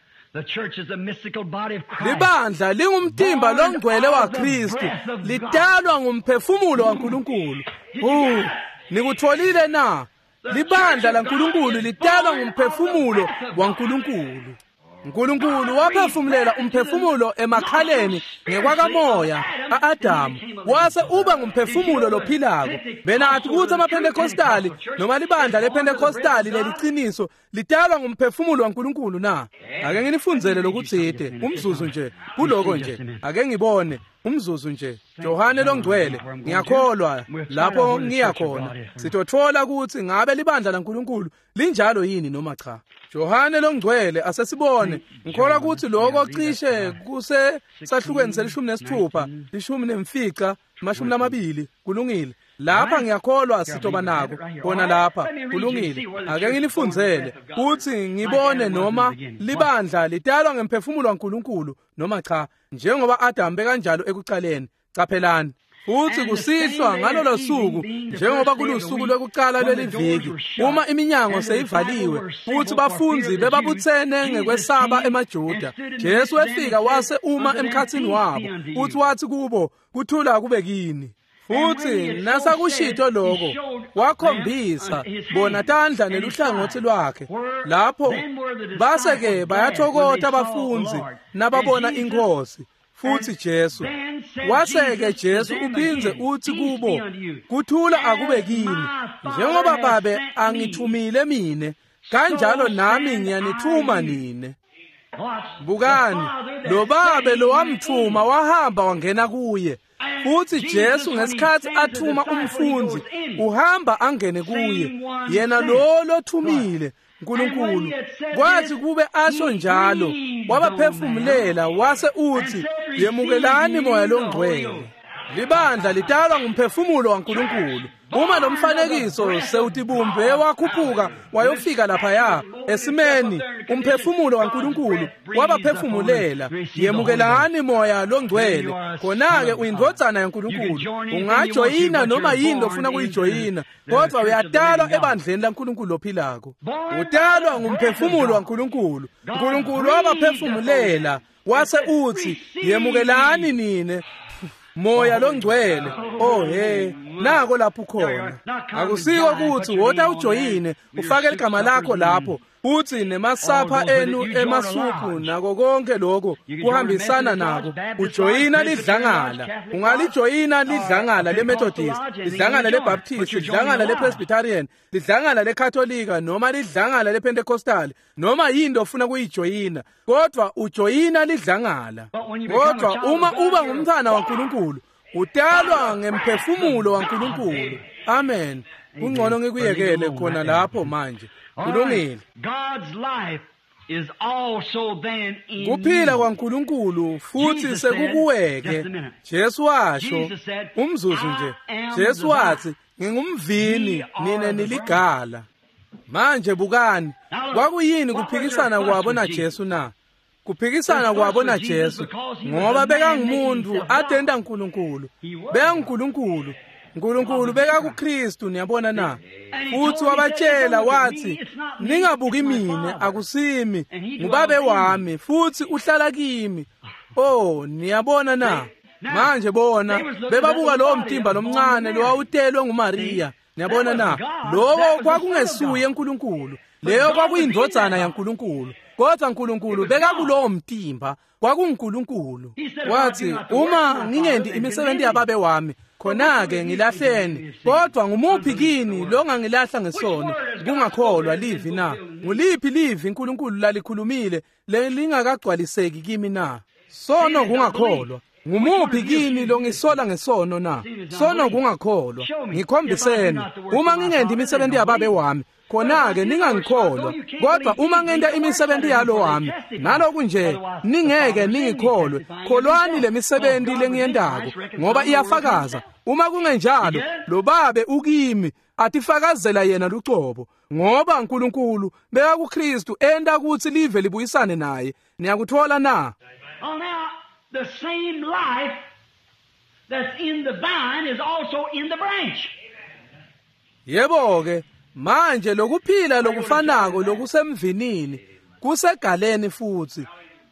Speaker 1: Libandla lingumtimba longcwele waKristu, lidalwa ngumphefumulo waNkulunkulu. Uh, nikutholile na? Libandla laNkulunkulu lidalwa ngumphefumulo waNkulunkulu. uNkulunkulu waphefumulela umphefumulo emakhaleni ngekwakamoya a-Adamu, wase uba ngumphefumulo lophilako. Benathi ukuthi amaPentecostali noma libandla lePentecostali leliciniso lidalwa ngumphefumulo waNkulunkulu na? Ake nginifundzele lokutsite umzuzu nje kuloko nje, ake ngibone umzuzu nje. Johane loNgcwele, ngiyakholwa lapho ngiya khona sitotfola ukuthi ngabe libandla laNkulunkulu linjalo yini noma cha. Johane loNgcwele, asesibone. Ngikholwa ukuthi lokho cishe kuse sahlukweni selishumi nesithupha, lishumi nemfica, mashumi lamabili. Kulungile. Lapha ngiyakholwa sitoba nako khona lapha. Kulungile. Ake nginifundzele kuthi ngibone noma libandla lidalwa ngemphefumulo waNkulunkulu noma cha, njengoba Adam bekanjalo ekucaleni. Caphelani. Futhi kusihlwa ngalolo suku, njengoba kulusuku lwekucala lweliviki, uma iminyango seyivaliwe futhi bafundzi bebabuthene ngekwesaba emaJuda, Jesu wefika wase uma emkhathini wabo, futhi wathi kubo, kuthula kube kini. Futhi nasakushito lokho, wakhombisa bona tandla neluhlangothi lwakhe. Lapho base-ke bayathokota abafundzi nababona iNkhosi. Futhi Jesu wase-ke Jesu uphindze uthi kubo, kuthula akube kini, njengoba Babe angithumile mine, kanjalo nami ngiyanithuma nine. Bukani, lo Babe lo wamthuma wahamba wangena kuye. Futhi Jesu ngesikhathi athuma umfundzi uhamba angene kuye, yena lo lothumile uNkulunkulu. Kwathi kube asho njalo, wabaphefumulela wase uthi, yemukelani Moya loNgcwele. Libandla lidalwa ngumphefumulo waNkulunkulu. Uma lo mfanekiso sewutibumbe wakhuphuka wayofika laphaya esimeni, umphefumulo waNkulunkulu wabaphefumulela, yemukelani Moya loNgcwele. Khona-ke uyindvodzana yaNkulunkulu. Ungajoyina noma yini lofuna kuyijoyina, kodwa uyadalwa ebandleni laNkulunkulu lophilako. Udalwa ngumphefumulo waNkulunkulu. uNkulunkulu wabaphefumulela wase uthi, yemukelani nine Moya loNgcwele. Oh he, nako lapho khona. Akusiko ukuthi wota ujoyine ufake igama lakho lapho, uthi nemasapha enu emasuphu nako konke lokho kuhambisana nako. Ujoyina lidlangala. Ungalijoyina lidlangala leMethodist, lidlangala leBaptist, lidlangala lePresbyterian, lidlangala leKatolika noma lidlangala lePentecostal, noma yini ofuna kuyijoyina, kodwa ujoyina lidlangala. Kodwa uma uba ngumntwana waNkulunkulu, utalwa ngemphefumulo waNkulunkulu. Amen. Kungcono ngikuyekele khona lapho manje. Kulungile. Kuphila kwaNkulunkulu futhi sekukuweke. Jesu washo umzuzu nje. Jesu wathi, ngingumvini, nina niligala. Manje bukani, kwakuyini kuphikisana kwabo naJesu na? Kuphikisana kwabo naJesu ngoba bekangumuntu atenta uNkulunkulu. BekanguNkulunkulu. uNkulunkulu bekakuKristu, niyabona na? Futhi wabatshela wathi, ningabuki mina, akusimi, ngubabe wami futhi uhlala kimi. Oh, niyabona na? Manje bona bebabuka lowo mtimba lomncane lowawutelwe nguMaria. Niyabona na? Lowo kwakungesuye uNkulunkulu. Leyo kwakuyindvodzana yaNkulunkulu. Kodwa uNkulunkulu bekakulowo mtimba, kwakunguNkulunkulu. Wathi, uma ngingendi imisebenzi yababe wami, khona-ke ngilahleni. Kodwa ngumuphi kini longangilahla ngesono? Kungakholwa livi na? Nguliphi livi uNkulunkulu lalikhulumile lelingakagcwaliseki kimi na? Sono kungakholwa. Ngumuphi kini longisola ngesono na? Sono kungakholwa. Ngikhombiseni, uma ngingendi imisebenzi yababe wami, khona-ke ningangikholwa. Kodwa uma ngenta imisebenzi yalo wami, naloku nje ningeke ningikholwe, kholwani le misebenzi lengiyentako, ngoba iyafakaza. Uma kungenjalo, lo babe ukimi atifakazela yena lucobo, ngoba uNkulunkulu bekakuKristu enta kutsi live libuyisane naye. Niyakuthola na?
Speaker 2: The same life that's in the vine is also in the branch.
Speaker 1: Yebo ke, manje lokuphila lokufanako lokusemvinini kusegaleni futhi.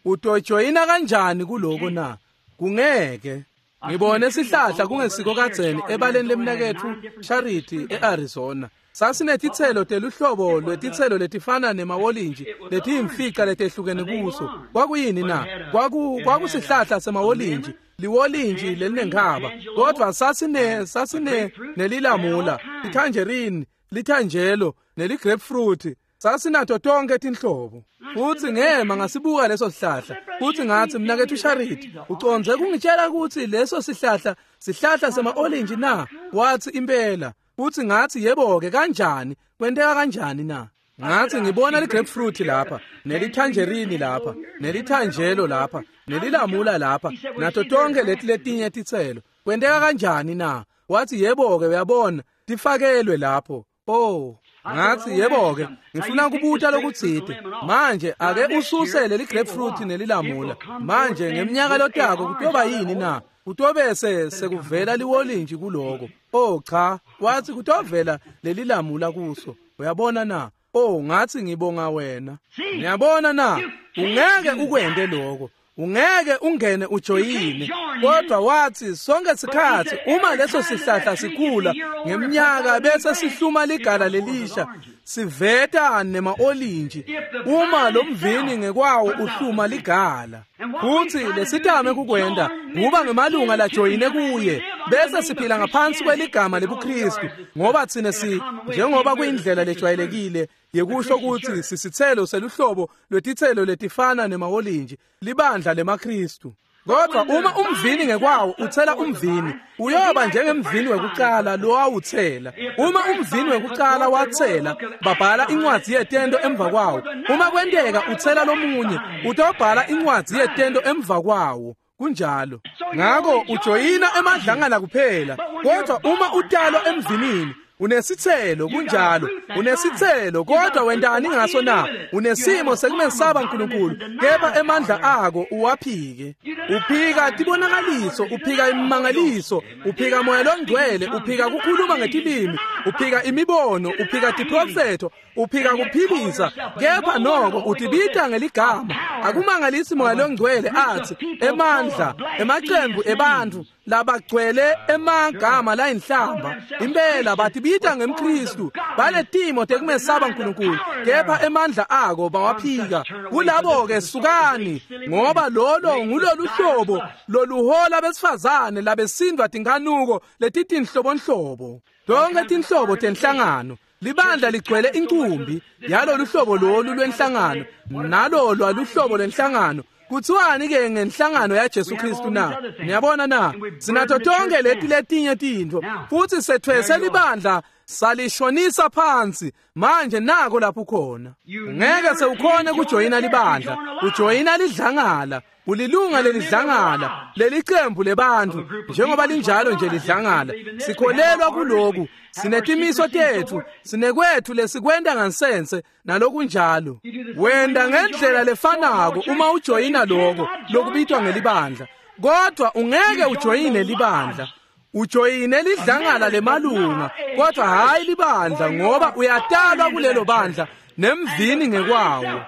Speaker 1: Utojoyina kanjani kuloko na? Kungeke. Ngibone sihlahla kungesiko kadzeni ebaleni lemnaketfu Charity eArizona. Sasinetitselo teluhlobo lwetitselo letifana nemawolinji letiyimfica letehlukene kuso. Kwakuyini na? Kwaku kwakusihlahla semawolinji, liwolinji lelinenkhaba. Kodwa sasine sasine nelilamula, itangerine, litangelo, neligrapefruit. Sasinato tonke tinhlobo. Futhi ngema ngasibuka leso sihlahla. Futhi ngathi, mnaketfu Charity, ucondze kungitshela ukuthi leso sihlahla sihlahla sema-orange na? Wathi impela. Futhi ngathi, yebo ke, kanjani? Kwenteka kanjani na? Ngathi ngibona ligrapefruit lapha, nelitangerine lapha, nelitangelo lapha, nelilamula lapha, nato tonke leti letinye titselo. Kwenteka kanjani na? Wathi yebo ke, uyabona, tifakelwe lapho. Oh, ngathi yebo ke, ngifuna kubuta lokutsite. Manje ake ususe leli grapefruit nelilamula. Manje ngeminyaka lotako kutoba yini na? Kutobese sekuvela liwolinji kuloko. Oh cha, wathi kutovela lelilamula kuso. Uyabona na? Oh, ngathi ngibonga wena. Ngiyabona na? Ungeke ukwente lokho. Ungeke ungene ujoyine. Kodwa wathi sonke sikhathi uma leso sihlahla sikhula ngeminyaka bese sihluma ligala lelisha, siveta nema-olinji. Uma lo mvini ngekwawo uhluma ligala. Futhi lesitame kukwenda kuba ngemalunga lajoyine kuye, bese siphila ngaphansi kweligama lebuKristu, ngoba thina si njengoba kuyindlela lejwayelekile yekusho ukuthi sisithelo seluhlobo lwetitselo letifana nemawolinji, libandla lemaKristu. Kodwa uma umvini ngekwawo uthela umvini, uyoba njengemvini wekucala lowawuthela. Uma umvini wekucala wathela, babhala incwadzi yetento emva kwawo. Uma kwenteka uthela lomunye, utobhala incwadzi yetento emva kwawo. Kunjalo. Ngako ujoyina emadlangana kuphela. Kodwa uma utalwa emvinini, unesithelo, kunjalo. Unesithelo, kodwa wentani ngaso na? Unesimo sekumesaba uNkulunkulu, kepha emandla ako uwaphike. Uphika tibonakaliso, uphika imimangaliso, uphika moya longcwele, uphika kukhuluma ngetilimi, uphika imibono, uphika tiprofetho, uphika kuphilisa, kepha noko utibita ngeligama. Akumangalisi moya longcwele athi emandla, emacembu ebantfu labagcwele emagama layinhlamba. Impela batibita ngemKristu, banetimo tekumesaba uNkulunkulu, kepha emandla ako bawaphika. Kulabo ke sukani, ngoba lolo ngulolu hlobo loluhola besifazane labesindwa tinkanuko letitinhlobonhlobo. Tonke tinhlobo tenhlangano. Libandla ligcwele inkumbi yalolu hlobo lolu lwenhlangano, nalo lwaluhlobo lwenhlangano. Kuthiwani ke ngenhlangano yaJesu Kristu na? Niyabona na? Sinato tonke leti letinye tintfo, futhi sethwese libandla Salishonisa phansi. Manje nako lapho khona. Ngeke sewukhone kujoyina libandla. Ujoyina lidlangala. Ulilunga lelidlangala, lelicembu lebantu, njengoba linjalo nje lidlangala. Sikholelwa kuloku, sinetimiso tethu, sinekwethu lesikwenta ngansense nalokunjalo. Wenda ngendlela lefanako uma ujoyina lokho lokubitwa ngelibandla, kodwa ungeke ujoyine libandla. Ujoyine lidlangala lemalunga, kodwa hayi libandla, ngoba uyatalwa kulelo bandla nemvini ngekwawo.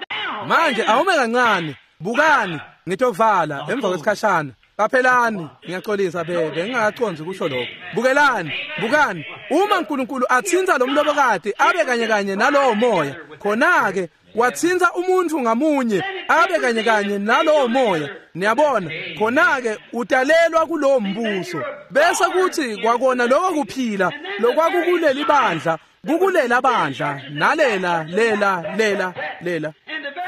Speaker 1: Manje awume kancane, bukani. Ngitovala emva kwesikhashana. Qaphelani, ngiyaxolisa bebe, ngingakaconzi kusho lokho. Bukelani, bukani, uma uNkulunkulu athinta lo mlobokati abe kanye kanye nalowo moya, khona-ke wathinta umuntu ngamunye abe kanye kanye nalowo moya. Niyabona, khona-ke utalelwa kulowo mbuso. Bese kuthi kwakona lokho kuphila lokwakukuleli bandla, kukulela bandla, nalela lela lela lela.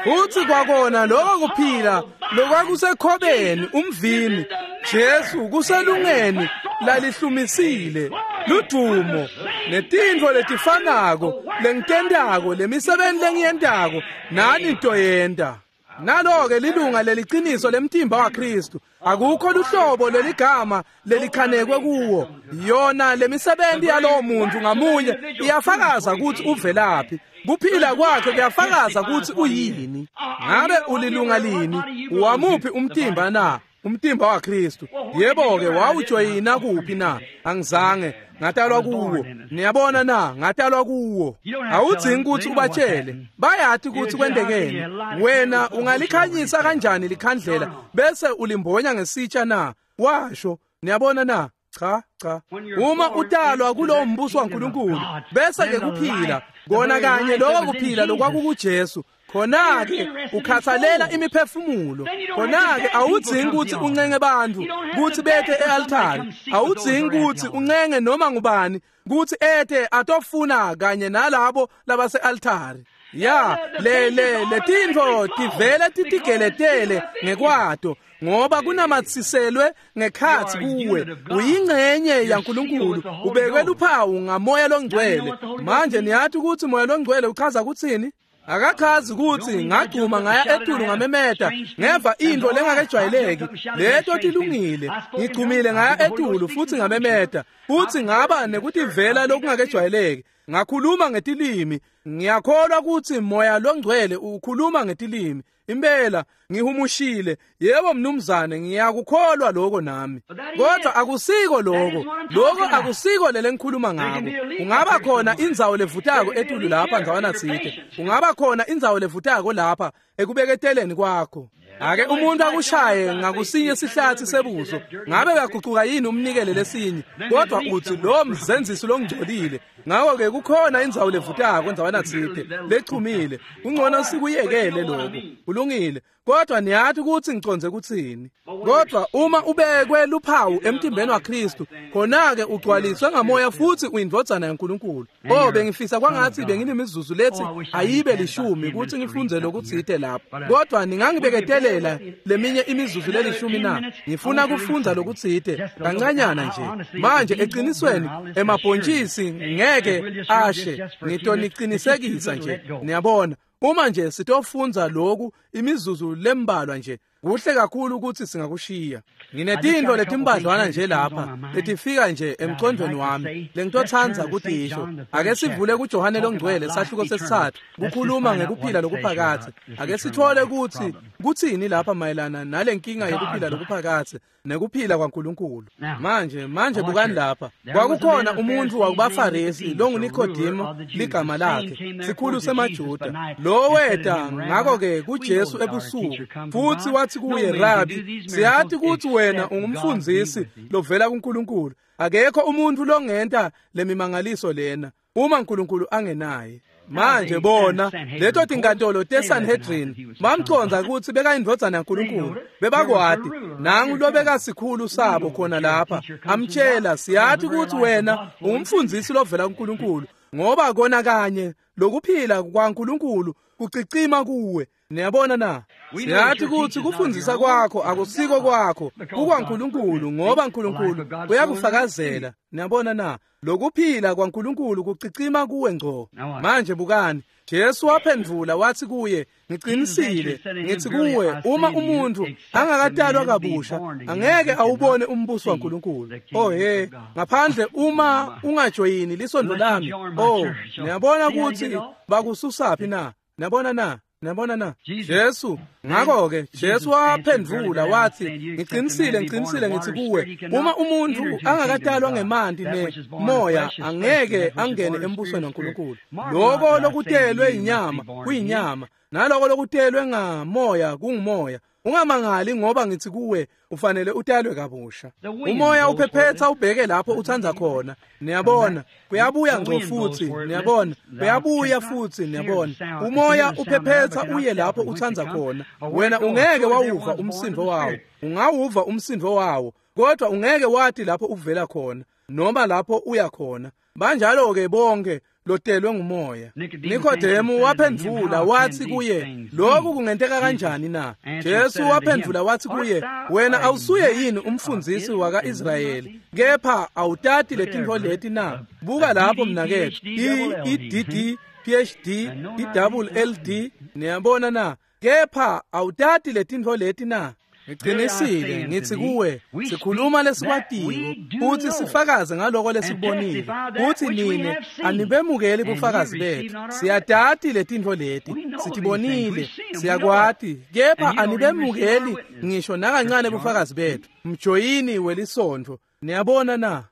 Speaker 1: Futhi kwakona lokho kuphila lokwakusekhobeni umvini, Jesu kuselungeni lalihlumisile ludumo netintfo letifanako lengitentako, lemisebenti lengiyentako nani ntoyenta. Nalo-ke lilunga leliciniso lemtimba waKristu. Akukho luhlobo leligama lelikhanekwe kuwo. Yona lemisebenti yalowo muntu ngamunye iyafakaza ukuthi uvelaphi. Kuphila kwakhe kuyafakaza ukuthi uyini. Ngabe ulilunga lini? Wamuphi umtimba na? Umtimba waKristu. Yebo-ke, wawujoyina kuphi na? Angizange ngatalwa kuwo. Niyabona na? Ngatalwa kuwo. Awudzingi ukuthi ubatshele, bayati ukuthi kwentekeni. Wena ungalikhanyisa kanjani likhandlela bese ulimbonya ngesitsha na? Washo. Niyabona na? Cha, cha. Uma utalwa kulowo mbuso waNkulunkulu, bese ke kuphila kona kanye lokho kuphila lokwakukuJesu, khona-ke ukhathalela imiphefumulo. Khona-ke awudzingi ukuthi uncenge bantu ukuthi bete e-altari. Awudzingi ukuthi uncenge noma ngubani ukuthi ete atofuna kanye nalabo labase-altari. Ya, le le letintfo tivele titigeletele ngekwato, ngoba kunamatsiselwe ngekhatsi kuwe. Uyingcenye yaNkulunkulu, ubekwe luphawu ngamoya longcwele. Manje niyathi ukuthi moya longcwele uchaza kuthini? Akachazi ukuthi ngagcuma ngaya etulu ngamemeta ngeva into lengakejwayeleki. Leto tilungile. Ngigcumile ngaya etulu futhi ngamemeta, futhi ngaba nekutivela lokungakejwayeleki. Ngakhuluma ngetilimi. Ngiyakholwa ukuthi moya longcwele ukhuluma ngetilimi. Impela ngihumushile. Yebo mnumzane, ngiyakukholwa lokho nami. Kodwa akusiko lokho. Lokho akusiko lele ngikhuluma ngako. Ungaba khona indzawo levutako etulu lapha ndzawana tsite. Ungaba khona indzawo levutako lapha ekubeketeleni kwakho. Ake umuntu akushaye ngakusinye sihlathi sebuso, ngabe uyagucuka yini umnikele lesinye? Kodwa uthi lo mzenzisi longcolile. Ngakho-ke kukhona indzawo levutako ndzawana tsite lechumile. Kungcono sikuyekele lokho. Kulungile. Kodwa niyathi ukuthi ngiconze kuthini. Kodwa uma ubekwe luphawu emtimbeni waKristu, khona-ke ugcwaliswe ngamoya futhi uyindvodzana yaNkulunkulu. Oh, bengifisa kwangathi benginemizuzu lethi ayibe lishumi ukuthi ngifunze lokutsite lapho. Kodwa ningangibeketelela leminye imizuzu lelishumi na? Ngifuna kufundza lokutsite kancanyana nje. Manje eqinisweni emabhontshisi ngeke ashe. Ngitoniqinisekisa nje. Niyabona, uma nje sitofunza lokhu imizuzu lembalwa nje, kuhle kakhulu ukuthi singakushiya. Nginetintfo letimbadlwana nje lapha letifika nje emcondweni wami lengitothandza kutisho. Ake sivule kuJohane longcwele sahluko sesithathu, kukhuluma ngekuphila lokuphakathe. Ake sithole ukuthi kuthini lapha mayelana nalenkinga yekuphila lokuphakathe nekuphila kwaNkulunkulu. Manje manje bukani lapha. Kwakukhona umuntu wakubaFarisi longuNikodemo ligama lakhe, sikhulu semaJuda. Lo weta ngakho-ke kuJesu ebusuku, futhi wathi kuye, Rabi, siyathi ukuthi wena ungumfundisi lovela kuNkulunkulu. Akekho umuntu longenta lemimangaliso lena uma uNkulunkulu angenaye. Manje bona leto tinkantolo teSanhedrin bamconza ukuthi bekayindvodzana yaNkulunkulu. Bebakwati nangu lobeka sikhulu sabo khona lapha amtshela, siyathi ukuthi wena ungumfundisi lovela kuNkulunkulu, ngoba kona kanye lokuphila kwaNkulunkulu kucicima kuwe. Niyabona na? Siyathi kutsi kufundzisa kwakho akusiko kwakho, kukwaNkulunkulu, ngoba Nkulunkulu uyakufakazela. Niyabona na? Lokuphila kwaNkulunkulu kucicima kuwe ngco. Manje bukani, Jesu waphendvula wathi kuye, ngiqinisile ngithi kuwe, uma umuntu angakatalwa kabusha angeke awubone umbuso waNkulunkulu. Oh he, ngaphandle uma ungajoyini lisondo lami. Oh, niyabona ukuthi bakususaphi na? Niyabona na? Niyabona na? Jesu, ngakho-ke Jesu waphendvula wathi, ngiqinisile ngiqinisile ngithi kuwe, uma umuntu angakatalwa ngemanti nemoya angeke angene embusweni waNkulunkulu. Lokho lokutelwe inyama kuyinyama, naloko lokutelwe ngamoya kungumoya. Ungamangali ngoba ngithi kuwe ufanele utalwe kabusha. Umoya uphephetha ubheke lapho uthanda khona. Niyabona, kuyabuya ngco futhi, niyabona, kuyabuya futhi, niyabona. Umoya uphephetha uye lapho uthanda khona. Wena ungeke wawuva umsindo wawo. Ungawuva umsindo wawo, kodwa ungeke wathi lapho uvela khona noma lapho uya khona. Banjalo ke bonke lotelwe ngumoya. Nikodemu waphendvula wathi kuye, lokhu kungenteka kanjani na? Jesu waphendvula wathi kuye, wena awusuye yini umfundzisi wakaIsrayeli, kepha awutati letintfo leti na? Buka lapho mnaketfu, I D D P H D I double L D, niyabona na? Kepha awutati letintfo leti na? Ngiqinisile ngithi kuwe, sikhuluma lesikwatiko futhi sifakaze ngaloko lesikubonile, futhi nine anibemukeli bufakazi bethu. Siyatati letintfo leti, sitibonile, siyakwati, kepha anibemukeli ngisho nakancane bufakazi bethu. Mjoyini welisontfo. Niyabona na?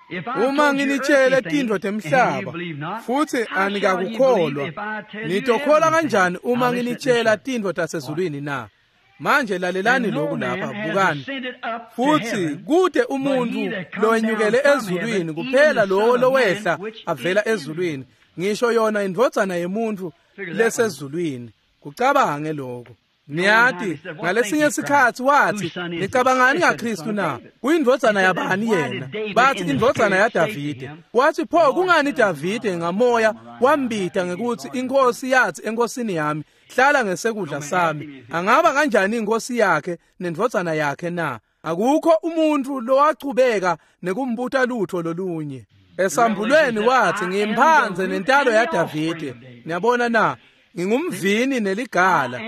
Speaker 1: Uma nginitshele tintfo temhlaba futhi anikakukholwa, nitokholwa kanjani uma nginitshela tintfo tasezulwini na? Manje lalelani lokhu lapha, bukani. Futhi kude umuntu lowenyukele ezulwini kuphela lowo lowehla avela ezulwini, ngisho yona indvodzana yemuntu lesezulwini. Kucabange lokho. Niyati, ngalesinye isikhathi wathi, nicabangani ngaKristu na? Kuyindvodzana yabani yena? Bathi indvodzana yaDavide. Wathi pho kungani Davide ngamoya wambita ngekuthi inkosi yathi enkosini yami, hlala ngesekudla sami. Angaba kanjani inkosi yakhe nendvodzana yakhe na? Akukho umuntu lowachubeka nekumbuta lutho lolunye. Esambulweni wathi, ngimphanze nentalo yaDavide. Niyabona na? Ngingumvini neligala.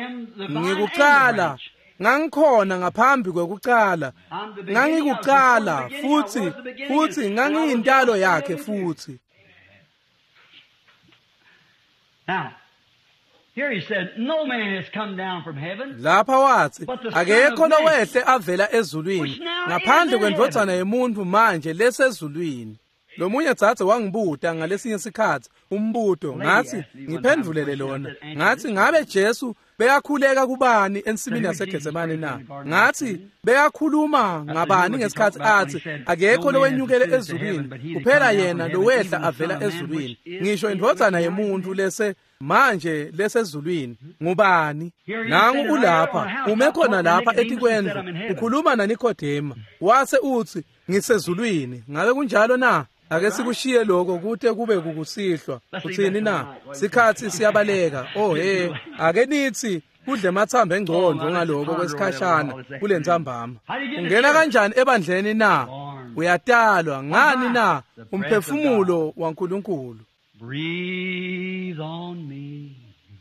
Speaker 1: Ngikuqala, ngangikhona ngaphambi kwekuqala. Ngangikuqala futhi futhi ngangiyintalo yakhe futhi.
Speaker 2: Now, here he said, no man has come down from heaven.
Speaker 1: Lapha wathi, akekho lowehle avela ezulwini ngaphandle kwendvodzana yemuntu manje lesezulwini. Lomunye dzadze wangibuta ngalesinye sikhathi umbuto, ngathi ngiphendvulele lona. Ngathi ngabe Jesu beyakhuleka kubani ensimini yaseGetsemane na? Ngathi beyakhuluma ngabani ngesikhathi athi akekho lowenyukele ezulwini kuphela yena lowehla avela ezulwini, ngisho indvodzana yemuntu lese manje lesezulwini ngubani? Nangu ulapha, ume khona lapha etikwendlu, ukhuluma naNikodema. Wase uthi ngisezulwini. Ngabe kunjalo na? Ake sikushiye lokho kute kube kukusihlwa. Uthini na? Sikhathi siyabaleka. Oh hey, ake nithi kudle amathambo engcondo ngaloko kwesikhashana kulentsambama. Ungena kanjani ebandleni na? Uyatalwa ngani na? Umphefumulo waNkulunkulu.
Speaker 2: Breathe on me.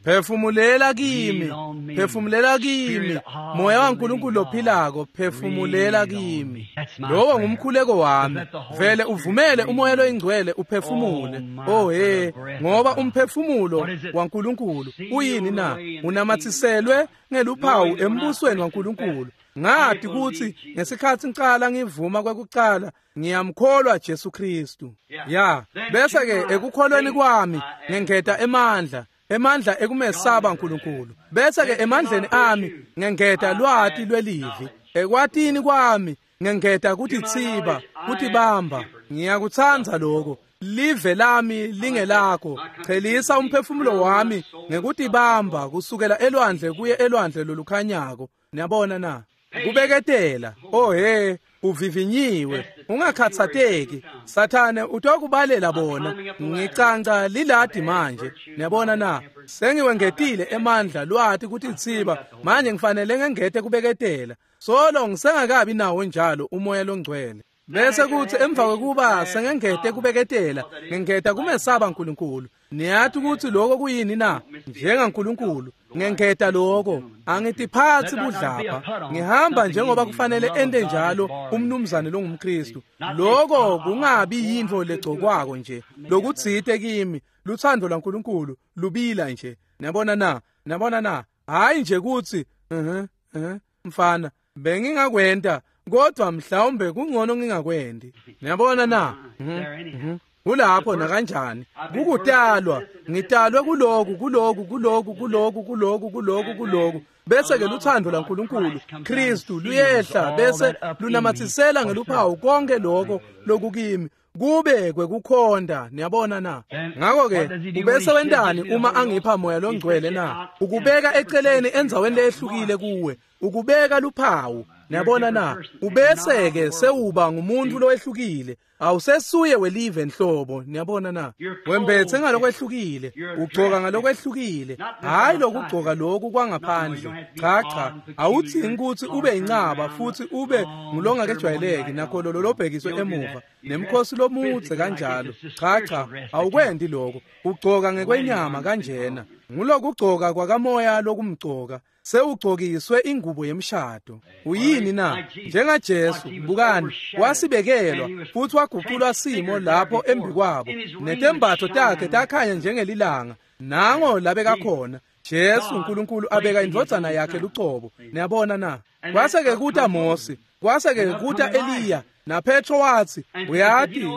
Speaker 1: Phefumulela kimi, phefumulela kimi, moya waNkulunkulu lophilako, phefumulela kimi. Lowo ngumkhuleko wami. Vele uvumele umoya loyingcwele uphefumule. Oh he, ngoba umphefumulo waNkulunkulu uyini na? Unamathiselwe ngeluphawu embusweni waNkulunkulu. Ngathi kuthi ngesikhathi ngicala ngivuma kwekucala ngiyamkholwa Jesu Kristu. Ya, bese ke ekukholweni kwami ngengeta emandla, emandla ekumesaba uNkulunkulu. Bese ke emandleni ami ngengeta lwati lwelivi. Ekwatini kwami ngengeta kutithiba, kutibamba. Ngiyakutsandza lokho. Live lami lingelakho. Chelisa umphefumulo wami ngekutibamba kusukela elwandle kuye elwandle lolukhanyako. Niyabona na? Kubeketela. Oh he, Uvivinyiwe, ungakhatsateki. Sathane utokubalela bona. Ngicanca liladi manje. Niyabona na? Sengiwengetile emandla lwati kutitsiba. Manje ngifanele ngengete kubeketela. Solo ngisengakabi nawo njalo umoya longcwele. Bese kuthi emva kwekuba sengengete kubeketela, ngengeta kumesaba uNkulunkulu. Niyathi ukuthi lokho kuyini na? NjengaNkulunkulu, ngengeta lokho. Angitiphathi budlapha. Ngihamba njengoba kufanele ente njalo umnumzane longumKristu. Lokho kungabi yinto legcokwako nje. Lokutsite kimi, luthando lwaNkulunkulu lubila nje. Niyabona na? Niyabona na? Hayi nje kuthi, mhm, mhm, mfana, bengingakwenta kodwa mhlawumbe kungcono ngingakwendi. Niyabona na? Mhm. Kulapho nakanjani kukutalwa, ngitalwe kuloku kuloku kuloku kuloku kuloku kuloku kuloku. Bese ke luthando laNkulunkulu Kristu luyehla bese lunamathisela ngeluphawu konke lokho lokukimi kube kwekukhonda. Niyabona na? Ngakho ke ubese wentani uma angipha moya longcwele na? Ukubeka eceleni endzaweni lehlukile kuwe, ukubeka luphawu. Niyabona na? Ubese ke sewuba ngumuntu lowehlukile. Awusesuye welive enhlobo. Niyabona na? Wembethe ngalokwehlukile, ugcoka ngalokwehlukile. Hayi lokugcoka lokhu kwangaphandle. Cha cha, awudzingi ukuthi ube incaba futhi ube ngulongakejwayeleki nakho lo lobhekiswe emuva nemkhosi lomudze kanjalo. Cha cha, awukwendi lokho. Ugcoka ngekwenyama kanjena. Ngulokugcoka kwakamoya lokumgcoka. Sewugcokiswe ingubo yemshado. Uyini na? NjengaJesu, bukani, wasibekelwa futhi waguqulwa simo lapho embikwabo. Netembatho takhe takhanya njengelilanga. Nango labeka khona Jesu uNkulunkulu abeka indvodzana yakhe lucobo. Niyabona na? Kwase ke kuta Mose, kwase ke kuta Eliya, na Petro wathi, uyati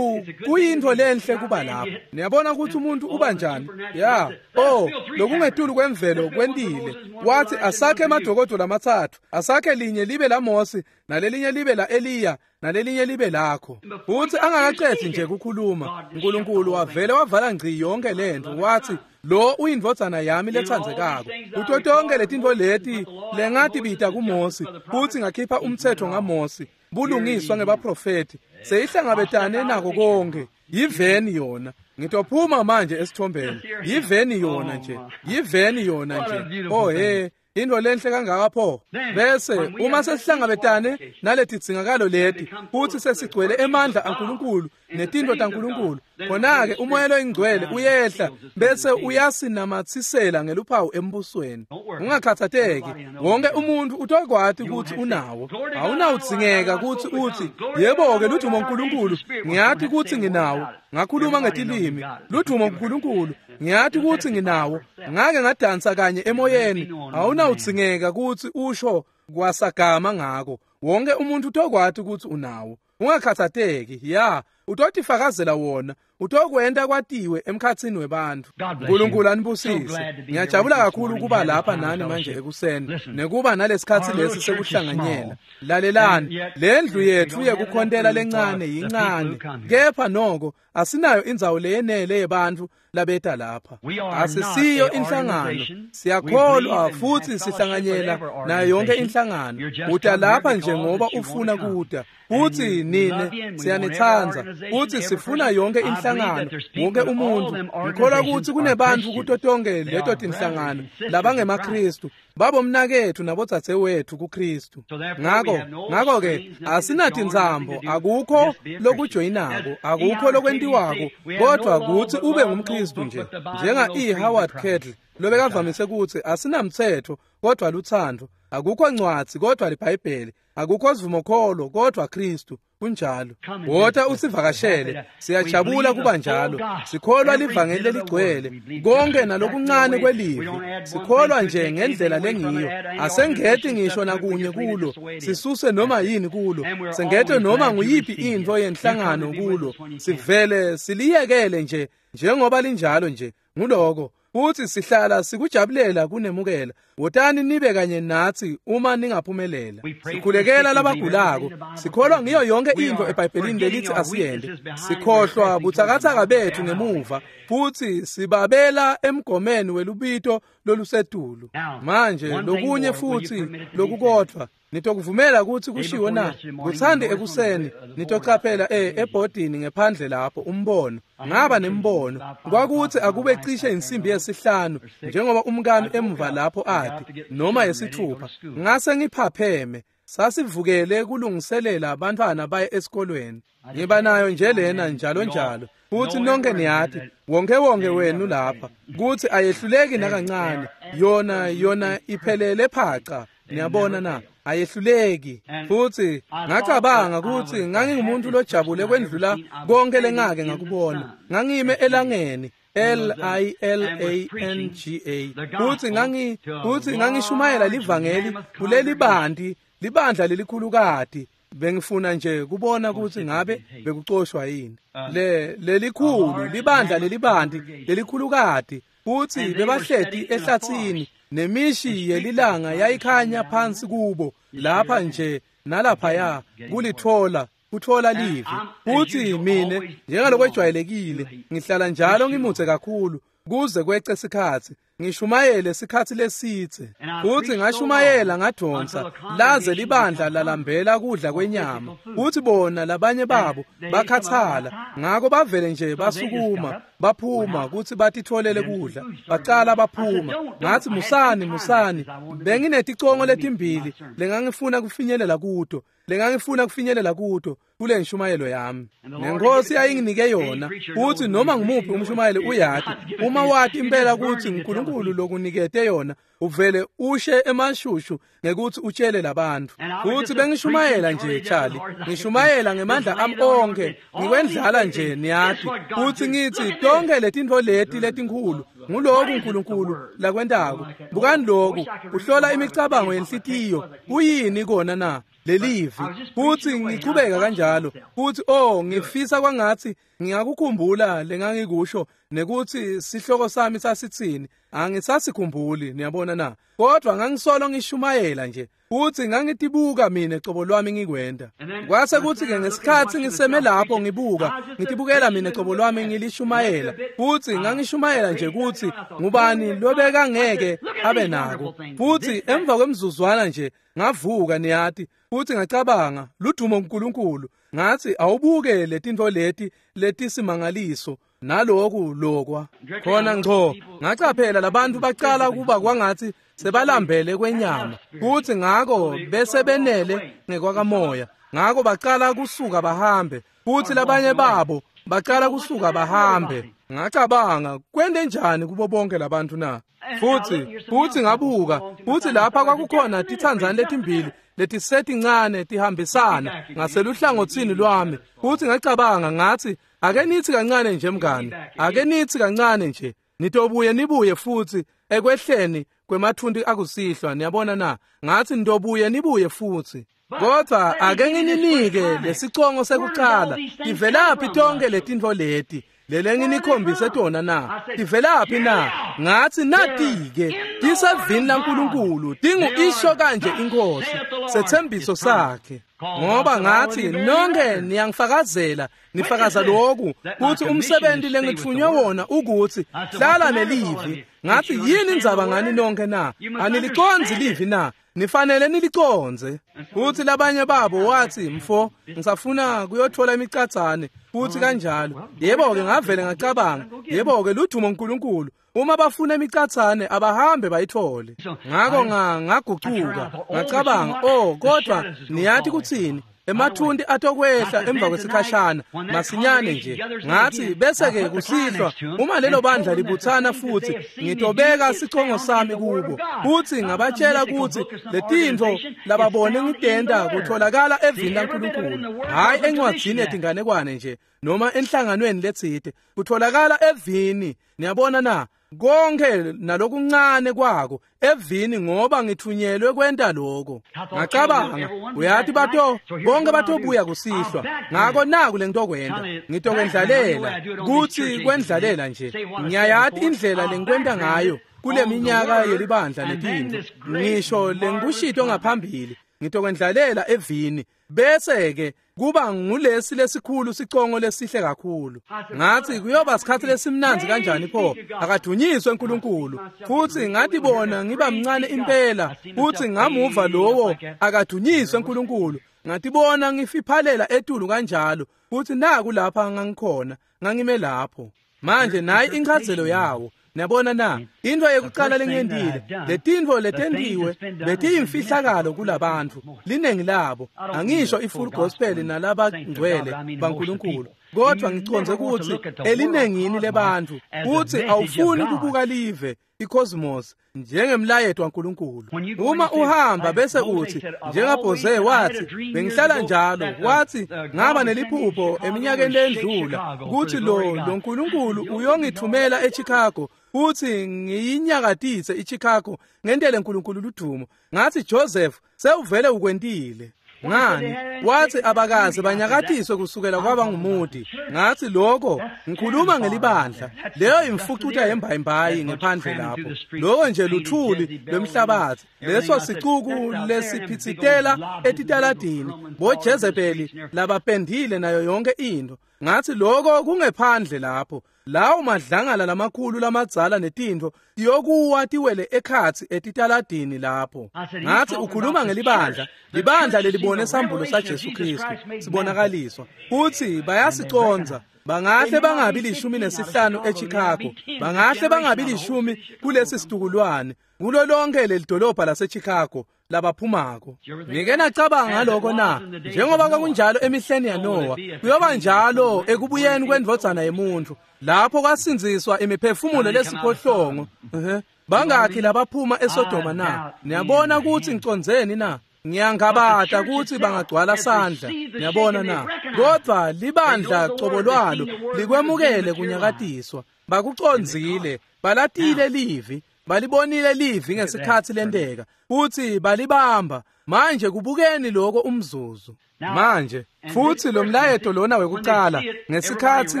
Speaker 1: kuyintfo lenhle kuba lapho. Niyabona ukuthi umuntu uba njani? Ya, oh, lokungetulu kwemvelo kwentile. Wathi asakhe emadokodo lamathathu, asakhe linye libe la Mose, nalelinye libe la Eliya, nalelinye libe lakho. Futhi angakaqedi nje kukhuluma, uNkulunkulu wavele wavala ngci yonke lento. Wathi, lo uyindvodzana yami letsandzekako. Kuto tonke letintfo leti lengatibita kuMose, futhi ngakhipha umthetho ngaMose, bulungiswa ngebaprofeti, seyihlangabetane nako konke. Yiveni yona. Ngitophuma manje esithombeni. Yiveni yona nje. Yiveni yona nje. Oh he, into lenhle kangaka pho. Bese uma sesihlangabetane naletidzingakalo leti futhi sesigcwele emandla aNkulunkulu netinto taNkulunkulu, khona ke umoya loyingcwele uyehla bese uyasinamathisela ngeluphawu embusweni. Ungakhathatheki, wonke umuntu utokwati ukuthi unawo. Awunawudzingeka ukuthi uthi, yebo ke ludumo uNkulunkulu, ngiyathi ukuthi nginawo. Ngakhuluma ngetilimi, ludumo uNkulunkulu, ngiyathi ukuthi nginawo. Ngake ngadansa kanye emoyeni. Awunawudzingeka ukuthi usho kwasagama ngako. Wonke umuntu utokwati ukuthi unawo. Ungakhathatheki, ya, utotifakazela wona, utokwenta kwatiwe emkhatsini webantfu. uNkulunkulu anibusise. Ngiyajabula kakhulu kuba lapha nani manje ekuseni nekuba nalesikhatsi lesi sekuhlanganyela. Lalelani, lendlu yethu yekukhontela lencane yincane, kepha noko asinayo indzawo leyenele yebantfu labeta lapha. Asisiyo inhlangano, siyakholwa futhi sihlanganyela nayo yonke inhlangano. Uta lapha nje ngoba ufuna kuta, futhi nine siyanithandza, futhi sifuna yonke inhlangano, wonke umuntu. Ngikholwa ukuthi kunebantfu kuto tonke leto tinhlangano labangemaKristu, babomnakethu nabodzadzewethu kuKristu. Ngako ngako ke asinatintsambo, akukho lokujoyinako, akukho lokwentiwako, kodwa kuthi ube ngumKristu nje. Njenga E. Howard Kettle lobekavamise ukuthi asinamthetho kodwa luthando, akukho ncwadzi kodwa liBhayibheli, akukho sivumokholo kodwa Kristu. Kunjalo. Wota usivakashele, siyajabula kuba njalo. Sikholwa livangeli leligcwele konke nalokuncane kwelivi. Sikholwa nje ngendlela lengiyo. Asengeti ngisho nakunye kulo, sisuse noma yini kulo, sengete noma nguyiphi intfo yenhlangano kulo. Sivele siliyekele nje njengoba linjalo nje. Nguloko futhi sihlala sikujabulela kunemukela. Wotani nibe kanye nathi uma ningaphumelela. Sikhulekela labagulako. Sikholwa ngiyo yonke into eBhayibhelini lelithi asiyende. Sikhohlwa butsakatsaka bethu ngemuva futhi sibabela emgomeni welubito lolusetulu. Manje lokunye futhi lokukodvwa, Nitokuvumela kutsi kushiwo na? Kutsande ekuseni nitocaphela e ebhodini ngephandle lapho umbono. Ngaba nembono kwakutsi akube cishe insimbi yesihlanu njengoba umkami emuva lapho ati noma yesithupha, ngase ngiphapheme. Sasivukele kulungiselela abantwana baye esikolweni. Ngiba nayo nje lena njalo njalo, futhi nonke niyati wonke wonke wenu lapha kutsi ayehluleki nakancane. Yona yona iphelele phaca, niyabona na, ayehluleki. Futhi ngacabanga kutsi ngangingumuntu lojabule kwendlula konke lengake ngakubona. Ngangime elangeni L I L A N G A, futhi ngangi futhi ngangishumayela livangeli kuleli bandi libandla lelikhulukati. Bengifuna nje kubona kutsi ngabe bekucoshwa yini le lelikhulu libandla lelibanti lelikhulukati, futhi bebahleti ehlathini nemishi yelilanga yayikhanya phansi kubo lapha nje nalaphaya kulithola kuthola livi. Futhi mine njengalokwejwayelekile ngihlala njalo ngimutse kakhulu kuze kwece sikhatsi ngishumayele sikhatsi lesitse. Futhi ngashumayela ngadonsa laze libandla lalambela kudla kwenyama, futhi bona labanye babo bakhathala, ngako bavele nje basukuma baphuma kutsi batitholele kudla, bacala baphuma. Ngathi musani musani, bengineticongo letimbili lengangifuna kufinyelela kuto lengangifuna kufinyelela kuto kule nshumayelo yami, nenkosi ayinginike yona. Futhi noma ngumuphi umshumayeli uyati uma wati impela kutsi uNkulunkulu lokunikete yona, uvele ushe emashushu ngekuthi utshele labantu. Futhi bengishumayela nje Charlie, ngishumayela ngemandla ami onke, ngikwendlala nje niyati. Futhi ngithi tonke letintfo leti letinkhulu nguloku uNkulunkulu lakwentako. Bukani loku, uhlola imicabango yenhlitiyo, kuyini kona na lelivi? Futhi ngichubeka kanjalo. Futhi oh, ngifisa kwangathi ngingakukhumbula lengangikusho nekuthi sihloko sami sasitsini. Angisasikhumbuli, niyabona na, kodwa ngangisolo ngishumayela nje. Futhi ngangitibuka mina cobo lwami ngikwenda. Kwase kuthi ke ngesikhatsi ngiseme lapho ngibuka, ngitibukela mina cobo lwami ngilishumayela. Futhi ngangishumayela nje kutsi ngubani lobeka ngeke abe nako. Futhi emva kwemzuzwana nje ngavuka niyati, futhi ngacabanga ludumo uNkulunkulu. Ngathi awubuke letintfo leti letisimangaliso naloku lokwa khona ngco. Ngacaphela labantu bacala kuba kwangathi sebalambele kwenyama, futhi ngako bese benele ngekwakamoya, ngako bacala kusuka bahambe. Futhi labanye babo bacala kusuka bahambe. Ngacabanga kwende njani kubo bonke labantu na? Futhi futhi ngabuka, futhi lapha kwakukhona titsandzane letimbili letisetincane tihambisana ngaseluhlangotsini lwami. Futhi ngacabanga ngathi ake nithi kancane nje mngani, ake nithi kancane nje, nitobuye nibuye futhi ekwehleni kwemathunti akusihlwa, niyabona na. Ngathi nitobuye nibuye futhi, kodwa ake ngininike lesicongo sekucala. Tivelaphi tonke letintfo leti lele nginikhombise tona na? Tivelaphi na? Ngathi nati-ke tisevini laNkulunkulu, tingu isho kanje inkosi, sethembiso sakhe. Ngoba ngathi nonke niyangifakazela, nifakaza lokhu kuthi umsebenzi lengitfunywe wona ukuthi hlala nelivi. Ngathi yini indzaba ngani nonke na? Anilicondzi livi na? Nifanele nilicondze. Futhi labanye babo wathi mfo ngisafuna kuyothola imicatsane futhi kanjalo. Yebo-ke ngavele ngacabanga, yebo-ke ludumo uNkulunkulu, uma bafuna imicatsane abahambe bayithole. Ngako ngagucuka ngacabanga, oh kodwa niyathi kuthini, emathunti atokwehla emva kwesikhashana masinyane nje. Ngathi bese ke kusihlwa uma lelo bandla libuthana futhi ngitobeka sicongo sami kubo, futhi ngabatshela ukuthi letintfo lababone ngitenta kutholakala evini laNkulunkulu, hhayi encwadzini yetinganekwane nje noma enhlanganweni letsite, kutholakala evini. Niyabona na, konke nalokuncane kwako evini, ngoba ngithunyelwe kwenta lokho. Ngacabanga uyathi bato bonke batobuya kusihlwa, ngako naku lengitokwenta, ngitokwendlalela kutsi kwendlalela nje. Ngiyayati indlela lengikwenta ngayo kule minyaka yelibandla netintfo, ngisho lengikushito ngaphambili, ngitokwendlalela evini, Bese ke kuba ngulesi lesikhulu sicongo lesihle kakhulu. Ngathi kuyoba sikhathi lesimnandzi kanjani pho, akadunyiswe uNkulunkulu. Futhi ngatibona ngiba mncane impela, futhi ngamuva lowo akadunyiswe uNkulunkulu. Ngatibona ngifiphalela etulu kanjalo, futhi naku lapha ngangikhona, ngangime lapho. Manje nayi inchazelo yawo. Niyabona na, into yekuqala lengiyentile, letintfo letentiwe betiyimfihlakalo kulabantu, linengi labo. Angisho i-full gospel nalabangcwele baNkulunkulu, kodwa ngiconze ukuthi elinengini lebantfu kuthi awufuni kubuka live i-cosmos njengemlayeto waNkulunkulu. Uma uhamba bese uthi njengaBhose wathi bengihlala njalo, wathi ngaba neliphupho eminyakeni lendlula kuthi lo lo Nkulunkulu uyongithumela eChicago futhi ngiyinyakatise iChicago ngentele uNkulunkulu ludumo. Ngathi Joseph sewuvele ukwentile. Ngani? Wathi abakaze banyakatiswe kusukela kwaba ngumudi. Ngathi lokho ngikhuluma ngelibandla. Leyo imfucuta yembayimbayi ngephandle lapho. Lokho nje luthuli lwemhlabathi. Leso sicuku lesiphitsitela etitaladini, boJezebeli labapendile nayo yonke into. Ngathi lokho kungephandle lapho. Lawo madlangala lamakhulu lamadzala netintfo tiyokuwa tiwele ekhatsi etitaladini lapho. Ngathi ukhuluma ngelibandla, libandla lelibone sambulo saJesu Kristu sibonakaliswa. Futhi bayasiconza. Bangahle bangabi lishumi nesihlanu eChicago, bangahle bangabi lishumi kulesi situkulwane, kulo lonke lelidolobha laseChicago labaphumako. Ngike nacabanga ngaloko na? Njengoba kwakunjalo emihleni yaNowa, kuyoba njalo ekubuyeni kwendvodzana yemuntu, lapho kwasindziswa imiphefumulo lesiphohlongo. Uh-huh. Bangakhi labaphuma eSodoma na? Niyabona ukuthi ngicondzeni na? Ngiyangabata ukuthi bangagcwala sandla. Niyabona na? Kodwa libandla cobo lwalo likwemukele kunyakatiswa. Bakucondzile, balatile livi, balibonile livi ngesikhathi lenteka, futhi balibamba. Manje kubukeni lokho umzuzu. Manje futhi lo mlayeto lona wekuqala ngesikhathi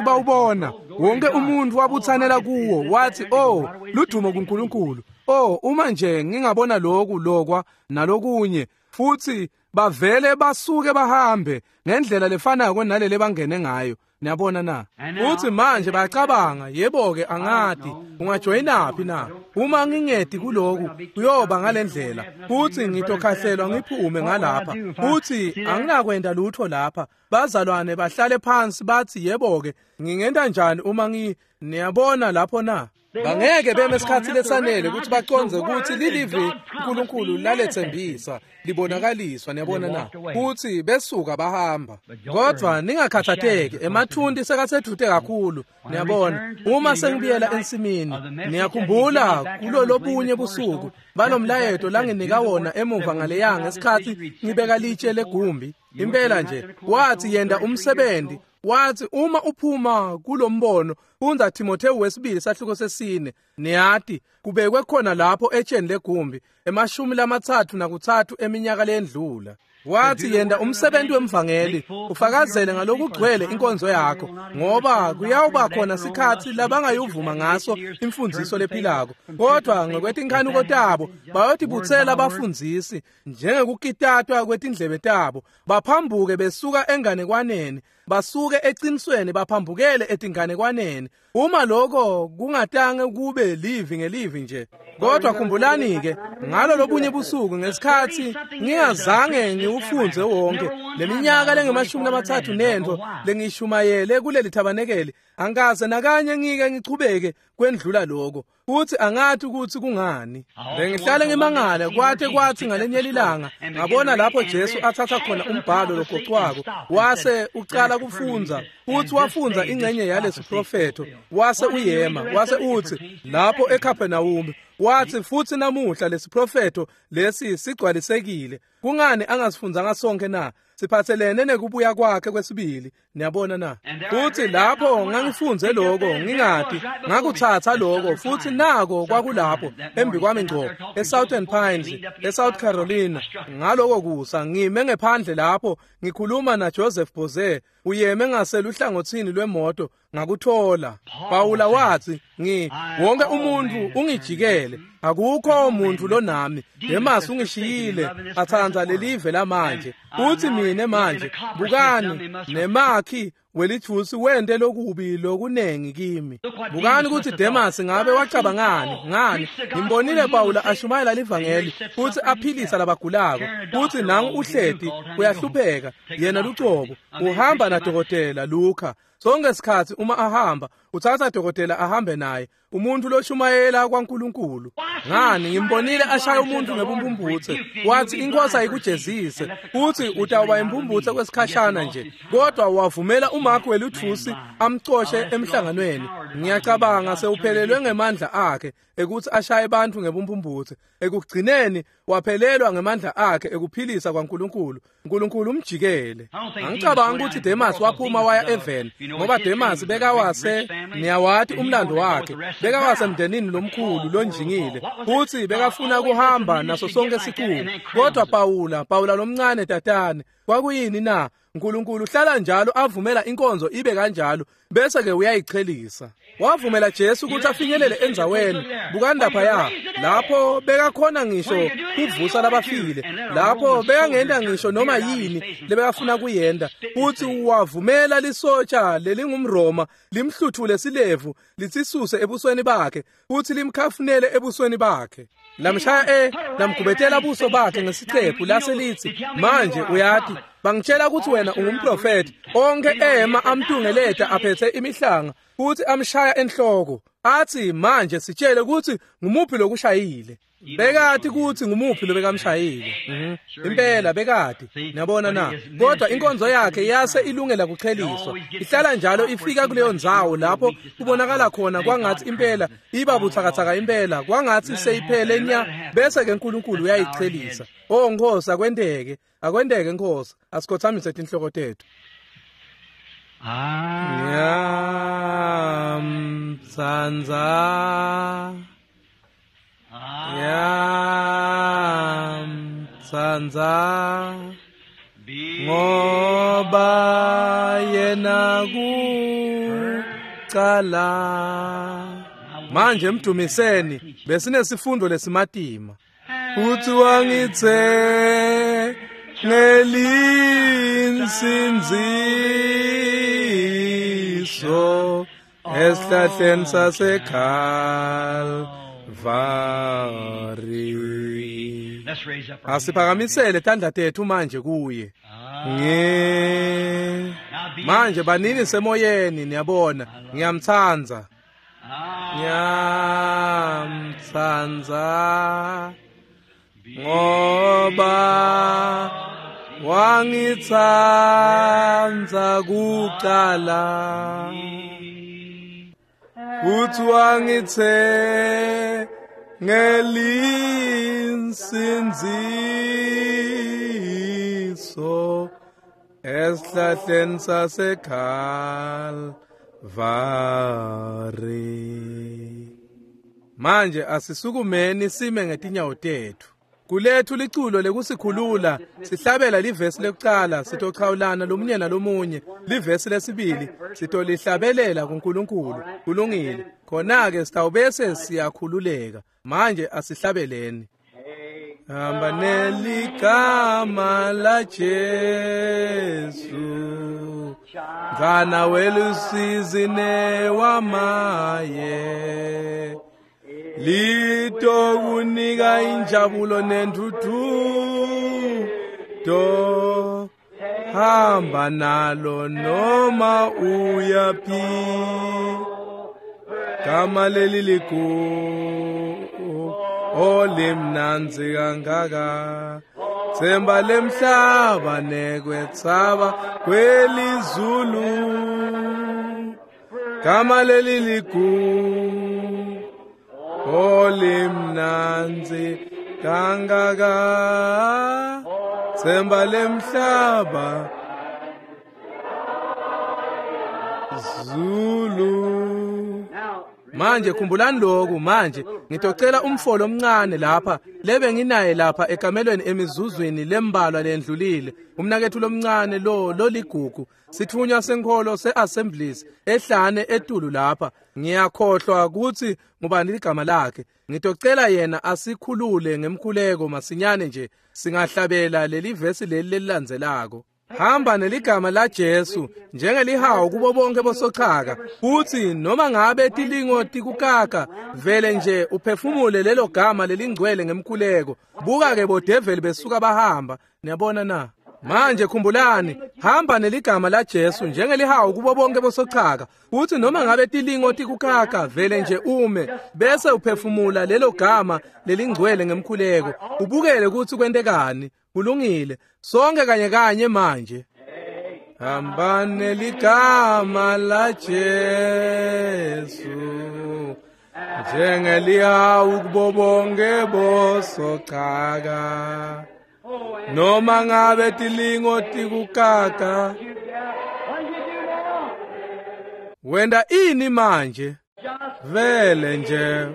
Speaker 1: bawubona, wonke umuntu wabuthanela kuwo wathi, "Oh, ludumo kuNkulunkulu. Oh, uma nje ngingabona lokhu lokwa nalokunye." Futhi bavele basuke bahambe ngendlela lefanako nalele bangene ngayo. Niyabona na? Futhi manje bayacabanga, yebo ke angadi ungajoyinaphi na? Uma ngingedi kuloku kuyoba ngalendlela, futhi ngitokhahlelwa ngiphume ngalapha, futhi anginakwenda lutho lapha. Bazalwane bahlale phansi bathi, yebo ke ngingenta njani uma ngi niyabona lapho na? Bangeke beme esikhathi lesanele ukuthi baconze ukuthi lilivi uNkulunkulu lalethembisa libonakaliswa. Niyabona na? Futhi besuka bahamba. Kodwa ningakhathatheki, emathunti sekasedvute kakhulu. Niyabona, uma sengibuyela ensimini, niyakhumbula kulolobunye busuku balomlayeto langinika wona emuva ngaleya ngesikhathi ngibeka litshe legumbi. Impela nje wathi yenda umsebenzi. Wathi uma uphuma kulombono, fundza Timotheo wesibili sahluko sesine. Niyati kubekwe khona lapho etsheni legumbi emashumi lamathathu nakuthathu eminyaka lendlula. Wathi yenda umsebenzi wemvangeli, ufakazele ngalokugcwele inkonzo yakho, ngoba kuyawuba khona sikhathi labangayuvuma ngaso imfundiso lephilako. Kodwa ngokwetinkanuko tabo bayotibutsela abafundzisi njengekukitatwa kwetindlebe tabo, baphambuke besuka enganekwaneni, basuke eqinisweni baphambukele etinganekwaneni. Uma lokho kungatange kube livi ngelivi nje. Kodwa khumbulani ke ngalo lobunye busuku ngesikhathi ngingazange ngiwufunze wonke leminyaka lengemashumi lamathathu nento lengishumayele kuleli thabanekeli, angikaze nakanye ngike ngichubeke kwendlula lokho. Futhi angathi ukuthi kungani. Bengihlale ngimangala kwathe kwathi ngalenye ilanga ngabona lapho Jesu athatha khona umbhalo logocwako wase ucala kufunza, futhi wafunza ingxenye yalesi profetho, wase uyema wase uthi lapho eCapernaum, wathi futhi namuhla lesiprofetho lesi sigcwalisekile. Kungani angasifunzanga sonke na? Siphathelene nekubuya kwakhe kwesibili. Niyabona na? Futhi lapho ngangifunze lokho ngingati ngakuthatha lokho, futhi nako kwakulapho embi kwami ngco eSouthern Pines eSouth Carolina. Ngaloko kusa ngime ngephandle lapho ngikhuluma na Joseph Boze, uyeme ngaseluhlangothini lwemoto Ngakuthola. Pawula wathi, ngi wonke umuntu ungijikele, akukho umuntu lonami. Demas ungishiyile, athandza lelive lamanje. Uthi mine manje, bukani nemakhi welithusi wente lokubi lokunengi kimi. Bukani ukuthi Demas ngabe wacabangani ngani. Ngimbonile Pawula ashumayela livangeli futhi aphilisa labagulako, futhi nangu uhleti uyahlupheka yena lucobo, uhamba nadokotela Luka. Sonke isikhathi uma ahamba uthatha dokotela ahambe naye, umuntu loshumayela kwaNkulunkulu. Ngani, ngimbonile ashaya umuntu ngebumbumbutse, wathi inkosi ayikujezise, uthi utawuba imbumbutse kwesikhashana nje, kodwa wavumela uMark weluthusi amcoshe emhlanganweni. Ngiyacabanga sewuphelelwe ngemandla akhe ekuthi ashaye abantu ngebumbumbutse. Ekugcineni waphelelwa ngemandla akhe ekuphilisa kwaNkulunkulu. uNkulunkulu umjikele. Angicabanga ukuthi Demas waphuma waya eveni, ngoba Demas bekawase, niyawati umlando wakhe, bekawase emndenini lomkhulu lonjingile, futhi bekafuna kuhamba naso sonke sicuku. Kodwa Pawula, Pawula lomncane tatane, kwakuyini na? uNkulunkulu uhlala njalo avumela inkonzo ibe kanjalo, bese ke uyayichelisa. Wavumela Jesu ukuthi afinyelele endzaweni. Bukani lapha, lapho bekakhona ngisho kuvusa labafile, lapho bekangenda ngisho noma yini lebekafuna kuyenda, futhi wavumela lisotsha lelingumRoma limhluthule silevu litsisuse ebusweni bakhe, futhi limkhafunele ebusweni bakhe. Lamshaya e lamgubetela buso bakhe ngesiqephu lase lithi, manje uyati bangitshela ukuthi wena ungumprofeti. Onke ema amtungeleta aphethe imihlanga futhi amshaya enhloko, athi manje sitshele ukuthi ngumuphi lokushayile. Bekati ukuthi ngumuphi lobekamshayile. Mhm. Impela bekati. Niyabona na? Kodwa inkonzo yakhe yase ilungela kucheliswa. Ihlala njalo ifika kuleyo ndzawo lapho kubonakala khona kwangathi impela iba buthakathaka impela, kwangathi seyiphele nya, bese ke uNkulunkulu uyayichelisa. Oh Nkosi, akwenteke. Akwenteke Nkosi. Asikhothamise tinhloko tethu. Ngiyamtsandza, ngiyamtsandza, ngoba yena kucala. Manje mdumiseni, besinesifundo lesimatima. Uthi wangithe ngelinsindziso esihlahleni saseKalvari. Asiphakamisele tandla tethu manje kuye. Nge manje banini semoyeni, niyabona, ngiyamtsandza, ngiyamtsandza, ngoba wangitsandza kucala, futhi wangithe ngelinsindziso esihlahleni saseKalvari. Manje asisukumeni sime ngetinyawo tethu. Kulethu liculo lekusikhulula, sihlabela livesi lekucala, sitochawulana lomunye nalomunye. Livesi lesibili sitolihlabelela kuNkulunkulu. Kulungile. Khona-ke sitawubese siyakhululeka. Manje asihlabeleni. Hamba neligama la Jesu, mfana welusizi newamaye, litokunika injabulo nentuthuko, hamba nalo noma uyaphi, gama leli ligu olimnandzi kangaka, themba lemhlaba nekwetsaba kwelizulu, gama leli ligu olimnandzi kangaka, themba lemhlaba. Zulu. Manje khumbulani lokhu manje ngitocela umfolo omncane lapha lebe nginaye lapha ekamelweni emizuzwini lembalwa lendlulile umnakethu lomncane lo loligugu sithunywa senkholo seAssemblies ehlane etulu lapha ngiyakhohlwa ukuthi ngubani ligama lakhe ngitocela yena asikhulule ngemkhuleko masinyane nje singahlabela leli vesi leli lelilandzelako. Hamba neligama la Jesu njengelihawu kubo bonke bosochaka futhi noma ngabe tilingo tikukaka vele nje uphefumule lelo gama lelingcwele ngemkhuleko. Buka ke bodeveli besuka bahamba. Niyabona na? Manje khumbulani, hamba neligama la Jesu njengelihawu kubo bonke bosochaka futhi noma ngabe tilingo tikukaka vele nje ume bese uphefumula lelo gama lelingcwele ngemkhuleko ubukele ukuthi kwentekani. Kulungile sonke kanye kanye manje. Hamba neligama la Jesu njengelihawu kubo bonke bosochaka noma ngabe tilingo tikukaka. Wenda ini manje? Vele nje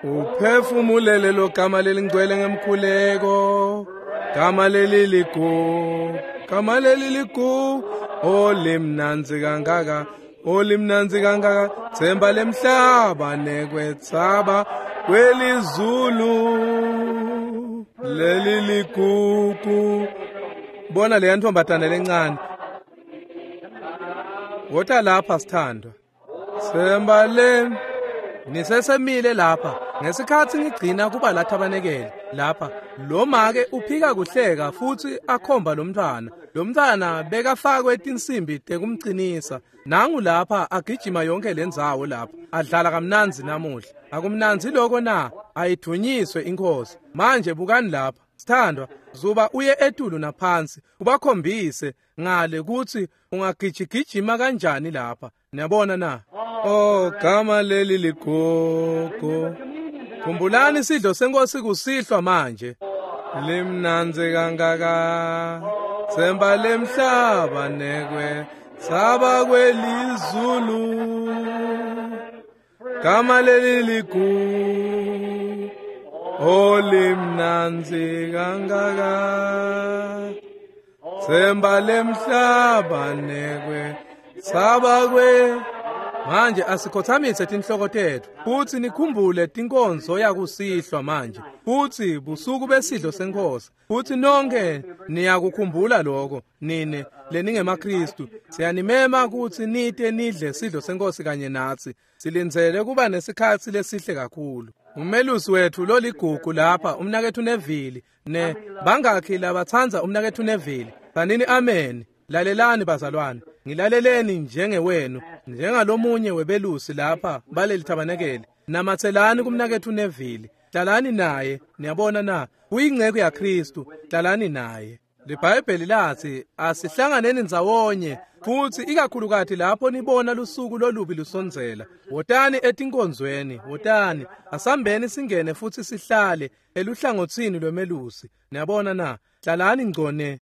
Speaker 1: uphefumulele lo gama lelingcwele ngemkhuleko. Gama leli ligu, gama leli ligu, olimnanzi kangaka, olimnanzi kangaka, themba lemhlaba nekwetsaba kwelizulu leli ligugu. Bona leya ntombazana lencane. Wota lapha sithandwa. Themba le nisesemile lapha ngesikhathi ngigcina kuba lathabanekele lapha lo make uphika kuhleka futhi akhomba lomntwana. Lomntwana bekafakwe tinsimbi tekumcinisa. Nangu lapha agijima yonke lendzawo lapha adlala kamnanzi namuhla. Akumnanzi lokho na? Ayithunyiswe inkosi. Manje bukani lapha sithandwa, zuba uye etulu naphansi ubakhombise ngale ukuthi ungagijigijima kanjani lapha. Niyabona na? Oh, gama leli ligogo. Khumbulani isidlo senkosi kusihlwa manje. Limnanzi kangaka, themba lemhlaba nekwe saba kwelizulu. Gama leli ligu, oh limnanzi kangaka, themba lemhlaba nekwe saba kwe. Manje asikhothamise tinhloko tethu futhi nikhumbule tinkonzo yakusihlwa manje futhi busuku besidlo senkosi futhi nonke niyakukhumbula lokho nine leningemaKristu. Siyanimema ukuthi nite nidle sidlo senkosi kanye nathi. Silindzele kuba nesikhathi lesihle kakhulu. Umelusi wethu loligugu lapha umnakethu Neville ne bangakhi labathandza umnakethu Neville? Sanini amen. Lalelani bazalwane, ngilaleleni njengewenu njengalomunye webelusi lapha baleli thabanekele. Namathelani kumnakethu Neville, hlalani naye. Niyabona na? Uyingceku yaKristu, hlalani naye. LiBhayibheli lathi asihlanganeni ndzawonye futhi ikakhulukati lapho nibona lusuku lolubi lusondzela. Wotani etinkonzweni, wotani, asambeni singene futhi sihlale eluhlangothini lwemelusi. Niyabona na? Hlalani ngcone.